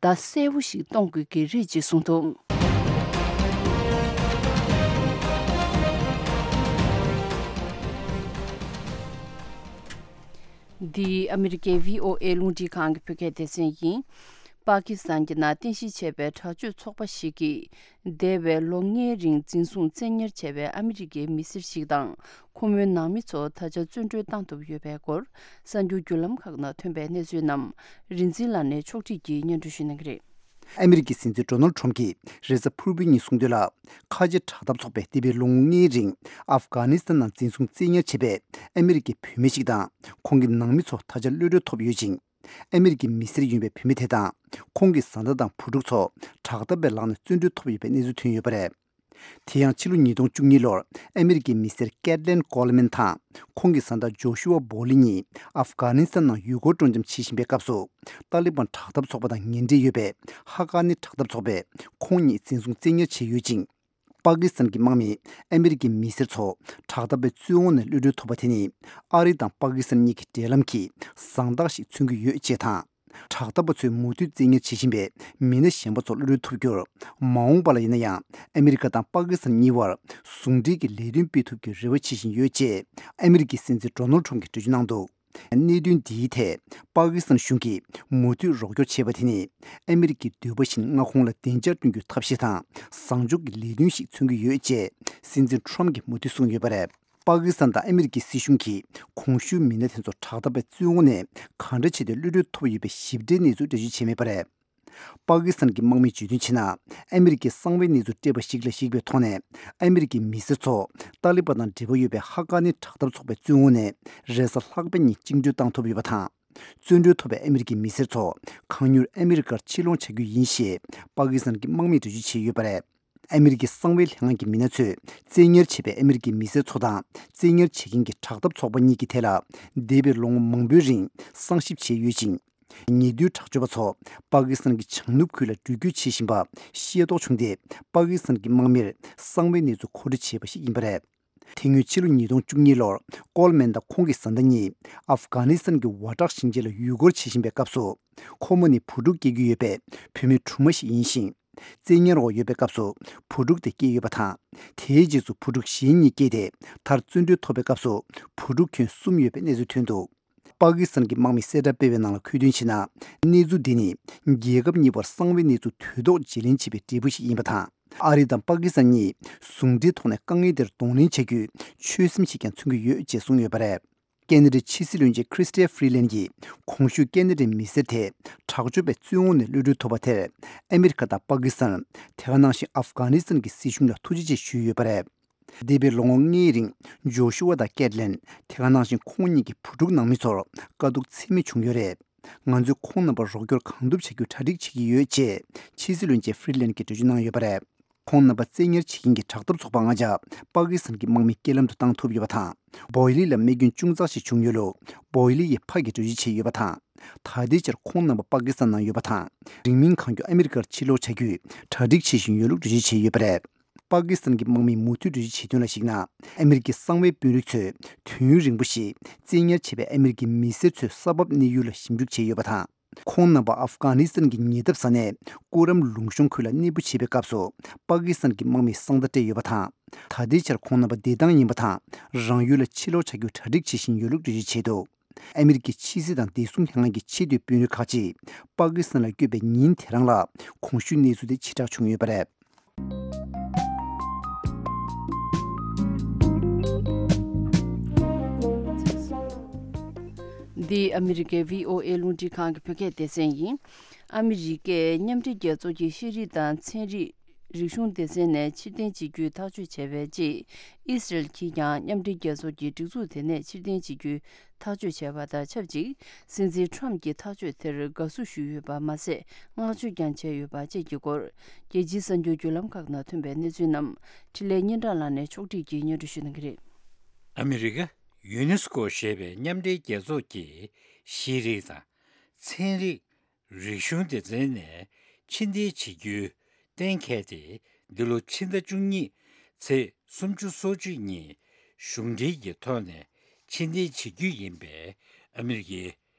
བརྡ་གསལ་པོ་ཞིག་གཏོང་དགོས་ཀྱི་རེད་ཅེས་གསུངས་འདུག་འདི་ཨ་མི་རི་ཀའི་བྷི་ཨོ་ཨེ་རླུང་འཕྲིན་ཁང་གི་བོད་སྐད་སྡེ་ཚན་ཡིན། པ་ཀི་སི་ཐན་གྱི་ནང་རྟེན་གཞི་བྱས་པའི་དྲག་སྤྱོད་ཚོགས་པ་ཞིག་གིས། འདས་པའི་ལོ་ལྔའི་རིང་འཛིན་བཟུང་བཙན་ཉར་བྱས་པའི་ཨ་མི་རི་ཀའི་མི་སེར་ཞིག་དང་། ཁོ་མོའི་ནང་མི་ཚོ་ད་ཆ་བཙོན་གྲོལ་བཏང་ཐུབ་ཡོད་པའི་སྐོར། གསར་འགྱུར་བརྒྱུད་ལམ་ཁག་ནང་ཐོན་པའི་གནས་ཚུལ་རྣམས། རིན་འཛིན་ལགས་ནས་ཕྱོགས་སྒྲིག་གིས་སྙན་སྒྲོན་ཞུ་གནང་གི་རེད། ཨ་མི་རི་ཀའི་སྲིད་འཛིན་ཌོ་ནལ་ཁྲོམ་གྱིས་རེས་གཟའ་ཕུར་བུའི་ཉིན་གསུངས་དོན་ལ། ཁ་ཆེ་དྲག་འཐབ་ཚོགས་པས་འདས་པའི་ལོ་ངོ་ལྔའི་རིང་ཨབ་གྷ་ནི་སི་ཐན་ནང་འཛིན་བཟུང་བཙན་ཉར་བྱས་པའི་ཨ་མི་རི་ཀའི་བུད་མེད་ཞིག་དང་། ཁོང་གི་ནང་མི་ཚོ་ད་ཆ་གློད་གྲོལ་ཐོབ་ཡོད་ཅིང་། ཨ་མི་རི་ཀའི་མི་སེར་ཡིན་པའི་བུད་མེད་དེ་དང་། ཁོང་གི་བཟའ་ཟླ་དང་བུ་ཕྲུག་ཚོ་དྲག་འཐབ་པའི་ལག་ནས་བཙོན་གྲོལ་ཐོབ་ཡོད་པའི་གནས་ཚུལ་ཐོན་ཡོད་པ་རེད། དེ་ཡང་ཕྱི་ལོ་ཉིས་སྟོང་བཅུ་གཉིས་ལོར་ཨ་མི་རི་ཀའི་མི་སེར་ཀེད་ལན་ཀོལ་མན་དང་། ཁོང་གི་བཟའ་ཟླ་ཇོ་ཤུ་ཨ་བོ་ལི་གཉིས་ཨབ་གྷ་ནི་སི་ཐན་ནང་ཡུལ་སྐོར་སྤྲོ་འཆམ་བྱེད་བཞིན་པའི་སྐབས་སུ། ཏཱ་ལི་བན་དྲག་འཐབ་ཚོགས་པ་དང་ངན་འབྲེལ་ཡོད་པའི་ཧ་ཀ་ནི་དྲག་འཐབ་ཚོགས་པས་ཁོང་གཉིས་འཛིན་བཟུང་བཙན་ཉར་བྱས་ཡོད་ཅིང་། པ་ཀི་སི་ཐན་གྱི་དམག་མིས་ཨ་མི་རི་ཀའི་མི་སེར་ཚོ་དྲག་འཐབ་པའི་བཙོན་འོག་ནས་གློད་གྲོལ་ཐུབ་པ་དེ་ནི། ཨ་རི་དང་པ་ཀི་སི་ཐན་གཉིས་ཀྱི་འབྲེལ་ལམ་གྱི་བཟང་རྟགས་ཤིག་མཚོན་གྱི་ཡོད་ཅེས་དང་། དྲག་འཐབ་པ་ཚོས་མུ་མཐུད་བཙན་ཉར་བྱེད་བཞིན་པའི་མི་སྣ་གཞན་པ་ཚོ་གློད་གྲོལ་ཐུབ་རྒྱུར། མ་འོངས་པ་ལ་ཡིན་ན་ཡང་ཨ་མི་རི་ཀ་དང་པ་ཀི་སི་ཐན་གཉིས་བར་ཟུང་འབྲེལ་གྱི་ལས་དོན་སྤེལ་ཐུབ་རྒྱུའི་རེ་བ་བྱེད་བཞིན་ཡོད་ཅེས་ཨ་མི་རི་ཀའི་སྲིད་འཛིན་ཌོ་ནལ་ཁྲོམ་གྱིས་འགྲེལ་བརྗོད་གནང་འདུག། གནད་དོན་འདིའི་ཐད་པ་ཀི་སི་ཐན་གཞུང་གིས་མུ་མཐུད་རོགས་སྐྱོར་བྱེད་པ་དེ་ནི་ཨ་མི་རི་ཀའི་འདོད་པ་བཞིན་མངའ་ཁོངས་ལ་བདེ་འཇགས་བསྐྲུན་རྒྱུའི་ཐབས་ཤེས་དང་བཟང་ཕྱོགས་ཀྱི་ལས་དོན་ཞིག་མཚོན་གྱི་ཡོད་ཅེས་སྲིད་འཛིན་ཁྲོམ་གྱིས་མུ་མཐུད་གསུངས་ཡོད་པ་རེད། པ་ཀི་སི་ཐན་དང་ཨ་མི་རི་ཀའི་སྲིད་གཞུང་གིས་གོང་ཞུས་མི་སྣ་དེ་ཚོ་དྲག་འཐབ་པའི་བཙོན་འོག་ནས་གང་འདྲ་བྱས་ཏེ་གློད་གྲོལ་ཐོབ་ཡོད་པའི་ཞིབ་ཕྲའི་གནས་ཚུལ་འགྲེལ་བརྗོད་བྱས་མེད་པ་རེད། པ་ཀི་སི་ཐན་གྱི་དམག་མིས་བརྗོད་དོན་བྱས་ན། ཨ་མི་རི་ཀའི་གསང་བའི་གནས་ཚུལ་སྤྲད་པ་ཞིག་ལ་གཞིགས་པའི་ཐོག་ནས། ཨ་མི་རི་ཀའི་མི་སེར་ཚོ་ཏཱ་ལི་བན་དང་འབྲེལ་བ་ཡོད་པའི་ཧ་ཀ་ནི་དྲག་འཐབ་ཚོགས་པའི་བཙོན་འོག་ནས་རེས་གཟའ་ལྷག་པའི་ཉིན་བཅིངས་འགྲོལ་བཏང་ཐུབ་ཡོད་པ་དང་། བཙོན་གྲོལ་ཐོབ་པའི་ཨ་མི་རི་ཀའི་མི་སེར་ཚོ་གང་མྱུར་ཨ་མི་རི་ཀར་ཕྱིར་ལོག་བྱ་རྒྱུ་ཡིན་ཞེས་པ་ཀི་སི་ཐན་གྱི་དམག་མིས་འགྲེལ་བརྗོད་བྱས་ཡོད་པ་རེད། ཨ་མི་རི་ཀའི་གསང་བའི་ལྷན་ཁང་གི་མི་སྣ་ཚོས་བཙན་ཉར་བྱས་པའི་ཨ་མི་རི་ཀའི་མི་སེར་ཚོ་དང་བཙན་ཉར་བྱེད་མཁན་གྱི་དྲག་འཐབ་ཚོགས་པ་གཉིས་ཀྱི་ཐད་ལ་འདས་པའི་ལོ་ངོ་མང་པོའི་རིང་གསང་ཞིབ་བྱས་ཡོད་ཅིང་། ཉེ་དུས་དྲག་སྤྱོད་པ་ཚོ་པ་ཀི་སི་ཐན་གྱི་བྱང་ནུབ་ཁུལ་ལ་འགྲུལ་སྐྱོད་བྱེད་བཞིན་པ་ཤེས་རྟོགས་བྱུང་སྟེ། པ་ཀི་སི་ཐན་གྱི་དམག་མིར་གསང་བའི་གནས་ཚུལ་མཁོ་སྤྲོད་བྱས་པ་ཞིག་ཡིན་པ་རེད། དེ་སྔོན་ཕྱི་ལོ་ཉིས་སྟོང་བཅུ་གཉིས་ལོར་ཀོལ་མན་དང་ཁོང་གི་བཟའ་ཟླ་གཉིས་ཨབ་གྷ་ནི་སི་ཐན་གྱི་ཝ་ཏྲག་ཞིང་ཆེན་ལ་ཡུལ་སྐོར་བྱེད་བཞིན་པའི་སྐབས་སུ། ཁོ་མོ་ནི་བུ་ཕྲུག་སྐྱེ་རྒྱུ་ཡོད་པའི་བུད་མེད་དྲུག་མ་ཞིག་ཡིན་ཞིང་། བཙན་ཉར་འོག་ཡོད་པའི་སྐབས་སུ་བུ་ཕྲུག་དེ་སྐྱེས་ཡོད་པ་དང་། དེའི་རྗེས་སུ་བུ་ཕྲུག་གཞན་གཉིས་སྐྱེས་ཏེ། མཐར་བཙོན་གྲོལ་ཐོབ་པའི་སྐབས་སུ་བུ་ཕྲུག་ཁྱོན་གསུམ་ཡོད་པའི་གནས་ཚུལ་ཐོན་འདུག། པ་ཀི་སི་ཐན་གྱི་དམག་མིས་གསལ་བསྒྲགས་སྤེལ་བའི་ནང་ལ་འཁོད་དོན་བྱས་ན། གནས་ཚུལ་འདི་ནི་རྒྱལ་ཁབ་གཉིས་བར་གསང་བའི་གནས་ཚུལ་དུས་ཐོག་བརྗེ་ལེན་བྱེད་པའི་འབྲས་བུ་ཞིག་ཡིན་པ་དང་། ཨ་རི་དང་པ་ཀི་སི་ཐན་གཉིས་ཟུང་འབྲེལ་ཐོག་ནས་དཀའ་ངལ་དེར་གདོང་ལེན་བྱ་རྒྱུའི་ཆོད་སེམས་ཤིག་ཀྱང་མཚོན་གྱི་ཡོད་ཅེས་གསུངས་ཡོད་པ་རེད། ཁེ་ན་ཌའི་ཕྱི་སྲིད་བློན་ཆེན་ཁྲི་སི་ཊ་ཕི་རི་ལན་གྱིས་གོང་ཞུས་ཁེ་ན་ཌའི་མི་སེར་དེ་དྲག་སྤྱོད་པའི་བཙོན་འོག་ནས་གློད་གྲོལ་ཐུབ་པ་དེར་ཨ་མི་རི་ཀ་དང་པ་ཀི་སི་ཐན། དེ་ག་ནང་བཞིན་ཨབ་གྷ་ནི་སི་ཐན་གྱི་སྲིད་གཞུང་ལ་ཐུགས་རྗེ་ཆེ་ཞུས་ཡོད་པ་རེད། འདས་པའི་ལོ་ངོ་ལྔའི་རིང་ཇོ་ཤུ་ཝ་དང་ཀེད་ལན། དེ་ག་ནང་བཞིན་ཁོང་གཉིས་ཀྱི་བུ་ཕྲུག་ནང་མི་ཚོར་དཀའ་སྡུག་ཚད་མེད་བྱུང་ཡོད་རེད། ང་ཚོས་ཁོང་རྣམ་པར་རོགས་སྐྱོར་གང་ཐུབ་བྱ་རྒྱུའི་གྲ་སྒྲིག་བྱེད་ཀྱི་ཡོད་ཅེས་ཕྱི་སྲིད་བློན་ཆེན་ཕི་རི་ལན་གྱིས་འགྲེལ་བརྗོད་གནང་ཡོད་པ་རེད། ཁོང་རྣམ་པ་བཙན་ཉར་བྱེད་མཁན་གྱི་དྲག་འཐབ་ཚོགས་པ་ལྔ་ཆ་པ་ཀི་སི་ཐན་གྱི་དམག་མིའི་རྐྱེན་ལམ་དུ་བཏང་ཐུབ་ཡོད་པ་དང་། བོ་ཡི་ལི་ལ་རྨས་སྐྱོན་ཅུང་ཙག་ཞིག་བྱུང་ཡོད་ལུགས་བོ་ཡི་ལི་ཡི་ཕ་གིས་འགྲེལ་བརྗོད་བྱས་ཡོད་པ་དང་། ད་ལྟའི་ཆར་ཁོང་རྣམ་པ་པ་ཀི་སི་ཐན་ནང་ཡོད་པ་དང་། རིང་མིན་གང་མགྱོགས་ཨ་མི་རི་ཀར་ཕྱིར་ལོག་བྱ་རྒྱུའི་གྲ་སྒྲིག་བྱེད་བཞིན་ཡོད་ལུགས་འགྲེལ་བརྗོད་བྱས་ཡོད་པ་རེད། པ་ཀི་སི་ཐན་གྱི་དམག་མིས་མུ་མཐུད་འགྲེལ་བརྗོད་བྱས་དོན་ལ་གཞིགས་ན། ཨ་མི་རི་ཀའི་གསང་བའི་དཔོན་རིགས་ཚོས་དུས་ཡུན་རིང་པོ་ཞིག་བཙན་ཉར་བྱས་པའི་ཨ་མི་རི་ཀའི་མི་སེར་ཚོའི་ས་བབ་གནས་ཡུལ་ལ་ཞིབ་འཇུག་བྱས་ཡོད་པ་དང་། ཁོང་རྣམ་པ་ཨབ་གྷ་ནི་སི་ཐན་གྱི་ཉེ་འདབས་ས་གནས་ཀུ་རམ་ལུང་གཤོང་ཁུལ་ལ་གནས་སྤོ་བྱེད་པའི་སྐབས་སུ་པ་ཀི་སི་ཐན་གྱི་དམག་མིས་གསང་བརྡ་སྤྲད་ཡོད་པ་དང་། ད་ལྟའི་ཆར་ཁོང་རྣམ་པ་བདེ་ཐང་ཡིན་པ་དང་། རང་ཡུལ་ལ་ཕྱིར་ལོག་བྱ་རྒྱུའི་གྲ་སྒྲིག་བྱེད་བཞིན་ཡོད་ལུགས་འགྲེལ་བརྗོད་བྱས་འདུག། ཨ་མི་རི་ཀའི་ཕྱི་སྲིད་དང་བདེ་སྲུང་ལྷན་ཁང་གི་ཆེས་མཐོའི་དཔོན་རིགས་ཁག་ཅིག་པ་ཀི་སི་ཐན་ལ་བསྐྱོད་པའི་ཉིན་དེ་རང་ལ་གོང་ཞུས་གནས་ཚུལ་དེ་ཕྱིར་བསྒྲགས་བྱུང་ཡོད་པ་རེད། འདི་ཨ་མི་རི་ཀའི་བྷི་ཨོ་ཨེ་རླུང་འཕྲིན་ཁང་གི་བོད་སྐད་སྡེ་ཚན་ཡིན། ཨ་མི་རི་ཀས་མཉམ་འབྲེལ་རྒྱལ་ཚོགས་ཀྱི་ཤེས་རིག་དང་ཚན་རིག་རིག་གཞུང་སྡེ་ཚན་ནས་ཕྱིར་འཐེན་བྱེད་རྒྱུའི་ཐག་གཅོད་བྱས་པའི་རྗེས། ཨི་སི་རལ་གྱིས་ཀྱང་མཉམ་འབྲེལ་རྒྱལ་ཚོགས་ཀྱི་སྒྲིག་འཛུགས་དེ་ནས་ཕྱིར་འཐེན་བྱེད་རྒྱུའི་ཐག་གཅོད་བྱས་པ་དང་ཆབས་ཅིག། སྲིད་འཛིན་ཁྲོམ་གྱིས་ཐག་གཅོད་དེར་དགའ་བསུ་ཞུས་ཡོད་པ་མ་ཟད། བསྔགས་བརྗོད་ཀྱང་བྱས་ཡོད་པ་བཅས་ཀྱི་སྐོར། རྒྱལ་སྤྱིའི་གསར་འགྱུར་བརྒྱུད་ལམ་ཁག་ནང་ཐོན་པའི་གནས་ཚུལ་རྣམས་འཕྲིན་ལས་སྙན་གྲགས་ལགས་ནས་ཕྱོགས་སྒྲིག་གིས་སྙན་སྒྲོན་ཞུ་གནང་གི་རེད། ཨ་མི་རི་ཀ་ཡུ་ནེ་སི་ཀོ་ཞེས་པའི་མཉམ་འབྲེལ་རྒྱལ་ཚོགས་ཀྱི་ཤེས་རིག་དང་ཚན་རིག་རིག་གཞུང་སྡེ་ཚན་ནས་ཕྱིར་འཐེན་བྱེད་རྒྱུ་གཏན་འཁེལ་ཏེ། འདི་ལོ་ཕྱི་ཟླ་བཅུ་གཉིས་ཚེས་སུམ་ཅུ་སོ་གཅིག་ཉིན་གཞུང་འབྲེལ་གྱི་ཐོག་ནས་ཕྱིར་འཐེན་བྱེད་རྒྱུ་ཡིན་པའི་ཨ་མི་རི་ཀའི་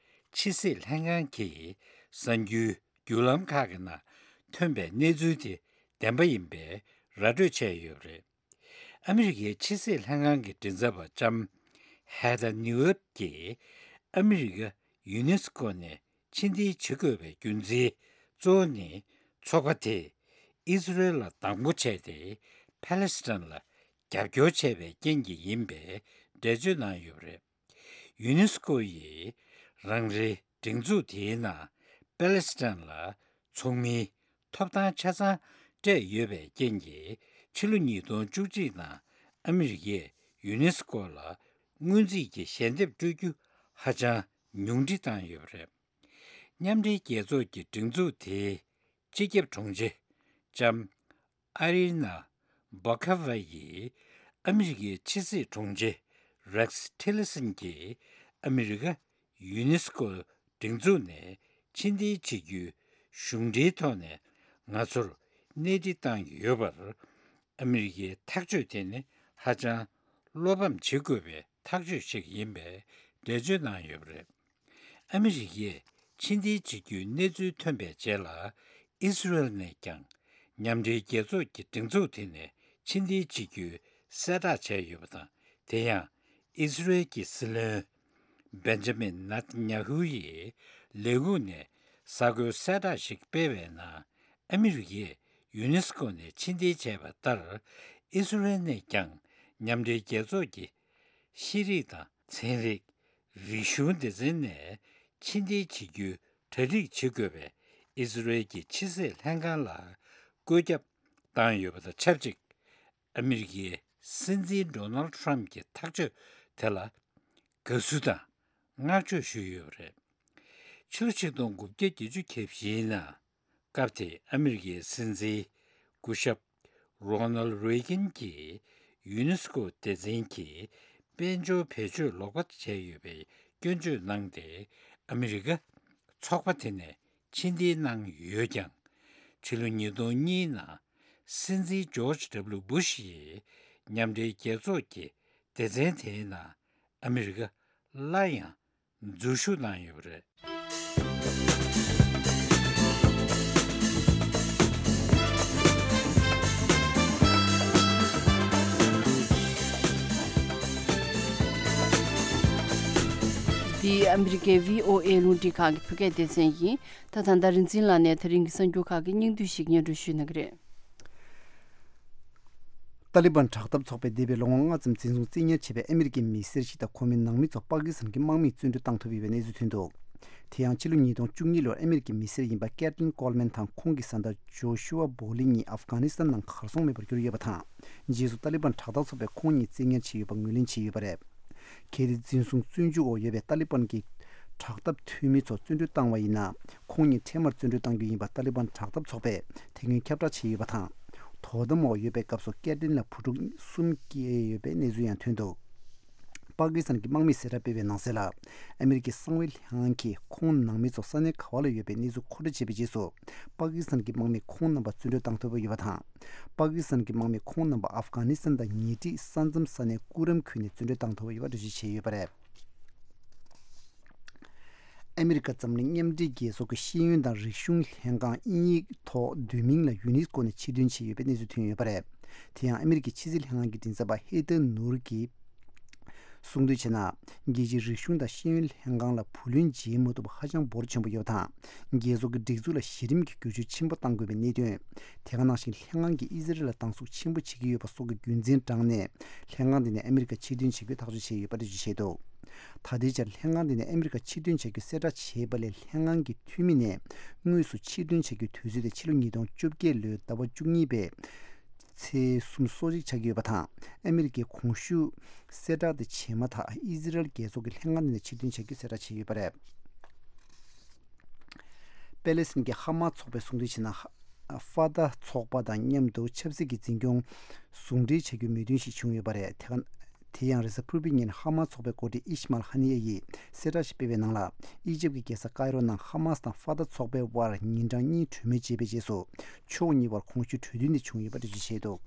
ཕྱི་སྲིད་ལྷན་ཁང་གི་གསར་འགྱུར་བརྒྱུད་ལམ་ཁག་གི་ནང་ཐོན་པའི་གནས་ཚུལ་དེ་བདེན་པ་ཡིན་པའི་ར་སྤྲོད་བྱས་ཡོད་པ་རེད། ཨ་མི་རི་ཀའི་ཕྱི་སྲིད་ལྷན་ཁང་གི་མགྲིན་ཚབ་པ་ལྕམ་ཧེ་ཐར་ནིའུ་ཨེབ་ཀྱིས་ཨ་མི་རི་ཀ་ཡུ་ནེ་སི་ཀོ་ནས་ཕྱིར་འཐེན་བྱེད་དགོས་པའི་རྒྱུ་མཚན་ གཙོ་བོ་ནི་ཚོགས་པ་དེས་ཨི་སི་རེལ་ལ་སྡང་པོ་བྱས་ཏེ་ཕ་ལེ་སི་ཐན་ལ་རྒྱབ་སྐྱོར་བྱས་པའི་རྐྱེན་གྱིས་ཡིན་པའི་འགྲེལ་བརྗོད་གནང་ཡོད་པ་རེད། ཡུ་ནེ་སི་ཀོ་ཡིས་རང་རེའི་སྒྲིག་འཛུགས་དེའི་ནང་པ་ལེ་སི་ཐན་ལ་ཚོགས་མིའི་ཐོབ་ཐང་ཆ་ཚང་སྤྲད་ཡོད་པའི་རྐྱེན་གྱིས་ཕྱི་ལོ་ཉིས་སྟོང་བཅུ་གཅིག་ནང་ཨ་མི་རི་ཀས་ཡུ་ནེ་སི་ཀོ་ལ་སྔོན་རྩིས་ཀྱི་ཞལ་འདེབས་སྤྲོད་རྒྱུ་ཧ་ཅང་ཉུང་འཕྲི་བཏང་ཡོད་པ་རེད། མཉམ་འབྲེལ་རྒྱལ་ཚོགས་ཀྱི་སྒྲིག་འཛུགས་དེའི་སྤྱི་ཁྱབ་དྲུང་ཆེ་ལྕམ་ཨ་རི་ན་སྦོ་ཁ་ཝ་ཡིས་ཨ་མི་རི་ཀའི་ཕྱི་སྲིད་དྲུང་ཆེ་རེག་སི་ཊི་ལི་སན་གྱིས་ཨ་མི་རི་ཀ་ཡུ་ནེ་སི་ཀོ་སྒྲིག་འཛུགས་ནས་ཕྱིར་འཐེན་བྱེད་རྒྱུའི་གཞུང་འབྲེལ་ཐོག་ནས་ང་ཚོར་སྣེ་ཁྲིད་བཏང་ཡོད་པར་ཨ་མི་རི་ཀའི་ཐག་གཅོད་དེ་ནི་ཧ་ཅང་བློ་ཕམ་བྱེད་དགོས་པའི་ཐག་གཅོད་ཞིག་ཡིན་པའི་འགྲེལ་བརྗོད་གནང་ཡོད་པ་རེད། ཨ་མི་རི་ཀས་ཕྱིར་འཐེན་བྱེད་རྒྱུའི་གནས་ཚུལ་ཐོན་པའི་རྗེས་ལ་ཨི་སི་རེལ་ནས་ཀྱང་མཉམ་འབྲེལ་རྒྱལ་ཚོགས་ཀྱི་སྒྲིག་འཛུགས་དེ་ནས་ཕྱིར་འཐེན་བྱེད་རྒྱུའི་གསལ་བསྒྲགས་བྱས་ཡོད་པ་དང་། དེ་ཡང་ཨི་སི་རེལ་གྱི་སྲིད་བློན་བེན་ཇ་མིན་ནེ་ཐན་ཉ་ཧུ་ཡིས་ལས་ཁུངས་ནས་གསར་འགོད་གསལ་བསྒྲགས་ཤིག་སྤེལ་བའི་ནང་། ཨ་མི་རི་ཀས་ཡུ་ནེ་སི་ཀོ་ནས་ཕྱིར་འཐེན་བྱས་པ་ལྟར་ཨི་སི་རེལ་ནས་ཀྱང་མཉམ་འབྲེལ་རྒྱལ་ཚོགས་ཀྱི་ཤེས་རིག་དང་ཚན་རིག་རིག་གཞུང་སྡེ་ཚན་ནས་ཕྱིར་འཐེན་བྱེད་རྒྱུའི་གྲ་སྒྲིག་བྱེད་དགོས་པའི་ཨི་སི་རེལ་གྱི་ཕྱི་སྲིད་ལྷན་ཁང་ལ་བཀོད་ཁྱབ་བཏང་ཡོད་པ་དང་ཆབས་ཅིག་ཨ་མི་རི་ཀའི་སྲིད་འཛིན་ཌོ་ནལ་ཌི་ཊརམ་གྱི་ཐག་གཅོད་དེ་ལ་དགའ་བསུ་དང་བསྔགས་བརྗོད་ཞུས་ཡོད་པ་རེད། ཕྱི་ལོ་ཆིག་སྟོང་དགུ་བརྒྱ་བརྒྱད་ཅུ་གྱ་བཞིའི་ནང་སྐབས་དེའི་ཨ་མི་རི་ཀའི་སྲིད་འཛིན་སྐུ་ཞབས་རོ་ནལ་རེ་གན་གྱིས་ཡུ་ནེ་སི་ཀོ་སྡེ་ཚན་གྱི་དཔལ་འབྱོར་བེད་སྤྱོད་ལོག་པ་བྱས་ཡོད་པའི་སྐྱོན་བརྗོད་གནང་སྟེ། ཨ་མི་རི་ཀ་ཚོགས་པ་དེ་ནས་ཕྱིར་འཐེན་གནང་ཡོད་ཀྱང་། ཕྱི་ལོ་ཉིས་སྟོང་གཉིས་ནང་སྲིད་འཛིན་ཇོརྗ་ཌབ་ལུ་བུ་ཤ་ཡིས་མཉམ་འབྲེལ་རྒྱལ་ཚོགས་ཀྱི་སྡེ་ཚན་དེའི་ནང་ཨ་མི་རི་ཀ་སླར་ཡང་འཛུལ་ཞུགས་གནང་ཡོད་པ་རེད། འདི་ཨ་མི་རི་ཀའི་བྷི་ཨོ་ཨེ་རླུང་འཕྲིན་ཁང་གི་བོད་སྐད་སྡེ་ཚན་ཡིན། ད་ད་ལྟ་རིག་འཛིན་ལགས་ནས་ད་རིང་གི་གསར་འགྱུར་ཁག་གི་སྙིང་བསྡུས་ཤིག་སྙན་སྒྲོན་ཞུ་གནང་གི་རེད། ཏཱ་ལི་བན་དྲག་འཐབ་ཚོགས་པས་འདས་པའི་ལོ་ངོ་ལྔ་ཙམ་འཛིན་བཟུང་བཙན་ཉར་བྱས་པའི་ཨ་མི་རི་ཀའི་མི་སེར་ཞིག་དང་ཁོང་མའི་ནང་མི་ཚོ་པ་ཀི་སི་ཐན་གྱི་དམག་མིས་བཙོན་འགྲོལ་བཏང་ཐུབ་ཡོད་པའི་གནས་ཚུལ་ཐོན་འདུག་དེ་ཡང་ཕྱི་ལོ་ཉིས་སྟོང་བཅུ་གཉིས་ལོར་ཨ་མི་རི་ཀའི་མི་སེར་ཡིན་པ་ཀེ་ཏི་ལིན་ཀོལ་མན་དང་ཁོང་གི་བཟའ་ཟླ་ཇོ་ཤུ་ཨ་བྷོ་ལི་གཉིས་ཨབ་གྷ་ནི་སི་ཐན་ནང་གར་སོང་མེད་པར་གྱུར་ཡོད་པ་དང་། རྗེས་སུ་ཏཱ་ལི་བན་དྲག་འཐབ་ཚོགས་པས་ཁོང་གཉིས་བཙན་ཉར་བྱས་ཡོད་པ་ངོས་ལེན་བྱས་ཡོད་པ་རེད། གལ་ཏེ་འཛིན་བཟུང་བཙོན་འཇུག་འོག་ཡོད་པའི་ཏཱ་ལི་བན་གྱི་དྲག་འཐབ་འཐུས་མི་ཚོ་བཙོན་འགྲོལ་བཏང་བ་ཡིན་ན། ཁོང་གཉིས་འཕྲལ་མར་བཙོན་འགྲོལ་གཏང་རྒྱུ་ཡིན་པ་ཏཱ་ལི་བན་དྲག་འཐབ་ཚོགས་པས་དེ་སྔོན་ཁྱབ་བསྒྲགས་བྱས་ཡོད་པ་དང་། དོ་དམ་འོག་ཡོད་པའི་སྐབས་སུ་ཀེ་ཏི་ལིན་ལ་བུ་ཕྲུག་གསུམ་སྐྱེས་ཡོད་པའི་གནས་ཚུལ་ཡང་ཐོན་འདུག་པ་ཀི་སི་ཐན་གྱི་དམག་མིས་གསལ་བསྒྲགས་སྤེལ་བའི་ནང་གསལ་ལ། ཨ་མི་རི་ཀའི་གསང་བའི་ལྷན་ཁང་གིས་ཁོང་ནང་མི་ཚོ་ས་གནས་ག་བ་ལ་ཡོད་པའི་གནས་ཚུལ་མཁོ་སྤྲོད་བྱས་པའི་རྗེས་སུ། པ་ཀི་སི་ཐན་གྱི་དམག་མིས་ཁོང་རྣམ་པ་བཙོན་འགྲོལ་བཏང་ཐུབ་པ་ཡོད་པ་དང་། པ་ཀི་སི་ཐན་གྱི་དམག་མིས་ཁོང་རྣམ་པ་ཨབ་གྷ་ནི་སི་ཐན་དང་ཉེ་འཁྲིས་ས་མཚམས་ས་གནས་ཀུ་རམ་ཁུལ་ནས་བཙོན་འགྲོལ་བཏང་ཐུབ་པ་ཡོད་པ་འགྲེལ་བརྗོད་བྱས་ཡོད་པ་རེད། ཨ་མི་རི་ཀ་འཛམ་གླིང་མཉམ་འབྲེལ་རྒྱལ་ཚོགས་ཀྱི་ཤེས་ཡོན་དང་རིག་གཞུང་ལྷན་ཁང་དབྱིན་ཡིག་ཐོག་བསྡུས་མིང་ལ་ཡུ་ནེ་སི་ཀོ་ནས་ཕྱིར་འདོན་བྱས་ཡོད་པའི་གནས་ཚུལ་ཐོན་ཡོད་པ་རེད། དེ་ཡང་ཨ་མི་རི་ཀའི་ཕྱི་སྲིད་ལྷན་ཁང་གི་མགྲིན་ཚབ་པ་ཧེ་ཐར་ནུར་གྱིས་གསུངས་དོན་བྱས་ན། རྒྱལ་སྤྱིའི་རིག་གཞུང་དང་ཤེས་ཡོན་ལྷན་ཁང་ལ་བུ་ལོན་འཇལ་མ་ཐུབ་པ་ཧ་ཅང་འབོར་ཆེན་པོ་ཡོད་པ་དང་། རྒྱལ་ཚོགས་ཀྱི་སྒྲིག་འཛུགས་ལ་གཞི་རིམ་གྱི་བསྒྱུར་བཅོས་ཆེན་པོ་གཏང་དགོས་པའི་གནད་དོན། དེ་ག་ནང་བཞིན་ལྷན་ཁང་གིས་ཨི་ཟི་རལ་ལ་སྡང་ཟུག་ཆེན་པོ་བྱེད་ཀྱི་ཡོད་པ་སོགས་ཀྱི་རྒྱུ་མཚན་དྲངས་ནས། ལྷན་ཁང་འདི་ནས་ཨ་མི་རི་ཀ་ཕྱིར་འདོན་བྱེད་རྒྱུའི་ཐག་གཅོད་བྱས་ཡོད་པ་འགྲེལ་བརྗོད་བྱས་འདུག་ད་ལྟའི་ཆར་ལྷན་ཁང་འདི་ནས་ཨ་མི་རི་ཀ་ཕྱིར་འདོན་བྱ་རྒྱུའི་གསལ་བསྒྲགས་བྱས་པ་ལས། ལྷན་ཁང་གི་འཐུས་མི་ནས་དངོས་སུ་ཕྱིར་འདོན་བྱ་རྒྱུའི་དུས་ཚོད་དེ་ཕྱི་ལོ་ཉིས་སྟོང་བཅོ་བརྒྱད་ལོའི་ཟླ་བ་བཅུ་གཉིས་པའི་ཚེས་སོ་གཅིག་ཆགས་ཀྱི་ཡོད་པ་དང་། ཨ་མི་རི་ཀས་གོང་ཞུས་གསལ་བསྒྲགས་དེ་བྱས་མ་ཐག་ཨི་ཟི་རལ་རྒྱལ་ཚོགས་ཀྱིས་ལྷན་ཁང་འདི་ནས་ཕྱིར་འདོན་བྱ་རྒྱུའི་གསལ་བསྒྲགས་བྱས་ཡོད་པ་རེད། པེ་ལེ་སི་ཐན་གྱི་ཧ་མ་ཚོགས་པས་གསུངས་དོན་བྱས་ན། ཧ- ཧྥ་ཏཱ་ཚོགས་པ་དང་མཉམ་དུ་ཆབ་སྲིད་ཀྱི་འཛིན་སྐྱོང་ཟུང་འབྲེལ་བྱ་རྒྱུའི་མོས་མཐུན་ཞིག་བྱུང་ཡོད་པ་རེད། དེ་ག- དེ་ཡང་རེས་གཟའ་ཕུར་བུའི་ཉིན་ཧ་མ་ཚོགས་པའི་འགོ་ཁྲིད་ཨིཤ་མཱལ་ཧ་ནི་ཡ་ཡིས་གསལ་བསྒྲགས་ཤིག་སྤེལ་བའི་ནང་ལ། ཨི་ཇིབ་ཀྱི་རྒྱལ་ས་ཀའི་རོ་ནང་ཧ་མཱས་དང་ཧྥ་ཏཱ་ཚོགས་པའི་དབར་ཉིན་གྲངས་གཉིས་གྲོས་མོལ་བྱས་པའི་རྗེས་སུ། ཕྱོགས་གཉིས་བར་གོང་ཞུས་གྲོས་མཐུན་དེ་བྱུང་ཡོད་པ་འགྲེལ་བརྗོད་བྱས་འདུག་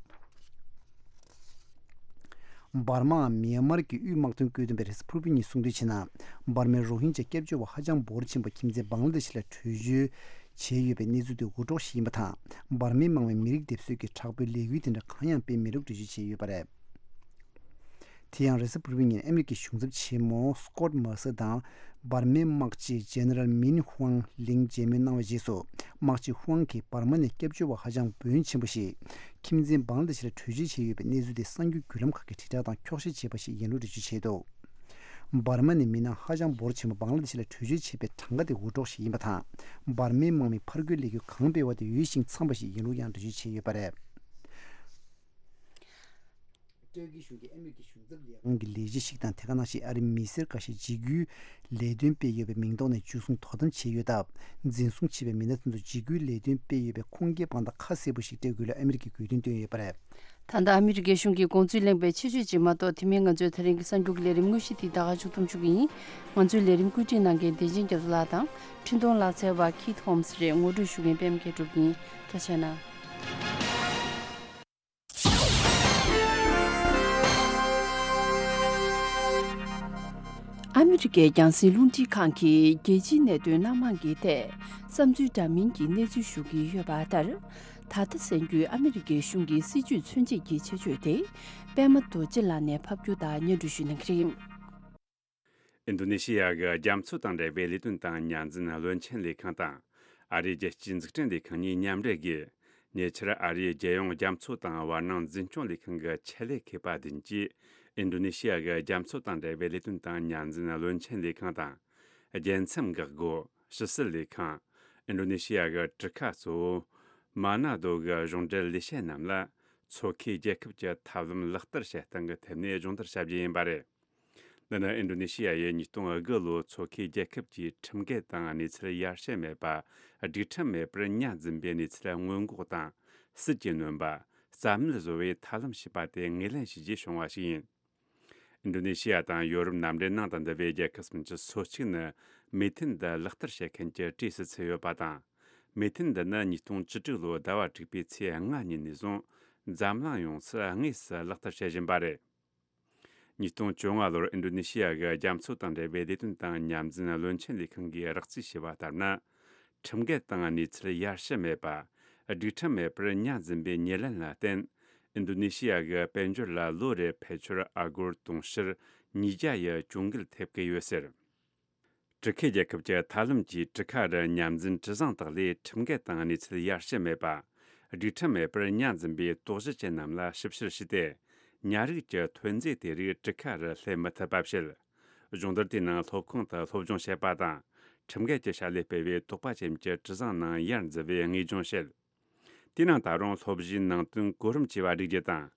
འབར་མའམ་མེན་མར་གྱི་དབུས་དམག་དོན་བཀོད་འདོམས་པས་རེས་གཟའ་ཕུར་བུ་ཉིན་གསུངས་དོན་བྱས་ན། འབར་མའི་རོ་ཧིན་ཇ་སྐྱབས་བཅོལ་བ་ཧ་ཅང་འབོར་ཆེན་པོ་ཁྱིམ་མཚེས་བང་ལ་དེ་ཤི་ལ་བྲོས་བྱོལ་བྱས་ཡོད་པའི་གནས་ཚུལ་དེ་འུར་སྒྲོག་ཞིག་ཡིན་པ་དང་། འབར་མའི་དམག་མིས་མི་རིགས་སྡེབ་གསོད་ཀྱི་དྲག་པོའི་ལས་འགུལ་དེ་འདྲ་གང་ཡང་སྤེལ་མེད་ལུགས་འགྲེལ་བརྗོད་བྱས་ཡོད་པ་རེད། དེ་ཡང་རེས་གཟའ་ཕུར་བུའི་ཉིན་ཨ་མི་རི་ཀའི་གཞུང་ཚབ་ཆེན་མོ་སྐོད་མར་སེ་དང་འབར་མའི་དམག་སྤྱི་ཇེ་ནེ་རལ་མིན་ཧུའང་ལིང་མཇལ་མོལ་གནང་བའི་རྗེས་སུ། དམག་སྤྱི་ཧུའང་གིས་འབར་མ་ནས་སྐྱབས་བཅོལ་བ་ཧ་ཅང་འབོར་ཆེན་པོ་ཞིག་ཁྱིམ་མཚེས་བང་ལ་དེ་ཤི་ལ་བྲོས་བྱོལ་བྱས་ཡོད་པའི་གནས་ཚུལ་དེ་གསར་འགྱུར་བརྒྱུད་ལམ་ཁག་གིས་དྲིལ་བསྒྲགས་དང་འཁྱོག་བཤད་བྱས་པ་ཞིག་ཡིན་ལུགས་འགྲེལ་བརྗོད་བྱས་འདུག་འབར་མ་ནས་མི་སྣ་ཧ་ཅང་འབོར་ཆེན་པོ་བང་ལ་དེ་ཤི་ལ་བྲོས་བྱོལ་བྱས་པའི་གྲངས་ཀ་དེ་འུར་སྒྲོག་ཞིག་ཡིན་པ་དང་། འབར་མའི་དམག་མིས་ཕར་རྒོལ་ལས་འགུལ་གང་སྤེལ་བ་དེ་འོས་ཤིང་འཚམས་པ་ཞིག་ཡིན་ལུགས་ཡང་འགྲེལ་བརྗོད་བྱས་ཡོད་པ་རེད། ཨིས་རལ་གྱི་གཞུང་གིས་ཨ་མི་རི་ཀའི་གཞུང་ཚབ་ལས་ཁང་གི་ལས་བྱེད་ཞིག་དང་དེ་ག་ནང་བཞིན་ཨ་རིའི་མི་སེར་འགའ་ཤས་འཇིགས་སྐུལ་ལས་དོན་སྤེལ་ཡོད་པའི་མིང་ཐོག་ནས་འཇུ་བཟུང་དོ་དམ་བྱས་ཡོད་སྟབས། འཛིན་བཟུང་བྱས་པའི་མི་སྣ་དེ་ཚོ་འཇིགས་སྐུལ་ལས་དོན་སྤེལ་ཡོད་པའི་ཁུངས་སྐྱེལ་དཔང་རྟགས་ཁ་གསལ་པོ་ཞིག་སྤྲད་དགོས་ལུགས་ཨ་མི་རི་ཀའི་དགོས་འདུན་བཏོན་ཡོད་པ་རེད། ད་ལྟ་ཨ་མི་རི་ཀའི་གཞུང་གི་དགོངས་ཚུལ་གླེང་བའི་ཆེད་བརྗོད་ཅིག་མ་གཏོགས། དེ་མིན་ང་ཚོའི་ད་རིང་གི་གསར་འགྱུར་གྱི་ལས་རིམ་དངོས་གཞི་འདི་ད་ག་ཞུ་ཐུབ་བཅུག་གི་ཡིན། ང་ཚོའི་ལས་རིམ་བཀོད་སྒྲིག་གནང་མཁན་བདེ་ཆེན་རྒྱ་མཚོ་ལགས་དང་། འཕྲིན་གཏོང་ལག་རྩལ་བ་ཁིད་ཧོམ་སི་རེད། ངོ་སྤྲོད་ཞུ་མཁན་པད་མ་མཁས་གྲུབ་ཡིན། ཐུགས་རྗེ་གནང་། ཨ་མི་རི་ཀའི་རྒྱང་སྲིང་རླུང་འཕྲིན་ཁང་གིས་རྒྱལ་སྤྱིའི་གནད་དོན་སྣ་མང་གི་ཐད་བསམ་ཚུལ་འདྲ་མིན་གྱི་གནས་ཚུལ་ཞུ་གི་ཡོད་པ་ལྟར། ད་ལྟ་གསར་འགྱུར་ཨ་མི་རི་ཀའི་གཞུང་གི་སྲིད་བྱུས་མཚོན་བྱེད་ཀྱི་ཆེད་བརྗོད་དེ། པད་མ་རྡོ་རྗེ་ལགས་ནས་ཕབ་སྒྱུར་དང་སྙན་སྒྲོན་ཞུ་གནང་གི་རེད། ཨིན་རྡོ་ནེ་ཤི་ཡ་གི་རྒྱ་མཚོ་དང་འབྲེལ་བའི་ལས་དོན་དང་མཉམ་འཛིན་བློན་ཆེན་ལས་ཁང་དང་། ཨ་རིའི་རྒྱལ་སྤྱིའི་འཛུགས་སྐྲུན་ལས་ཁང་གཉིས་མཉམ་འབྲེལ་གྱིས། ཉེ་ཆར་ཨ་རིའི་རྒྱལ་ཡོངས་རྒྱ་མཚོ་དང་བར་སྣང་འཛིན་སྐྱོང་ལས་ཁང་གི་ཆེད་ལས་མཁས་པ་བདུན་གྱིས། ཨིན་རྡོ་ནེ་ཤི་ཡ་གི་རྒྱ་མཚོ་དང་འབྲེལ་བའི་ལས་དོན་དང་མཉམ་འཛིན་བློན་ཆེན་ལས་ཁང་དང་། རྒྱལ་མཚམས་འགག་སྒོ། ཕྱི་སྲིད་ལས་ཁང་། ཨིན་རྡོ་ནེ་ཤི་ཡ་གི་གྲུ་ཁ་གཙོ་བོ། མ་ན་རྡོ་གི་གཞུང་འབྲེལ་ལས་བྱེད་རྣམས་ལ། མཚོ་ཁའི་རྒྱལ་ཁབ་ཀྱི་ཐབས་ལམ་ལག་བསྟར་བྱེད་སྟངས་ཀྱི་ཐད་ནས་སྦྱོང་བརྡར་བྱ་རྒྱུ་ཡིན་པ་རེད། འདི་ནི་ཨིན་རྡོ་ནེ་ཤི་ཡ་ཡིས་ཉིས་སྟོང་དགུ་ལོའི་མཚོ་ཁའི་རྒྱལ་ཁབ་ཀྱི་ཁྲིམས་འགལ་དང་གནས་ཚུལ་ཡར་ཞུ་མེད་པ། སྒྲིག་ཁྲིམས་མེད་པར་ཉར་འཛིན་པའི་གནས་ཚུལ་སྔོན་འགོག་དང་། སྲིད་ཀྱི་ནོན་པ། རྩ་མེད་བཟོ་བའི་ཐབས་ལམ་ཞེས་པ་དེ་ངོས་ལེན་བྱས་རྗེས་བྱུང་བ་ཞིག་ཡིན། ཨིན་རྡོ་ནེ་ཤི་ཡ་དང་ཡོ་རོབ་མཉམ་འབྲེལ་ནང་དུ་འདུ་བའི་རྒྱལ་ཁབ་སུམ་ཅུ་སོ་གཅིག་ནི་མོས་མཐུན་འདི་ལག་བསྟར་བྱེད་མཁན་གྱི་གྲས་སུ་ཚུད་ཡོད་པ་དང་། མོས་མཐུན་འདི་ནི་ཉིས་སྟོང་བཅུ་དྲུག་ལོའི་ཟླ་བ་དྲུག་པའི་ཚེས་ལྔ་ཉིན་ནས་བཟུང་འཛམ་གླིང་ཡོངས་སུ་དངོས་སུ་ལག་བསྟར་བྱེད་བཞིན་པ་རེད། ཉིས་སྟོང་བཅོ་ལྔ་ལོར་ཨིན་རྡོ་ནེ་ཤི་ཡ་གི་རྒྱ་མཚོ་དང་འབྲེལ་བའི་ལས་དོན་དང་མཉམ་འཛིན་བློན་ཆེན་ལས་ཁང་གིས་རགས་རྩིས་བྱས་པ་ལྟར་ན། ཁྲིམས་འགལ་དང་གནས་ཚུལ་ཡར་ཞུ་མེད་པ། སྒྲིག་ཁྲིམས་མེད་པར་ཉར་འཛིན་པའི་ཉེར་ལེན་ལ་བརྟེན། ཨིན་རྡོ་ནེ་ཤི་ཡ་གི་དཔལ་འབྱོར་ལ་ལོ་རེར་ཕལ་ཆེར་ཨ་སྒོར་དུང་ཕྱུར་ཉིས་བརྒྱ་ཡི་གྱོང་གུད་ཐེབས་ཀྱི་ཡོད་ཟེར། གྲུ་ཁའི་རྒྱལ་ཁབ་ཀྱི་ཐབས་ལམ་གྱིས་གྲུ་ཁ་རུ་ཉར་འཛིན་གྲུ་གཟིངས་དག་ལས་ཁྲིམས་འགལ་དང་གནས་ཚུལ་ཡར་ཞུ་མེད་པ། སྒྲིག་ཁྲིམས་མེད་པར་ཉར་འཛིན་པའི་དོགས་གཞི་ཅན་རྣམས་ལ་ཞིབ་བཤེར་བྱས་ཏེ། ཉ་རིགས་ཀྱི་ཐོན་རྫས་དེ་རིགས་གྲུ་ཁ་རུ་སླེབས་མི་ཐུབ་པ་བྱེད། སྦྱོང་བརྡར་དེའི་ནང་སློབ་ཁང་དུ་སློབ་སྦྱོང་བྱེད་པ་དང་། ཁྲིམས་འགལ་གྱི་བྱ་ལས་སྤེལ་བའི་དོགས་པ་ཅན་གྱི་གྲུ་གཟིངས་ནང་ཡར་འཛུལ་བའི་དངོས་སྦྱོང་བྱེད། དེའི་ནང་ད་རུང་སློབ་གཞིའི་ནང་དོན་གོ་རིམ་བཅས་པ་སྒྲིག་རྒྱུ་དང་།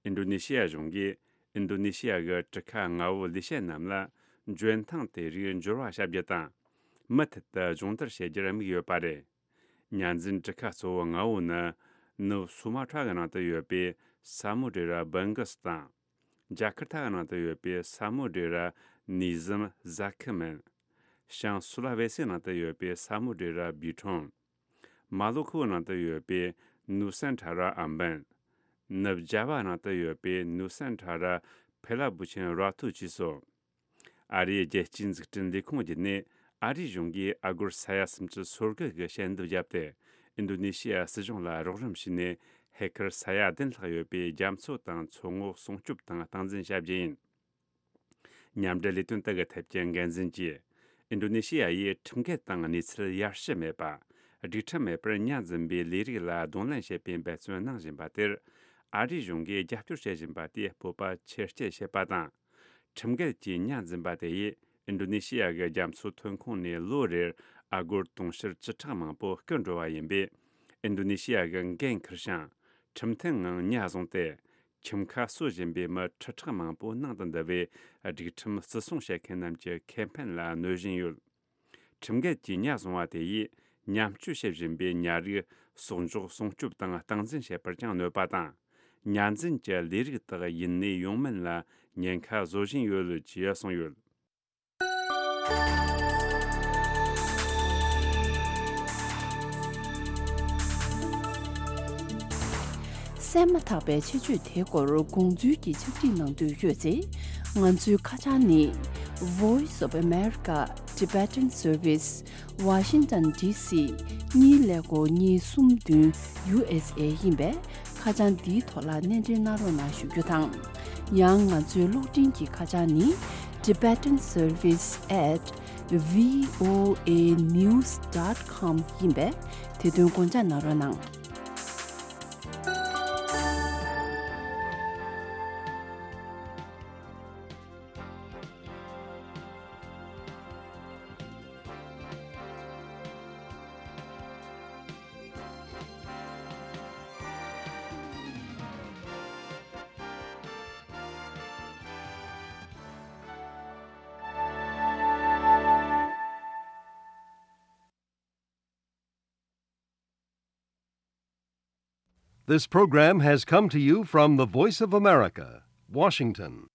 ཨིན་རྡོ་ནེ་ཤི་ཡ་གཞུང་གིས་ཨིན་རྡོ་ནེ་ཤི་ཡ་གི་གྲུ་ཁ་མངའ་བོའི་ལས་བྱེད་རྣམས་ལ་འཇོན་ཐང་དེ་རིགས་འབྱོར་བ་བྱ་རྒྱུ་དང་། མུ་མཐུད་དུ་སྦྱོང་བརྡར་བྱེད་རྒྱུར་དམིགས་ཡོད་པ་རེད། ཉར་འཛིན་གྲུ་ཁ་གཙོ་བོ་ལྔ་བོ་ནི། ནུབ་སུ་མ་ཁྲ་གི་ནང་དུ་ཡོད་པའི་ས་མུ་དྲེ་ར་བྷང་གྷ་སི་དང་། ཇ་ཁར་ཐ་གི་ནང་དུ་ཡོད་པའི་ས་མུ་དྲེ་ར་ནི་ཟམ་ཟ་ཁི་མན། བྱང་སུ་ལ་ཝེ་སི་ནང་དུ་ཡོད་པའི་ས་མུ་དྲེ་ར་བི་ཁྲོང་། མ་ལོ་ཁོའི་ནང་དུ་ཡོད་པའི་ནུ་སན་ཁྲ་ར་ཨམ་བན། ནུབ་ཇ་བ་ནང་དུ་ཡོད་པའི་ནུ་སན་ཁྲ་ར་ཕེ་ལ་བུ་ཆེན་ར་ཐུ་བཅས་སོ། ཨ་རིའི་རྒྱལ་སྤྱིའི་འཛུགས་སྐྲུན་ལས་ཁུངས་བརྒྱུད་ནས་ཨ་རིའི་གཞུང་གིས་ཨ་སྒོར་ས་ཡ་སུམ་ཅུ་སོ་དགུ་གི་ཞལ་འདེབས་བརྒྱབ་སྟེ། ཨིན་རྡོ་ནེ་ཤི་ཡ་སྲིད་གཞུང་ལ་རོགས་རམ་བྱས་ནས། ཧེ་ཁར་ས་ཡ་བདུན་ལྷག་ཡོད་པའི་རྒྱ་མཚོ་དང་མཚོ་ངོགས་སྲུང་སྐྱོབ་དང་སྟངས་འཛིན་བྱ་རྒྱུ་ཡིན། མཉམ་འབྲེལ་ལས་དོན་དག་གི་ཐད་ཀྱི་འགན་འཛིན་གྱིས། ཨིན་རྡོ་ནེ་ཤི་ཡ་ཡིས་ཁྲིམས་འགལ་དང་གནས་ཚུལ་ཡར་ཞུ་མེད་པ། སྒྲིག་ཁྲིམས་མེད་པར་ཉར་འཛིན་པའི་ལས་རིགས་ལ་གདོང་ལེན་བྱེད་པའི་འབད་བརྩོན་གནང་བཞིན་པ་དེར། ཨ་རིའི་གཞུང་གིས་རྒྱབ་སྐྱོར་བྱེད་བཞིན་པ་དེས་སྤོབས་པ་ཆེར་སྐྱེད་བྱེད་པ་དང་། ཁྲིམས་འགལ་གྱིས་ཉར་འཛིན་པ་དེ་ཡིས་ཨིན་རྡོ་ནེ་ཤི་ཡ་གི་རྒྱ་མཚོའི་ཐོན་ཁུངས་ནས་ལོ་རེར་ཨ་སྒོར་དུང་ཕྱུར་བཅུ་ཕྲག་མང་པོ་རྐུ་འགྲོ་བ་ཡིན་པས། ཨིན་རྡོ་ནེ་ཤི་ཡ་གི་འགན་འཁུར་ཞིང་། ཁྲིམས་མཐུན་ངང་ཉར་བཟུང་སྟེ། ཁྱིམ་ཁ་གསོ་བཞིན་པའི་མི་ཁྲི་ཕྲག་མང་པོ་ནང་དུ་འདུ་བའི་སྒྲིག་ཁྲིམས་བརྩི་སྲུང་བྱེད་མཁན་རྣམས་ཀྱི་ཁེ་ཕན་ལ་གནོད་བཞིན་ཡོད། ཁྲིམས་འགལ་གྱིས་ཉར་བཟུང་བ་དེ་ཡིས་ཉམས་བཅོས་བྱེད་བཞིན་པའི་ཉ་རིགས་གསོག་འཇོག་སྲུང་སྐྱོབ་དང་སྟངས་འཛིན་བྱེད་པར་ཀྱང་གནོད་པ་དང་། ཉར་འཛིན་གྱི་ལས་རིགས་དག་ཡུན་གནས་ཡོང་མིན་ལ་ཉེན་ཁ་བཟོ་བཞིན་ཡོད་ཅེས་གསུངས་ཡོད། གསན་མ་ཐག་པའི་ཆེད་བརྗོད་དེའི་སྐོར་དགོངས་ཚུལ་གྱི་ཕྱག་བྲིས་གནང་འདོད་ཡོད་ཚེ། ང་ཚོའི་ཁ་བྱང་ནི། Voice of America Tibetan Service Washington D C གཉིས་ཀླད་ཀོར་གཉིས་གསུམ་བདུན་U S A ཡིན་པས། ཁ་བྱང་འདིའི་ཐོག་ལ་སྣེ་འདྲེན་གནང་རོགས་གནང་ཞུ་རྒྱུ་དང་། ཡང་ང་ཚོའི་གློག་འཕྲིན་གྱི་ཁ་བྱང་ནི། tibetan service at voanews dot com ཡིན་པས། དེ་དོན་དགོངས་འཇགས་གནང་རོགས་གནང་། This program has come to you from the Voice of America, Washington.